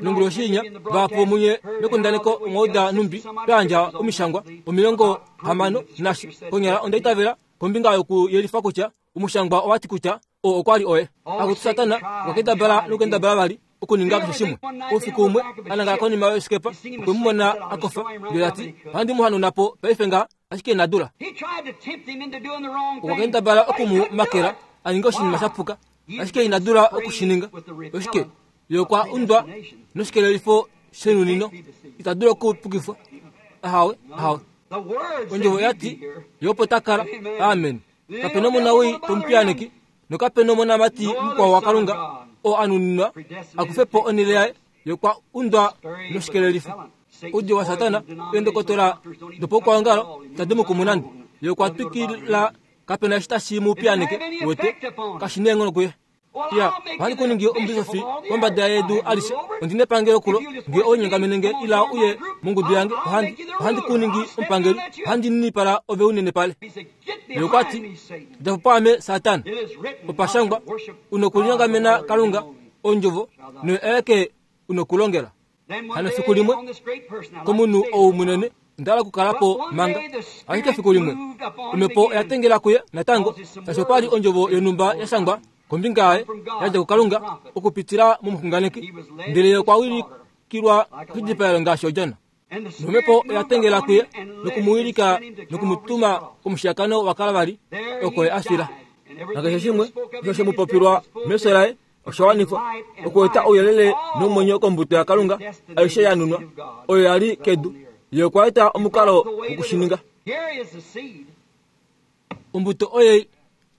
Nonguloshinya vapo munye mekundaneko omwauda numbi twayandja omishangwa omilongo hamano nashi konyala ondaitavela kombinga yokuyelifa kutya omushangwa owati kutya o okwali oye. Akuti Satana okwa kendabala nokukendabala vali okuninga keshe shimwe. Oufiku umwe anangala konima yosikepa okwe mu mona akofa ndele tati ohandi mu hanauna po paife nga ashike ina dula. Okwa kendabala okumu makela aninge oshinima sha puka ashike ina dula okushininga. Oshike ye okwa undwa noshikelelifo shenunino ita dula okupukifwa. Ahawe ahawe. Ondjovo yati ye opo takala. Amen. Kapena omunawi tomupiyaneki nokapena omonamati mukwao wakalunga oo anuninwa akufepo onhele yaye. Ye okwa undwa noshikelelifo. Oudio wa Satana eendokotola dopaukwaongalo itadi mu kumu nande. Ye okwa twikila kapena eshi tashi mu piyaneke wete kashi neenghono kuye. Ya, ohandi kuningi omubisofi kombada yedu alishe. Ondina epangelo kulo nge ounyengamene nge ila uye mongudu yange ohandi ohandi kuningi omupangeli, ohandi ninipala ove unene pale. Ye okwa ti djapo paame Satana, opashangwa unokulinyongamena Kalunga ondjovo noye aeke unokulongela. Hano efiku limwe komunhu ou munene ondala okukalapo manga, ashike efiku limwe omhepo oya tengela kuye natango, shaashi opali ondjovo yonhumba ya shangwa kombinga yaye yadja kuKalunga okupitila momuxunganeki, ndele ye okwa wilikilwa koshidipaelo ngaashi odjona. Nomhepo oya tengela kuye nokumuwilika nokumutuma komushiyakano waKalvari oko ye a fila. Nakeshe shimwe osho she mu popilwa mefyo laye osha wanifwa okueta ouyelele nomwenyo kombuto yaKalunga aishe ya nunwa oyo ya li kedu. Ye okwa eta omukalo wokushininga. Ombuto oye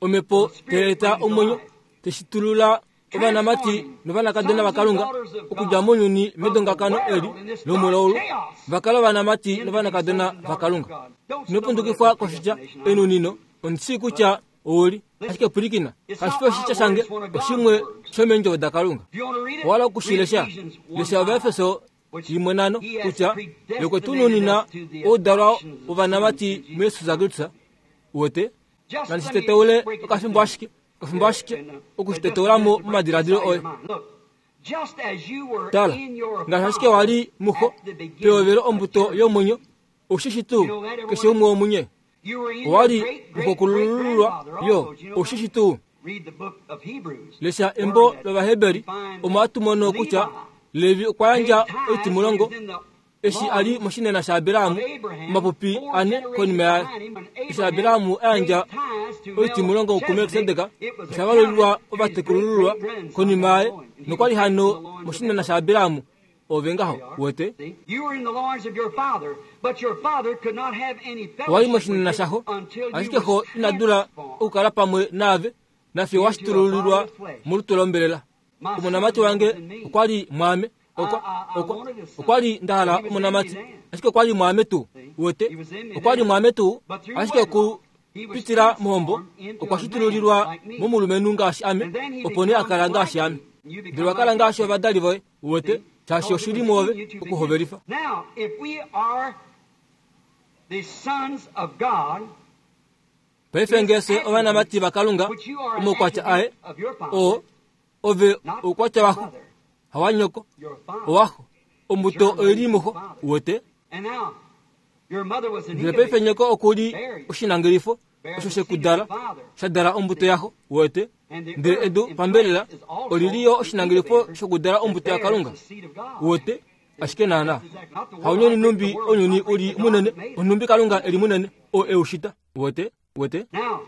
omhepo tai eta omwenyo teshitulula ovanamati novanakadona vaKalunga okudja mounyuni medongakano eli lomulaulu vakala ovanamati novanakadona vaKalunga. Inopundukifwa koshitya enunino ondisi kutya ouli ashike pwilikina kashifi oshitya shange oshimwe shomeendjovo daKalunga. Owala okushilesha lesha Ovaefeso yimwe nano kutya ye tununina oudalwa wovanamati muYesus Kristus wete nandishiteteule okafimbo ashike okafimbo ashike okushiteteulamo momadiladilo oye. Tala ngaashi ashike wali muxo pehovelo ombuto yomwenyo oshishi tuu keshe umwe womunye owali muxokulululwa yo oshishi tuu. Lesha embo lOvaheberi omo hatu mono kutya Levi okwa yandja oitimulongo eshi ali moshinena shaAbirahamu omapupi ane konima yaye. Eshi Abirahamu a yandja oitimulongo kuMelkisedek osha valulilwa ovatekulululwa konima yaye nokwali hano moshinena shaAbirahamu ove ngaho wete. Owali moshinena shaxo ashike xo ina dula okukala pamwe naave nafiyo washitululilwa molutu lombelela. Omonamati wange okwali mwaame okwa okwa okwali ndahala omonamati ashike okwali mwaame tuu wete okwali mwaame tuu ashike okupitila mohombo okwa shitululilwa momulumenhu ngaashi ame opo nee akala ngaashi ame. Ndele wakala ngaashi ovadali voye wete shaashi oshili mwoove okuhovelifa. Paife ngese ovanamati vaKalunga omaukwatya aye oo ove oukwatya waxo hawanyoko owaxo ombuto oili muxo wete. Ndele paife nyoko okuli oshinangelifo osho shekudala shadala ombuto yaxo wete. Ndele edu pambelela olili yo oshinangelifo shokudala ombuto yaKalunga wete. Ashike naana haunyoni numbi onyuni uli munene onumbi Kalunga eli munene o eushita wete wete. Now,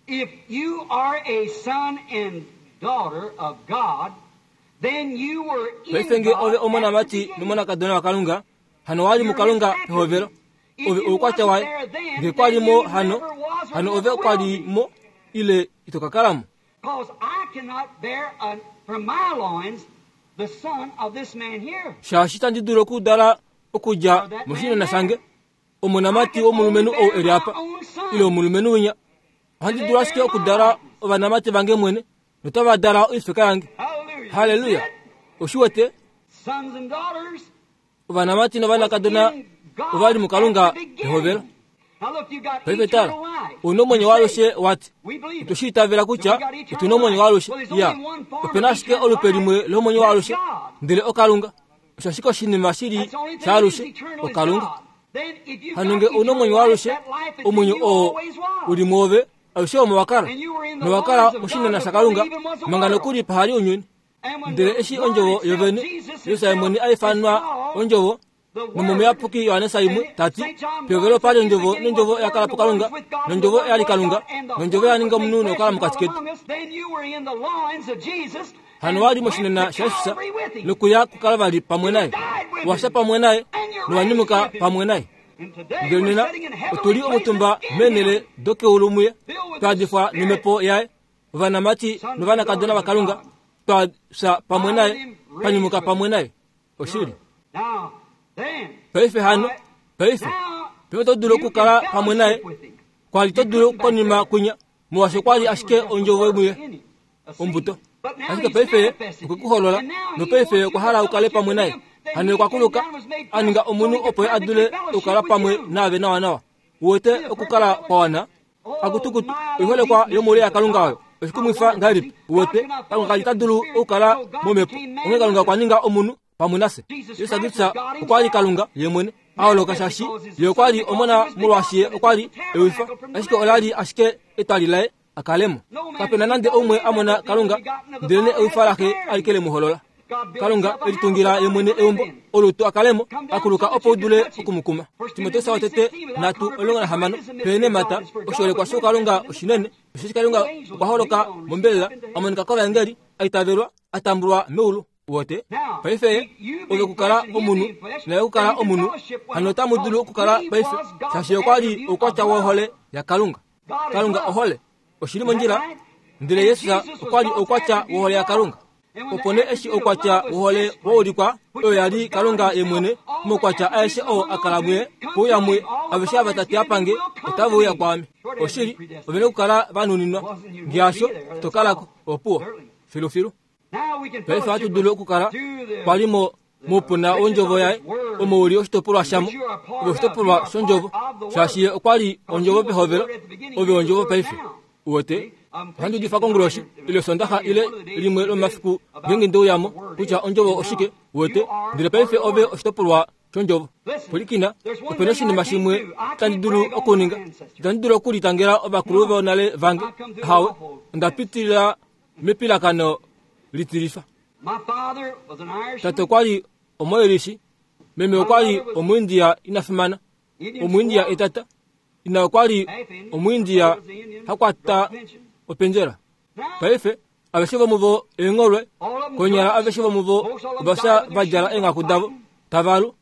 if you are a son and daughter of God, then you were in Paife nge ove God at the omonamati beginning. nomonakadona waKalunga hano wali muKalunga pehovelo ove oukwatya waye nge kwalimo hano hano ove kwalimo ile itokakalamo. Because I cannot bear a, from my loins the son of this man here. Shaashi tandi dulu okudala okudja moshinena shange omonamati womulumenhu ou eli apa ile omulumenhu winya. Ohandi dulu ashike okudala ovanamati vange mwene notava dala oifeka yange. Hallelujah. Haleluya. Oshiwete Sons and daughters ovanamati novanakadona ovali muKalunga pehovelo. Now look, you got Paife tala eternal life. una omwenyo waalushe wati We believe it. otushiitavela kutya otuna omwenyo waalushe. Ya opena ashike olupe limwe lomwenyo waalushe ndele oKalunga. Osho ashike oshinima shili That's the only thing that is shaalushe eternal is oKalunga. God. Then if you've Hano got nge una eternal omwenyo life, waalushe that life that's in omwenyo you oo always was. uli mwoove alushe omo wakala And you were in the nowakala loins of moshinena God shaKalunga before there even was a manga world. nokuli pahali ounyuni. And when Ndele the eshi Word ondjovo itself, yovene Jesus Yesu himself, mwene is aifanwa called ondjovo the Word. nomomuyapuki Yohanesa imwe And tati Saint John pehovelo pali writes, ondjovo "In the nondjovo beginning yakala was the puKalunga Word, and the Word was with God, nondjovo and the yali Word was Kalunga God, and the nondjovo Word yaninga was made omunhu flesh nokukala and mokati dwelt ketu. among us." Then you were in the loins of Jesus Hano and wali went moshinena to shaJesus Calvary with him. nokuya kuKalvari pamwe naye washa pamwe naye nowanyumuka pamwe naye. And today Ndele we're nena sitting in heavenly otuli omutumba places in meenhele him. dokeulu muye twadifwa nomhepo yaye ovanamati novanakadona vaKalunga twafya pamwe naye twanyumuka pamwe naye. Oshili Now, then, paife hano paife now, paife oto dulu you can okukala pamwe naye fellowship with him. kwali to dulu konima kwinya molwaashi okwali ashike ondjovo muye ombuto. Ashike paife okwe kuholola nopaife okwa hala ukale pamwe naye. Hano okwa kuluka a ninga omunhu opo ye a dule okukala pamwe naave nawanawa. Uwete okukala kwa wana akutukutu oiholekwa yomoule yaKalunga oyo oshikumwifa ngahelipi. Uwete Kalunga kali ta dulu okukala momhepo onghee Kalunga okwa ninga omunhu pamwe nafye. Jesus Kristus okwali Kalunga ye mwene a holoka shaashi ye okwali omona molwaashi ye okwali ewifa ashike olali ashike etwali laye akalemo. Kapena nande oumwe a mona Kalunga ndelene ewifa laxe alike le mu holola. Kalunga elitungila ye mwene eumbo olutu akalemo akuluka opo udule okumukuma. Timoteus watete nhatu omulongo nahamano peene mata oshiholekwa shoukalunga oshinene osheshi Kalunga okwa holoka mombelela a monika kovaengeli a itavelwa a tambulwa meulu. Wote paife ove okukala omunhu naye okukala omunhu hano otamu dulu okukala paife shaashi okwali oukwatya wohole yaKalunga. Kalunga ohole oshili mondjila ndele Yesus okwali oukwatya wohole yaKalunga. Opo nee eshi oukwatya wohole waulikwa oyo yali Kalunga ye mwene moukwatya aeshe oo akala muye pouya muye aveshe ava tate apange otava uya kwaame. Oshili ovena okukala vanuninwa ngeasho tokalako opuwo filufilu. Now we can Paife ohatu fellowship dulu okukala through the kwalimo moupuna wondjovo yaye omo uli oshitopolwa shamo ove oshitopolwa shondjovo shaashi ye okwali ondjovo pehovelo ove ondjovo paife. Uwete ohandi udifa konguloshi ile Sondaxa ile limwe lomafiku ngeenge ndeuyamo kutya ondjovo oshike. Uwete ndele paife ove oshitopolwa shondjovo. Pwilikina opena oshinima shimwe tandi dulu okuninga. Itandi dulu okulitangela ovakulu vonale vange hawe onda pitilila mepilakano litilifa. My father was an Irishman. Tate okwali omoirishi meme okwali omuindia ina fimana Indian omuindia squaw. etata ina okwali Half Indian. omuindia Mother was Indian. hakwata Drug pension. opendjela. Now, Paife aveshe vomuvo eengholwe all of them konyala drugs. aveshe vomuvo Most all of them ovafya died with their vadjala shoes eenghaku on davo fighting. tavalu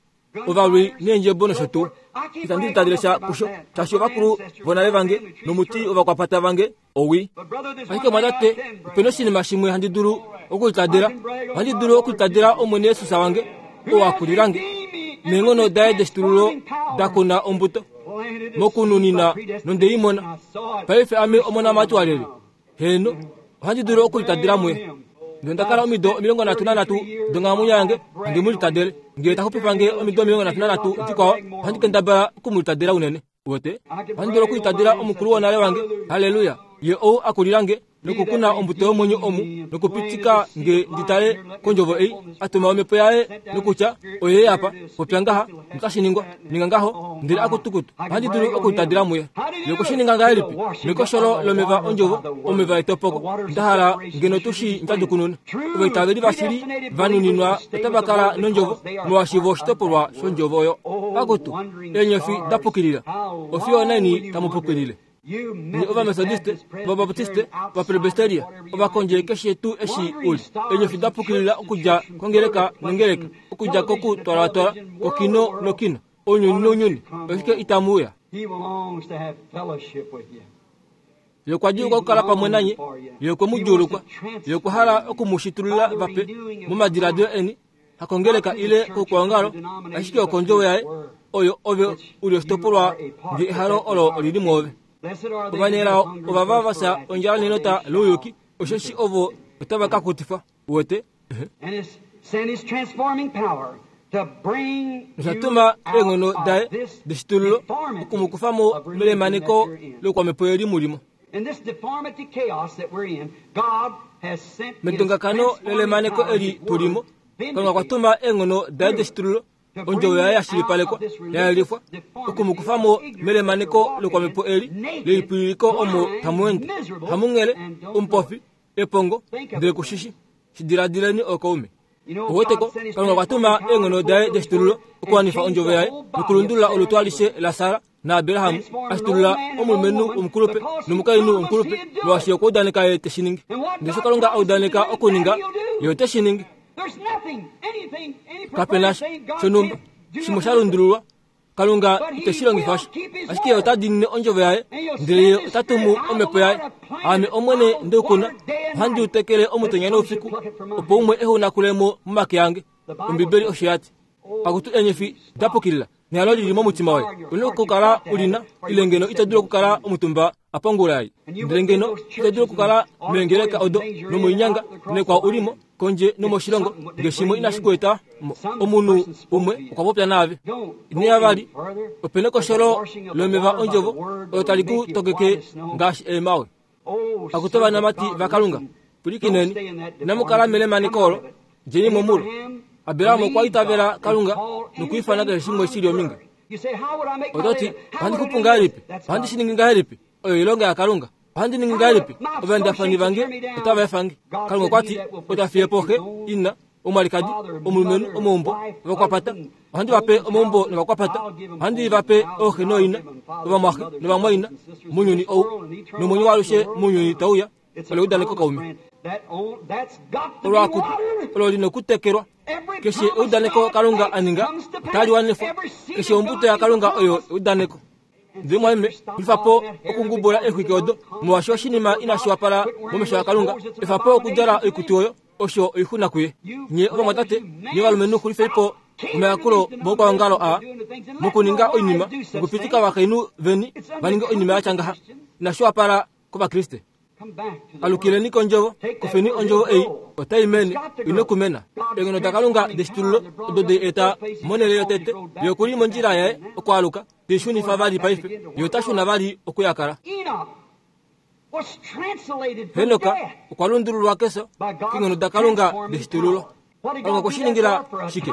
ovalwi neendjebo nosho tuu. Itandi litadile sha kusho shaashi ovakulu vonale vange nomuti ovakwapata vange owii. But brother, there's Ashike one thing I mwatate can brag opena oshinima shimwe handi dulu okulitadela. Ohandi dulu okulitadela Omwene Yesus wange oo akulilange neenghono daye deshitululo dakuna ombuto mokununina nondeimona. Paife ame omonamati waleli heno ohandi dulu okulitadela muye. Ndele ndakala omido omilongo nhatu nanhatu donghalamwenyo yange handi mu litadele. Ngele taxupifa nge omido omilongo nhatu nanhatu dikwao ohandi kendabala okumulitadela unene. Uwete ohandi dulu okulitadela omukulu wonale wange. Haleluya. Ye ou akulila nge nokukuna ombuto yomwenyo omu nokupitika nge nditale kondjovo ei atuma omhepo yaye nokutya oye apa popya ngaha notashi ningwa ninga ngaho ndele akutukutu ohandi dulu okutadila muye. Ye okushininga ngahelipi? Mekosholo lomeva ondjovo omeva etopoko ndahala ngeno tushi ndjadukununa. Ovaitaveli vashili vanuninwa otava kala nondjovo molwaashi vo oshitopolwa shondjovo oyo. Akutu eenyofi dapukilila ofiyo neni tamupukilile. Ni ovamethodiste, ovabaptiste, ovapresbyteria, ovakondje keshe tuu eshi uli. Eenyofi dapukilila okudja kongeleka nongeleka, okudja kokutwalwatwala, kokino nokino, ounyuni nounyuni, oshike itamu uya. Ye okwa djuulukwa okukala pamwe nanye, ye okwe mu djuulukwa, ye okwa hala okumushitulula vape momadiladilo eni, hakongeleka ile koukwaongalo, ashike okondjovo yaye, oyo ove uli oshitopolwa nge ehalo olo olili mwoove. Ovanelao ovava vafya ondjala nenota louyuki, osheshi ovo otava ka kutifwa. Uwete? Noshatuma eenghono daye deshitululo okumukufa mo melemaneko lokwamhepo eli mulimo. Medongakano lelemaneko eli tulimo, Kalunga okwa tuma eenghono daye deshitululo ondjovo yaye yashilipalekwa yayelifwa okumukufa mo melemaneko lokwamhepo eli lelipwililiko omo tamu ende hamunghele omupofi epongo ndele kushishi. Shidiladileni okaume. Oweteko Kalunga okwa tuma eenghono daye deshitululo okuwanifa ondjovo yaye nokulundulula olutu alishe la Sara naAbraham ashitulula omulumenhu omukulupe nomukainhu omukulupe molwaashi okwa udaneka ye teshi ningi. Ndele sho Kalunga a udaneka okuninga, ye ote shi ningi. Kapena shonhumba shimwe sha lundululwa, Kalunga iteshi longifa sha, ashike ye ota diinine ondjovo yaye, ndele ye ota tumu omhepo yaye. Aame Omwene ndeukuna, ohandi u tekele omutenya noufiku, opo umwe ehe u nakule mo momake ange. Ombibeli osho ya ti. Akutu eenyofi dapukilila nehalo lili momutima woye, una okukala ulina, ile ngeno ito dulu okukala omutumba apa ongula ei, ndele ngeno ito dulu okukala meengeleka odo nomoinyanga nekwao ulimo kondje nomoshilongo nge shimwe inashi ku eta omunhu umwe okwa popya naave. Ino vali opena ekosholo lomeva ondjovo olo tali ku tokeke ngaashi eemawe. Akutu ovanamati vaKalunga, pwilikineni, inamu kala melemaneko olo, djeni mo mulo. Abraham okwa itavela Kalunga nokwiifana keshe shimwe shili ominga. Ototi, ohandi xupu ngahelipi? Ohandi shi ningi ngahelipi? Oyo oilonga yaKalunga. Ohandi ningi ngahelipi? Ovaendafani vange otava efa nge. Kalunga okwa ti, ota fiye po xe, ina, omwalikadi, omulumenhu, omaumbo, ovakwapata. Ohandi va pe omaumbo novakwapata. Ohandi va pe ooxe nooina, ovamwaxe novamwaina mounyuni ou, nomwenyo waalushe mounyuni tauya. Olo eudaneko kaume. Olwaakutu olo lina okutekelwa. Keshe eudaneko Kalunga a ninga otali wanifwa. Keshe ombuto yaKalunga oyo eudaneko. Ndele mwame, xulifa po okungubula eexwiki odo, molwaashi oshinima inashi wapala momesho aKalunga. Efa po okudjala oikutu oyo, osho oixuna kuye. Nye ovamwatate, nye ovalumenhu xulifei po omayakulo moukwaongalo aa, mokuninga oinima, nokupitika ovakainhu veni va ninge oinima ya tya ngaha. Inashi wapala kOvakriste. Alukileni kondjovo, kufeni ondjovo ei, otai mene, ino okumena. Eenghono daKalunga deshitululo odo de eta monhele yotete, ye okuli mondjila yaye okwaaluka, teishunifa vali paife, ye ota shuna vali okuyakala. Henok okwa lundululwa kefyo keenghono daKalunga deshitululo. Kalunga okwe shi ningila shike?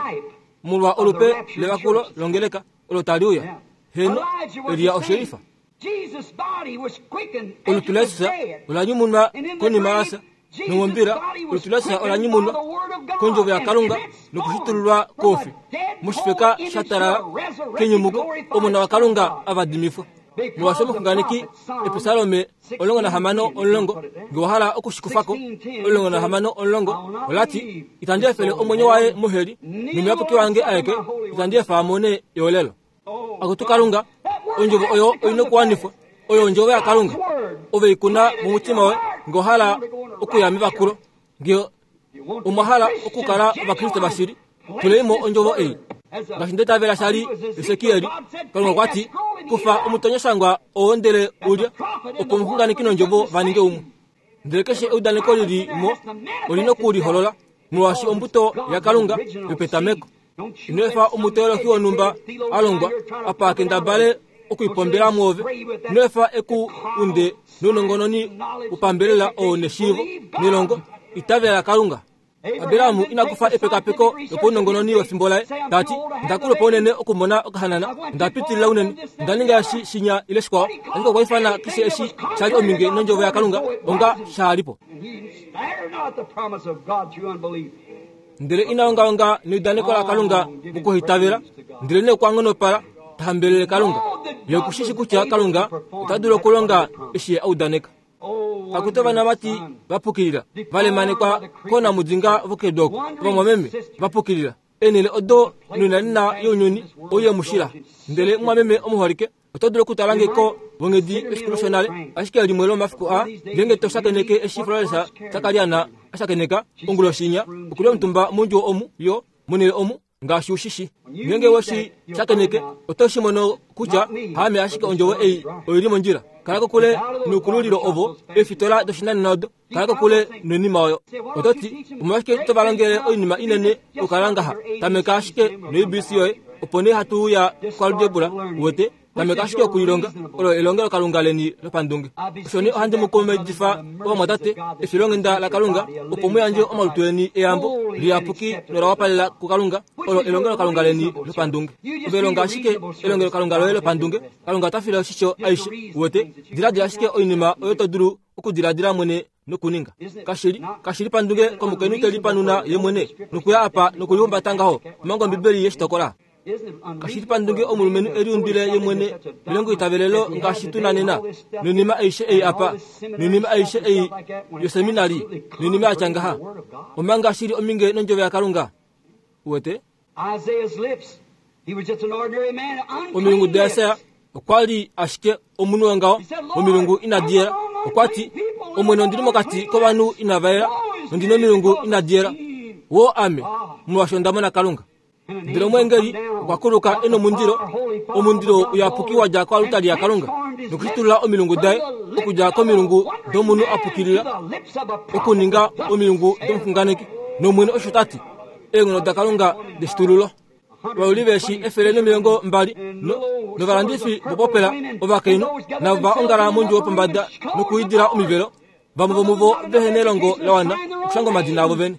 Molwa olupe levakulo longeleka olo tali uya. Heno, Elia oshelifa. Olutu laJesus ola nyumunwa konima yafya, nomombila olutu laJesus ola nyumunwa kondjovo yaKalunga nokushitululwa koufi. Moshifeka sha talala kenyumuko, Omona waKalunga avadimifwa. Molwaashi omuxunganeki Episalome omulongo nahamano omulongo, nge wa hala okushikufako, omulongo nahamano omulongo olati, itandi efele omwenyo waye moheli, nomuyapuki wange aeke itandi efa amone eolelo. Akutu Kalunga, ondjovo oyo oina okuwanifwa, oyo ondjovo yaKalunga. Ove ikuna momutima woye nge wa hala okuya mevakulo, nge omwa hala okukala Ovakriste vashili, tulei mo ondjovo ei. Ngaashi ndeitavela sha li Esekiel, Kalunga okwa ti, kufa omutonyashangwa oo ndele ulya, opo omuxunganeki nondjovo va ninge umwe. Ndele keshe eudaneko lili mo olina okuliholola, molwaashi ombuto yaKalunga yopetameko. Ino efa omuteolohi wonhumba a longwa apa a kendabale okuipombela muove ino efa eku unde nounongononi upambelela oo neshiivo nelongo itavela Kalunga. Aberamu inakufa epekapeko lopaunongononi wefimbo laye tati ndakulupa unene okumona okahanana ndapitilila unene ndaninga eshi shinya ile shikwao ashike okwa ifana keshe eshi shali ominge nondjovo yaKalunga onga shaalipo. Ndele inaongaonga neudaneko laKalunga mokuhitavela ndele nee okwa nghonopala tahambelele Kalunga ye okushishi kutya Kalunga ota dulu okulonga eshi ye audaneka. Akutu ovanamati vapukilila valemanekwa koonamudinga vokedu oko ovamwameme vapukilila eenhele odo noinanena younyuni ouye mushila. Ndele mumwameme omuholike oto dulu okutala ngeko vonghedi efiku loshonale ashike limwe lomafiku aa ngeenge to shakeneke eshi Florence Sakariana ashakeneka onguloshinya okuli omutumba mondjuwo omu yo monhele omu ngaashi ushishi ngeenge weshi shakeneke oto shi mono kutya haame ashike ondjovo ei oili mondjila. Kala kokule noukululilo ovo eefitola doshinanena odo kala kokule noinima oyo. Oto ti omolwashike tovalongele oinima inene okukala ngaha tameka ashike no-A B C yoye opo nee hatu uya koalgebra uwete tameka ashike okulilonga olo elongelokalunga leni lopandunge. Osho nee ohandi mu kumaidifa ovamwatate efilonghenda laKalunga opo mu yandje omalutu eni eyambo liyapuki nola wapalela kuKalunga olo elongelokalunga leni lopandunge. Ove longa ashike elongelokalunga loye lopandunge Kalunga ota file oshisho aishe uwete diladila ashike oinima oyo to dulu okudiladila mwene nokuninga. Kashili kashili pandunge komukainhu te lipanuna ye mwene nokuya apa nokulihumbata ngaho omanga Ombibeli yeshitokola. Kashili pandunge omulumenhu eliundile ye mwene melongo itavelelo ngaashi tuna nena noinima aishe ei apa noinima aishe ei yoseminari noinima yatya ngaha omanga shili ominge nondjovo yaKalunga uwete. Omilungu daIsaya okwa li ashike omunhu wongaho omilungu inadi yela okwa ti Omwene ondili mokati kovanhu inava yela nondina omilungu inadi yela wo ame molwaashi onda mona Kalunga. Ndele omweengeli okwa kuluka ena omundilo omundilo uyapuki wa dja koalutali yaKalunga nokushitulula omilungu daye okudja komilungu domunhu apukilila okuninga omilungu domuxunganeki nOmwene osho tati eenghono daKalunga deshitululo. Ovauli veeshi efele nomilongo mbali novalandifi vopopela ovakainhu navo va ongala mondjuwo pombada nokuidila omivelo vamwe vomuvo vehe nelongo la wana okushanga omadina avo vene.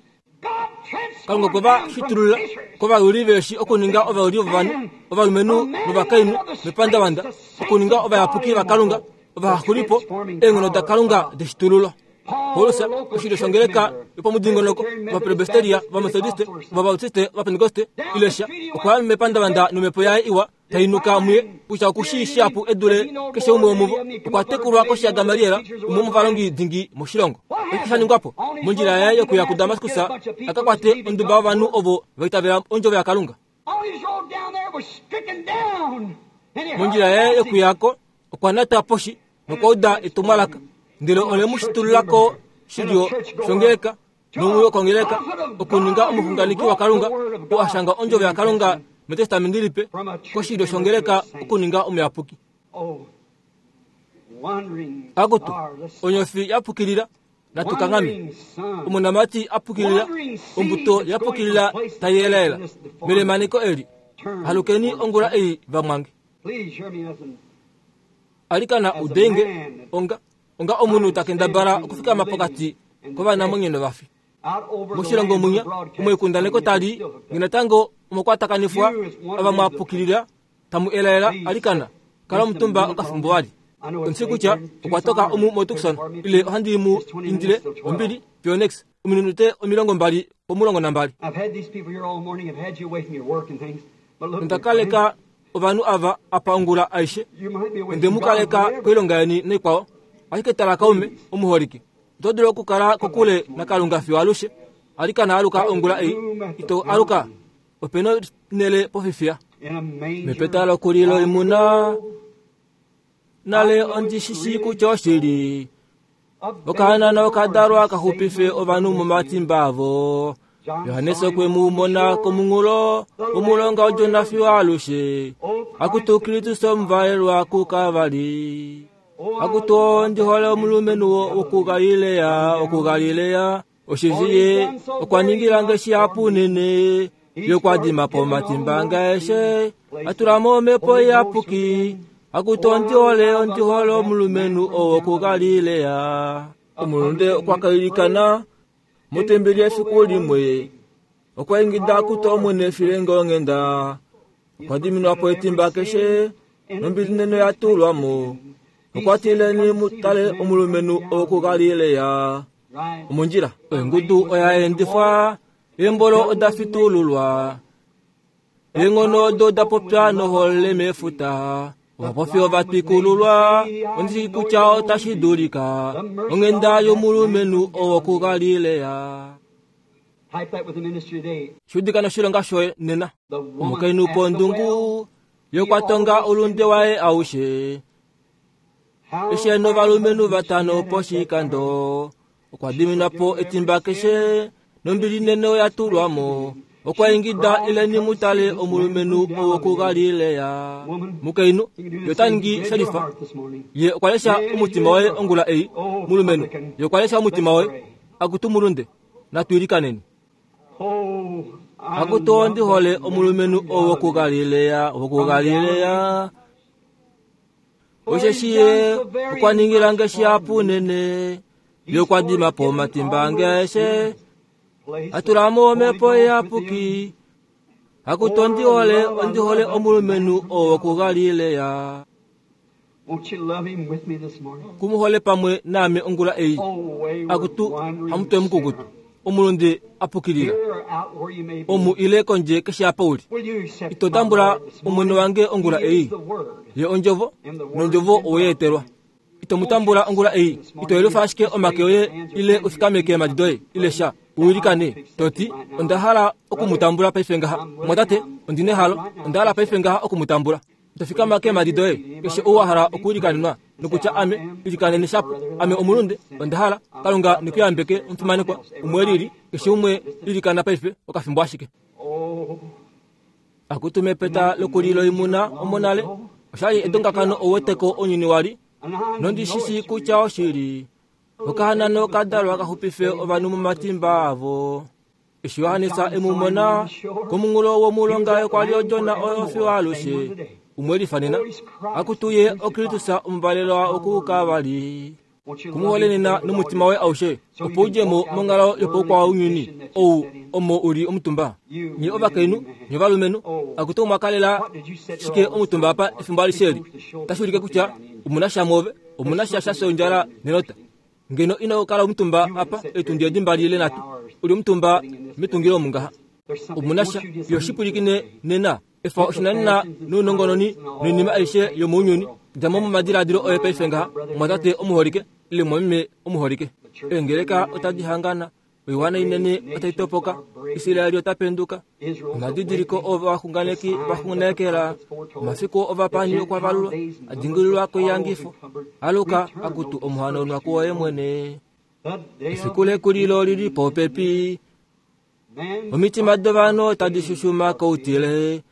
Kalunga okwe va shitulula kovauli veeshi okuninga ovauli vovanhu ovalumenhu novakainhu mepandavanda okuninga ovayapuki vaKalunga ovahaxulipo eenghono daKalunga deshitululo. Paulus oshilyo shongeleka yopomudingonoko ovapresbiteria ovamethodiste ovabautiste ovapentekoste ilesha okwa ya mepandavanda nomhepo yaye iwa tainuka muye kutya okushii shihapu edule keshe umwe womuvo. Okwa tekulwa koshi yaGamaliel umwe womovalongi dingi moshilongo. Oshike sha ningwa po mondjila yaye yokuya kuDamaskus aka kwate onduba yovanhu ovo va itavela ondjovo yaKalunga. Mondjila yaye yokuyako okwa nata poshi nokwa uda etumwalaka ndele ole mu shitululako shilyo shongeleka nomuyo kongeleka okuninga omuxunganeki waKalunga oo ashanga ondjovo yaKalunga metestamenti lipe koshilyo shongeleka okuninga omuyapuki. Akutu onyofi yapukilila natukangame omonamati apukilila ombuto yapukilila tayelaela melemaneko eli halukeni ongula ei vamwange. Alikana udenge onga onga omunhu takendabala okufikama pokati kovanamwenyo novafi. Moshilongo munya omoikundaneko tali ngenatango omokwatakanifwa avamwapukilila tamu elaela alikana kala omutumba okafimbo wali. Onsi kutya okwa toka omu moTucson ile ohandi mu indile ombili Phoenix ominute omilongo mbali pomulongo nambali. Ondakaleka ovanhu ava apa ongula aishe onde mu kaleka koilonga yeni noikwao ashike tala kaume omuholike oto dulu okukala kokule naKalunga fiyo alushe. Alikana aluka ongula ei ito aluka opena nele pofifiya mepeta lokulilo imuna nale ondishishi kutya oshili okahanana okadalwa kaxupife ovanhu momatimba avo. Johannes okwe mu mona komunghulo womulonga waJona fiyo alushe. Akutu Kristus omuvalelwa kuKavali. Akutu ondihole omulumenhu wokuGalilea wokuGalilea osheshi ye okwa ningila nge shihapu unene ye okwa dima po omatimba ange aeshe atula mo omhepo iyapuki Akutu ondihole ondihole omulumenhu owokuGalilea. Omulunde okwa kailikana motembeli efiku limwe. Okwa ingida akutu Omwene filenge onghenda. Okwa diminwa po etimba keshe nombili nene ya tulwa mo. Okwa tileni mutale omulumenhu owokuGalilea. Omondjila engudu oya endifwa, eembolo oda fitululwa. Eenghono odo da popya nohole mefuta. Ovapofi ova twikululwa, ondishi kutya otashi dulika. Onghenda yomulumenhu owokuGalilea. Type that with the ministry today. Shudika noshilonga shoye nena. The woman Omukainhu at the pondungu well, ye okwa tonga olunde waye aushe. how Eshe novalumenhu vatano poshikando. Okwa diminwa po etimba keshe nombili nene oya tulwa mo. Okwa ingida ileni mutale omulumenhu owokuGalilea. Mukainhu ye ota ningi Read your shelifa. heart this morning. Ye okwa lesha omutima waye ongula ei. Mulumenhu ye okwa lesha omutima waye. Akutu mulunde natu ilikaneni. Oh, I Akutu love ondihole that omulumenhu man. owokuGalilea, owokuGalilea. Osheshi ye okwa ningila nge shihapu nene. Ye okwa dima po omatimba ange aeshe. Atula mo omhepo iyapuki. Akutu ondihole ondihole omulumenhu owokuGalilea. Won't you love him with me this morning? Kumuhole pamwe naame ongula ei. Oh, wayward, Akutu wandering hamutwe mukukutu. sinner. Omulunde apukilila. Here or out where you may be. Omu ile kondje keshe apa uli. Will you accept Ito my tambula Lord this omwene morning? wange ongula He ei. is the Word. Ye ondjovo nondjovo oweetelwa. Ito mutambula ongula ei. Ito yelufa ashike omake oye ile ufikameke eemadi doye ile sha. Uilikane toti onda hala okumutambula paife ngaha. Mwatate ondina ehalo onda hala paife ngaha okumutambula. Ito fikama keemadi doye keshe ou wa hala okuilikanenwa nokutya ame ilikanene shapo ame omulunde onda hala Kalunga nikuyambeke omufimanekwa umwe lili keshe umwe ilikana paife okafimbo ashike. Oh, Akutu mepeta lokulilo imuna omonale oshali edongakano oweteko onyini wali and I nondishisi know it's kutya oshili. Okahanano kadalwa kaxupife ovanhu momatimba avo. Eshi Johannes emumona komunghulo womulonga okwa li odjona oyo fiyo alushe. Umwe lifanena akutu ye oKristus omuvalelwa okukavali. Won't you love Kumuhole him nena today with all nomutima your waye aushe opo udjemo monghalo yopaukwaunyuni ou omo uli omutumba. Nye ovakainhu nye ovalumenhu akutu omwakalela shike omutumba apa efimbo alishe eli. Otashi ulike kutya omuna sha mwoove, omuna sha sha shondjala nenota. Ngeno ino kala omutumba apa etundi edi mbali ile nhatu. Uli omutumba metungilo omu ngaha. There's something. Omuna Won't sha you just yo leave shipulikine today? nena efa oshinanena nounongononi noinima aishe yomounyuni. Djamo momadiladilo oye paife ngaha mwatate omuholike ile mwameme omuholike. Eengeleka otadi hangana, oiwana inene otai topoka, Israeli ota penduka. Israel's Omadidiliko awakening. ovaxunganeki vaxunganekela, omafiku ovapani okwa valulwa, adingililwa koiyangifo. Aluka akutu omuhanaunwa kuwoye mwene. The day of Efiku lekulilo lili popepi. man Omitima dovanhu otadi shushuma koutile.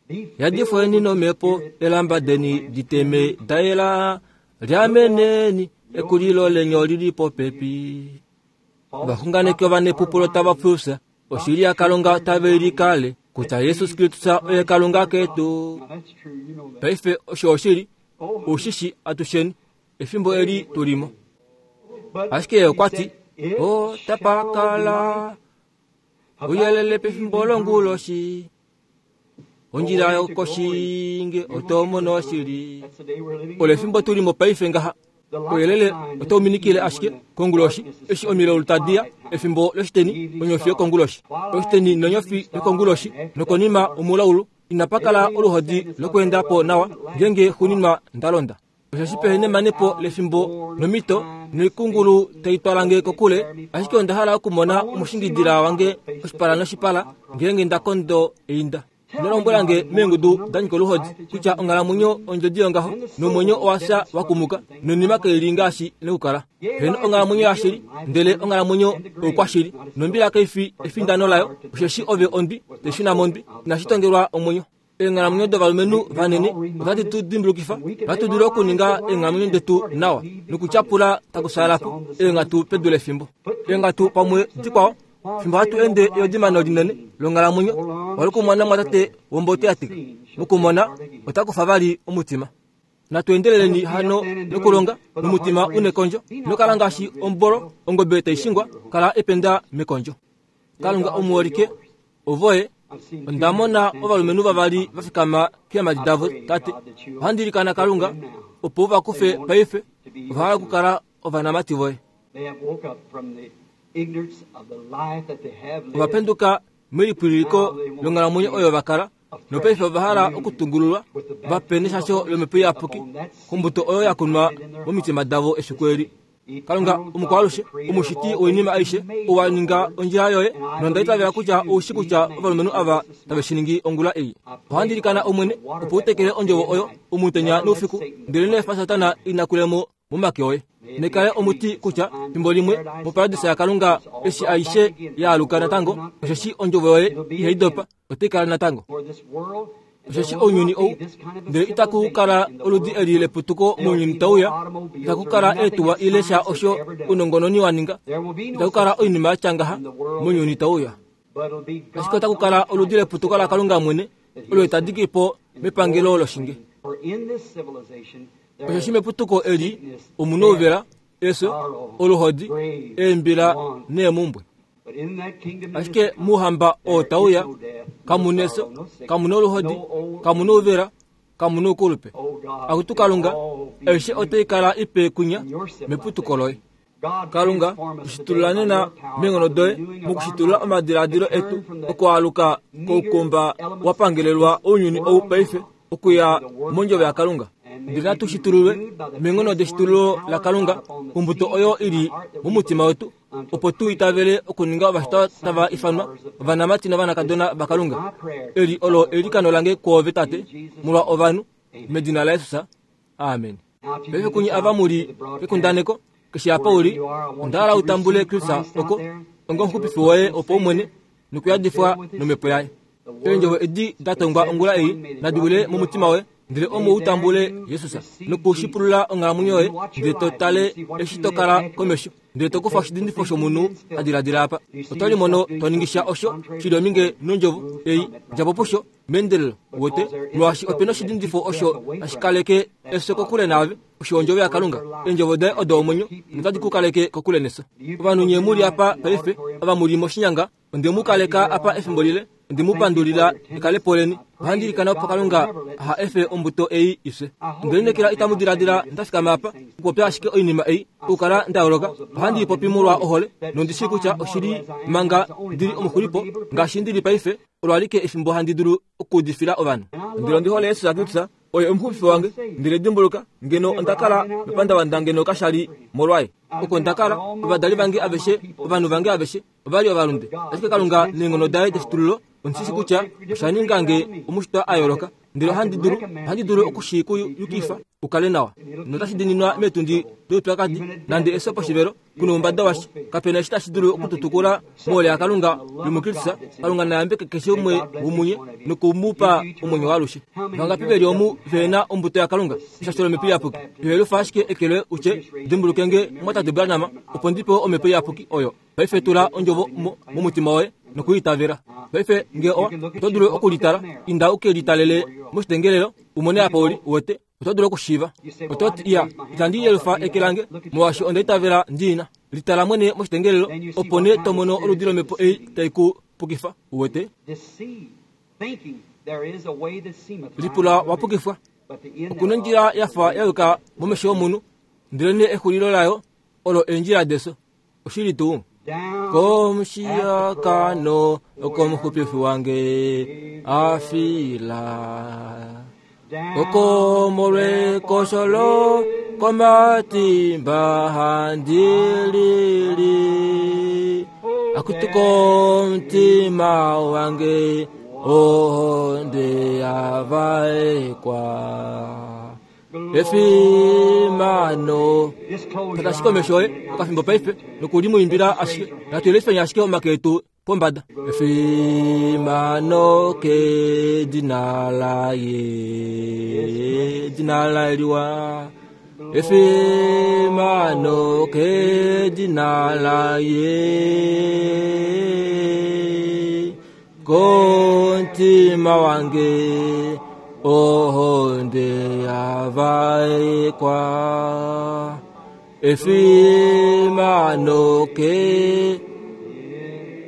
be Yadifweni nomhepo elamba deni diteme daela. Liameneni ekulilo lenyo lili popepi. Ovaxunganeki ovanepupulo tava fufya. Oshili yaKalunga tave likale kutya Jesus Kristus oye Kalunga ketu. Now that's true, you know that. Paife osho oshili, Oh, ushishi atusheni efimbo eli tulimo. but Ashike ye okwa ti, he said, "It otapakala shall be light uyelele pefimbo longuloshi. Ondjila yokoshinge otomono oshili. That's the day we're living Olo in. efimbo tulimo paife ngaha. Oyelele otauminikile ashike konguloshi eshi omilaulu tadiya efimbo loshiteni onyofi yokonguloshi. Oshiteni nonyofi yokonguloshi nokonima omulaulu inapakala oluhodi lokweenda po nawa ngenge xuninwa ndalonda. Osheshi pehe nemanepo lefimbo nomito noikungulu tai twalange kokule, ashike onda hala okumona omushingidila wange oshipala noshipala ngenge nda kondo einda. Ino lombwelange meengudu da nyika oluhodi kutya onghalamwenyo ondjodi yongaho nomwenyo owafya wakumuka nonima kaili ngaashi nekukala. Heno onghalamwenyo yashili ndele onghalamwenyo oukwashili nombila kaifi efindano layo osheshi ove ondwi taishuna mondwi inashi tongelwa omwenyo. Eenghalamwenyo dovalumenhu vanene otadi tu dimbulukifa ohatu dulu okuninga eenghalamwenyo detu nawa nokutyapula takusaalapo eenghatu pedu lefimbo. Eenghatu pamwe dikwao fimbo hatu ende eodimano linene longhalamwenyo walikumona mwatate wombote yatika mukumona otakufa vali omutima. Natu endeleleni hano nokulonga nomutima unekondjo. Nokala ngaashi ombolo ongobe taishingwa kala ependa mekondjo. Kalunga omuholike ovoye ondamona ovalumenhu vavali vafikama keemhadi davo tate. Ohandi ilikana Kalunga opo vakufe paife ovahala okukala ovanamati voye. Ovapenduka melipwililiko longhalamwenyo oyo vakala nopaife ovahala okutungululwa vape neshasho lomhepo iyapuki kombuto oyo yakunwa momitima davo efiku eli. Kalunga omukwalushe omushiti woinima aishe owa ninga ondjila yoye nonda itavela kutya oushi kutya ovalumenhu ava tave shi ningi ongula ei. Ohandi ilikana Omwene opo utekele ondjovo oyo omutenya noufiku ndele neefa Satana inakulemo momake oye. Nekale omuti kutya fimbo limwe moparadisa yaKalunga eshi aishe yaaluka natango osheshi ondjovo yoye ihai dopa otai kala natango. Osheshi ounyuni ou ndele itaku kala oludi eli leputuko mounyuni tauya, itaku kala eetuwa ile sha osho ounongononi wa ninga, itaku kala oinima yatya ngaha mounyuni tauya. Ashike otaku kala oludi leputuko laKalunga mwene olo itadiki po mepangelo loshinge. Osheshi meputuko eli omuna ouvela, efyo, oluhodi, eembila neemumbwe. Ashike muuhamba oo tauya kamuna efyo, kamuna oluhodi, kamuna ouvela, kamuna oukulupe. Akutu Kalunga, aishe otai kala ipe kunya meputuko loye. Kalunga, tushitulula nena meenghono doye mokushitulula omadiladilo etu okwaaluka koukomba wa pangelelwa ounyuni ou paife okuya mondjovo yaKalunga. Ndele natu shitululwe meenghono deshitululo laKalunga kombuto oyo ili momutima wetu opo tu itavele okuninga ovashitwa tava ifanwa ovanamati novanakadona vaKalunga. Eli olo eilikano lange kwoove Tate molwa ovanhu medina laJesus. Amen. Paife kunye ava muli kekundaneko keshe apa uli onda hala utambule Kristus oko onga omuxupifi woye opo umwene nokuyadifwa nomhepo yaye. Eendjovo edi da tongwa ongula ei nadi wile momutima woye ndele omo utambule Jesus nokushipulula onghalamwenyo yoye ndele to tale eshi to kala komesho ndele to kufa oshidindifo shomunhu a diladila apa. Oto limono to ningisha osho shili ominge nondjovo ei djapo pusho meendelelo wete molwaashi opena oshidindifo osho tashi kaleke efyo kokule naave osho ondjovo yaKalunga. Eendjovo daye odo omwenyo notadi ku kaleke kokule nefyo. Ovanhu nye muli apa paife ava muli moshinyanga onde mu kaleka apa efimbo lile onde mu pandulila ekalepo leni. Ohandi ilikana opo Kalunga aha efe ombuto ei ifye. Onde lineekela itamu diladila ndafikama apa okupopya ashike oinima ei okukala nda yooloka. Ohandi ipopi molwa ohole nondi shii kutya oshili manga ndili omuxulipo ngaashi ndili paife olo alike efimbo handi dulu okuudifila ovanhu. Ndele ondi hole Jesus Kristus oye omuxupifi wange. Ndele dimbuluka ngeno onda kala mepandavanda ngeno kashali molwaye. Oko nda kala ovadali vange aveshe ovanhu vange aveshe ovali ovalunde. Ashike Kalunga neenghono daye deshitululo ondishi kutya osha ninga nge omushitwa a yooloka. Ndele ohandi dulu ohandi dulu okushikuyukifa ukale nawa. Notashi dininwa meetundi doupyakadi nande efyo poshivelo kuna oumbada washa. Kapena eshi tashi dulu okututukula mohole yaKalunga yomuKristus. Kalunga nayambeke keshe umwe womunye nokumupa omwenyo waalushe. Vangapi veli omu vena ombuto yaKalunga eshasho lomhepo iyapuki? Ihelufa ashike ekele utye dimbuluke nge mwatate Branham opo ndi pewe omhepo iyapuki oyo. Paife tula ondjovo momutima woye nokuitavela. Paife nge owa oto dulu okulitala inda uke litalele moshitengelelo umone apa uli wete oto dulu okushiiva. Oto ti iya itandi yelufa eke lange molwaashi onda itavela ndiina. Litala mwene moshitengelelo opo nee to mono oludi lomhepo ei tai ku pukifa uwete. Lipula wa pukifwa. Okuna ondjila yafa ya yuka momesho omunhu ndele nee exulilo layo olo eendjila defyo. Oshili tuu. Komushiyakano okomuxupifi wange afila oko molwekosholo komatimba handilili akutuko mutima wange ohonde yavaekwa efimano. Tatashike omesho oye okafimbo paife nokulimuimbila ashike natuyelifeni ashike omake etu pombada. Efimano kedina laye dina laye liwa efimano kedina laye kontima wange ohonde yavaekwa yavaekwa efimano ke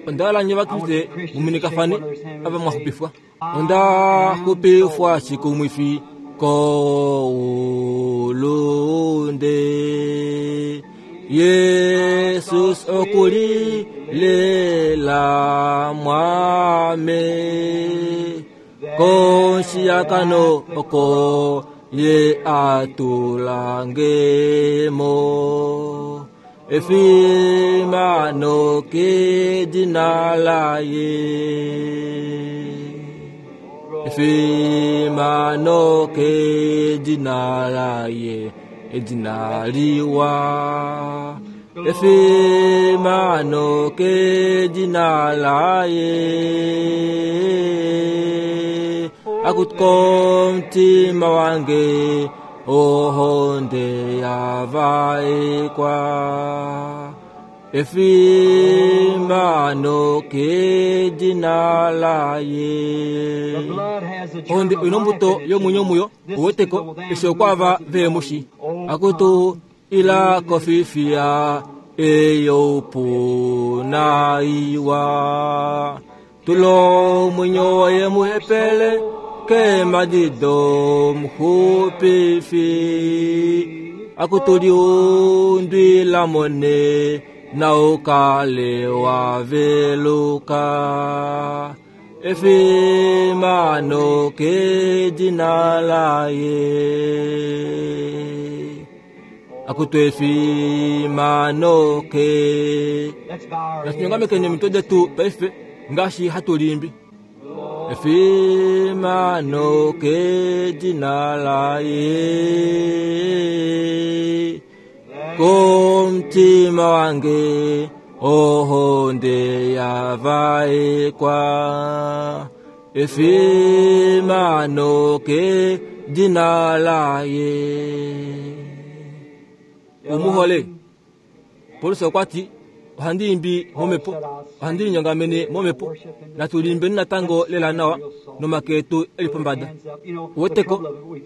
onda hala vakriste muminikafane ava mwahupifwa onda hupifwa shikumwifi koulunde Yesus okuli lela mwame konshiyakano oko ye atulangemo efimano ke jina laye efimano ke jina laye edina liwa efimano ke jina laye akutko mtima wange ohonde yavaekwa efimano ke jina laye onde inombuto yomunyo muyo uweteko eshi okwava veemushi akutu ila kofifia eyopunaiwa tulo mwinyo waye muhepele ke madido mhupifi akutuliundwila mone na ukale waveluka efimano ke jina laye akutu efimano ke natunyongamekene mitwe detu paife ngaashi hatulimbi efimano ke jina laye komtima wange ohonde yavaekwa efimano ke jina laye umuhole Paulus okwati ohandi imbi momepo ohandi linyongamene momepo natulimbeni natango lela nawa nomake etu eli pombada uweteko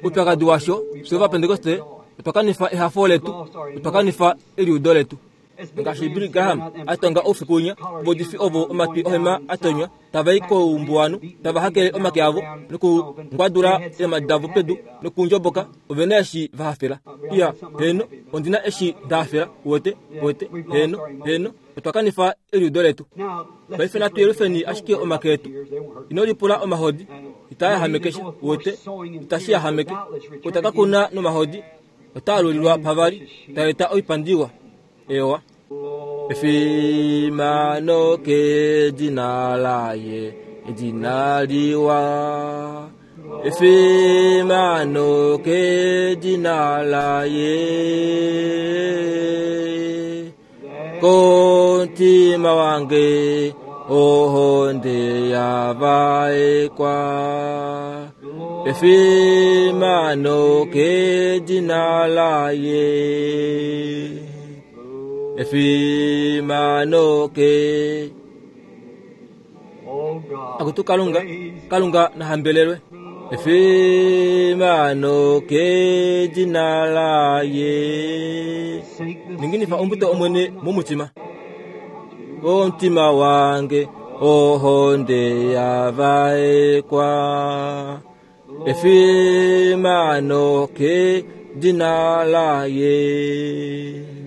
upyakadi washo fye vapentekoste otwa kanifa ehafo letu otwa kanifa eliudo letu ngaashi Billy Graham atonga oufiku winya vodifi ovo omatwi ohema atonywa tavai koumbuwanu tava hakele omake avo nokungwadula eemadi davo pedu nokundjoboka ovena eshi vahafela iya heno ondina eshi ndahafela uwete uwete heno heno otwa kanifa eliudo letu paife natu yelufeni ashike omake etu ino lipula omahodi itayahamekesha uwete itashiyahameke otaka kuna nomahodi otaalulilwa pavali taeta oipandiwa ewa efimano ke jina laye jina liwa efimano ke jina laye kontima wange ohonde yavaekwa efimano ke jina laye efimano ke akutu kalunga kalunga nahambelelwe efimano ke jina laye ninginifa ombuto omwene mumutima omtima wange ohonde yavaekwa efimano ke jina laye.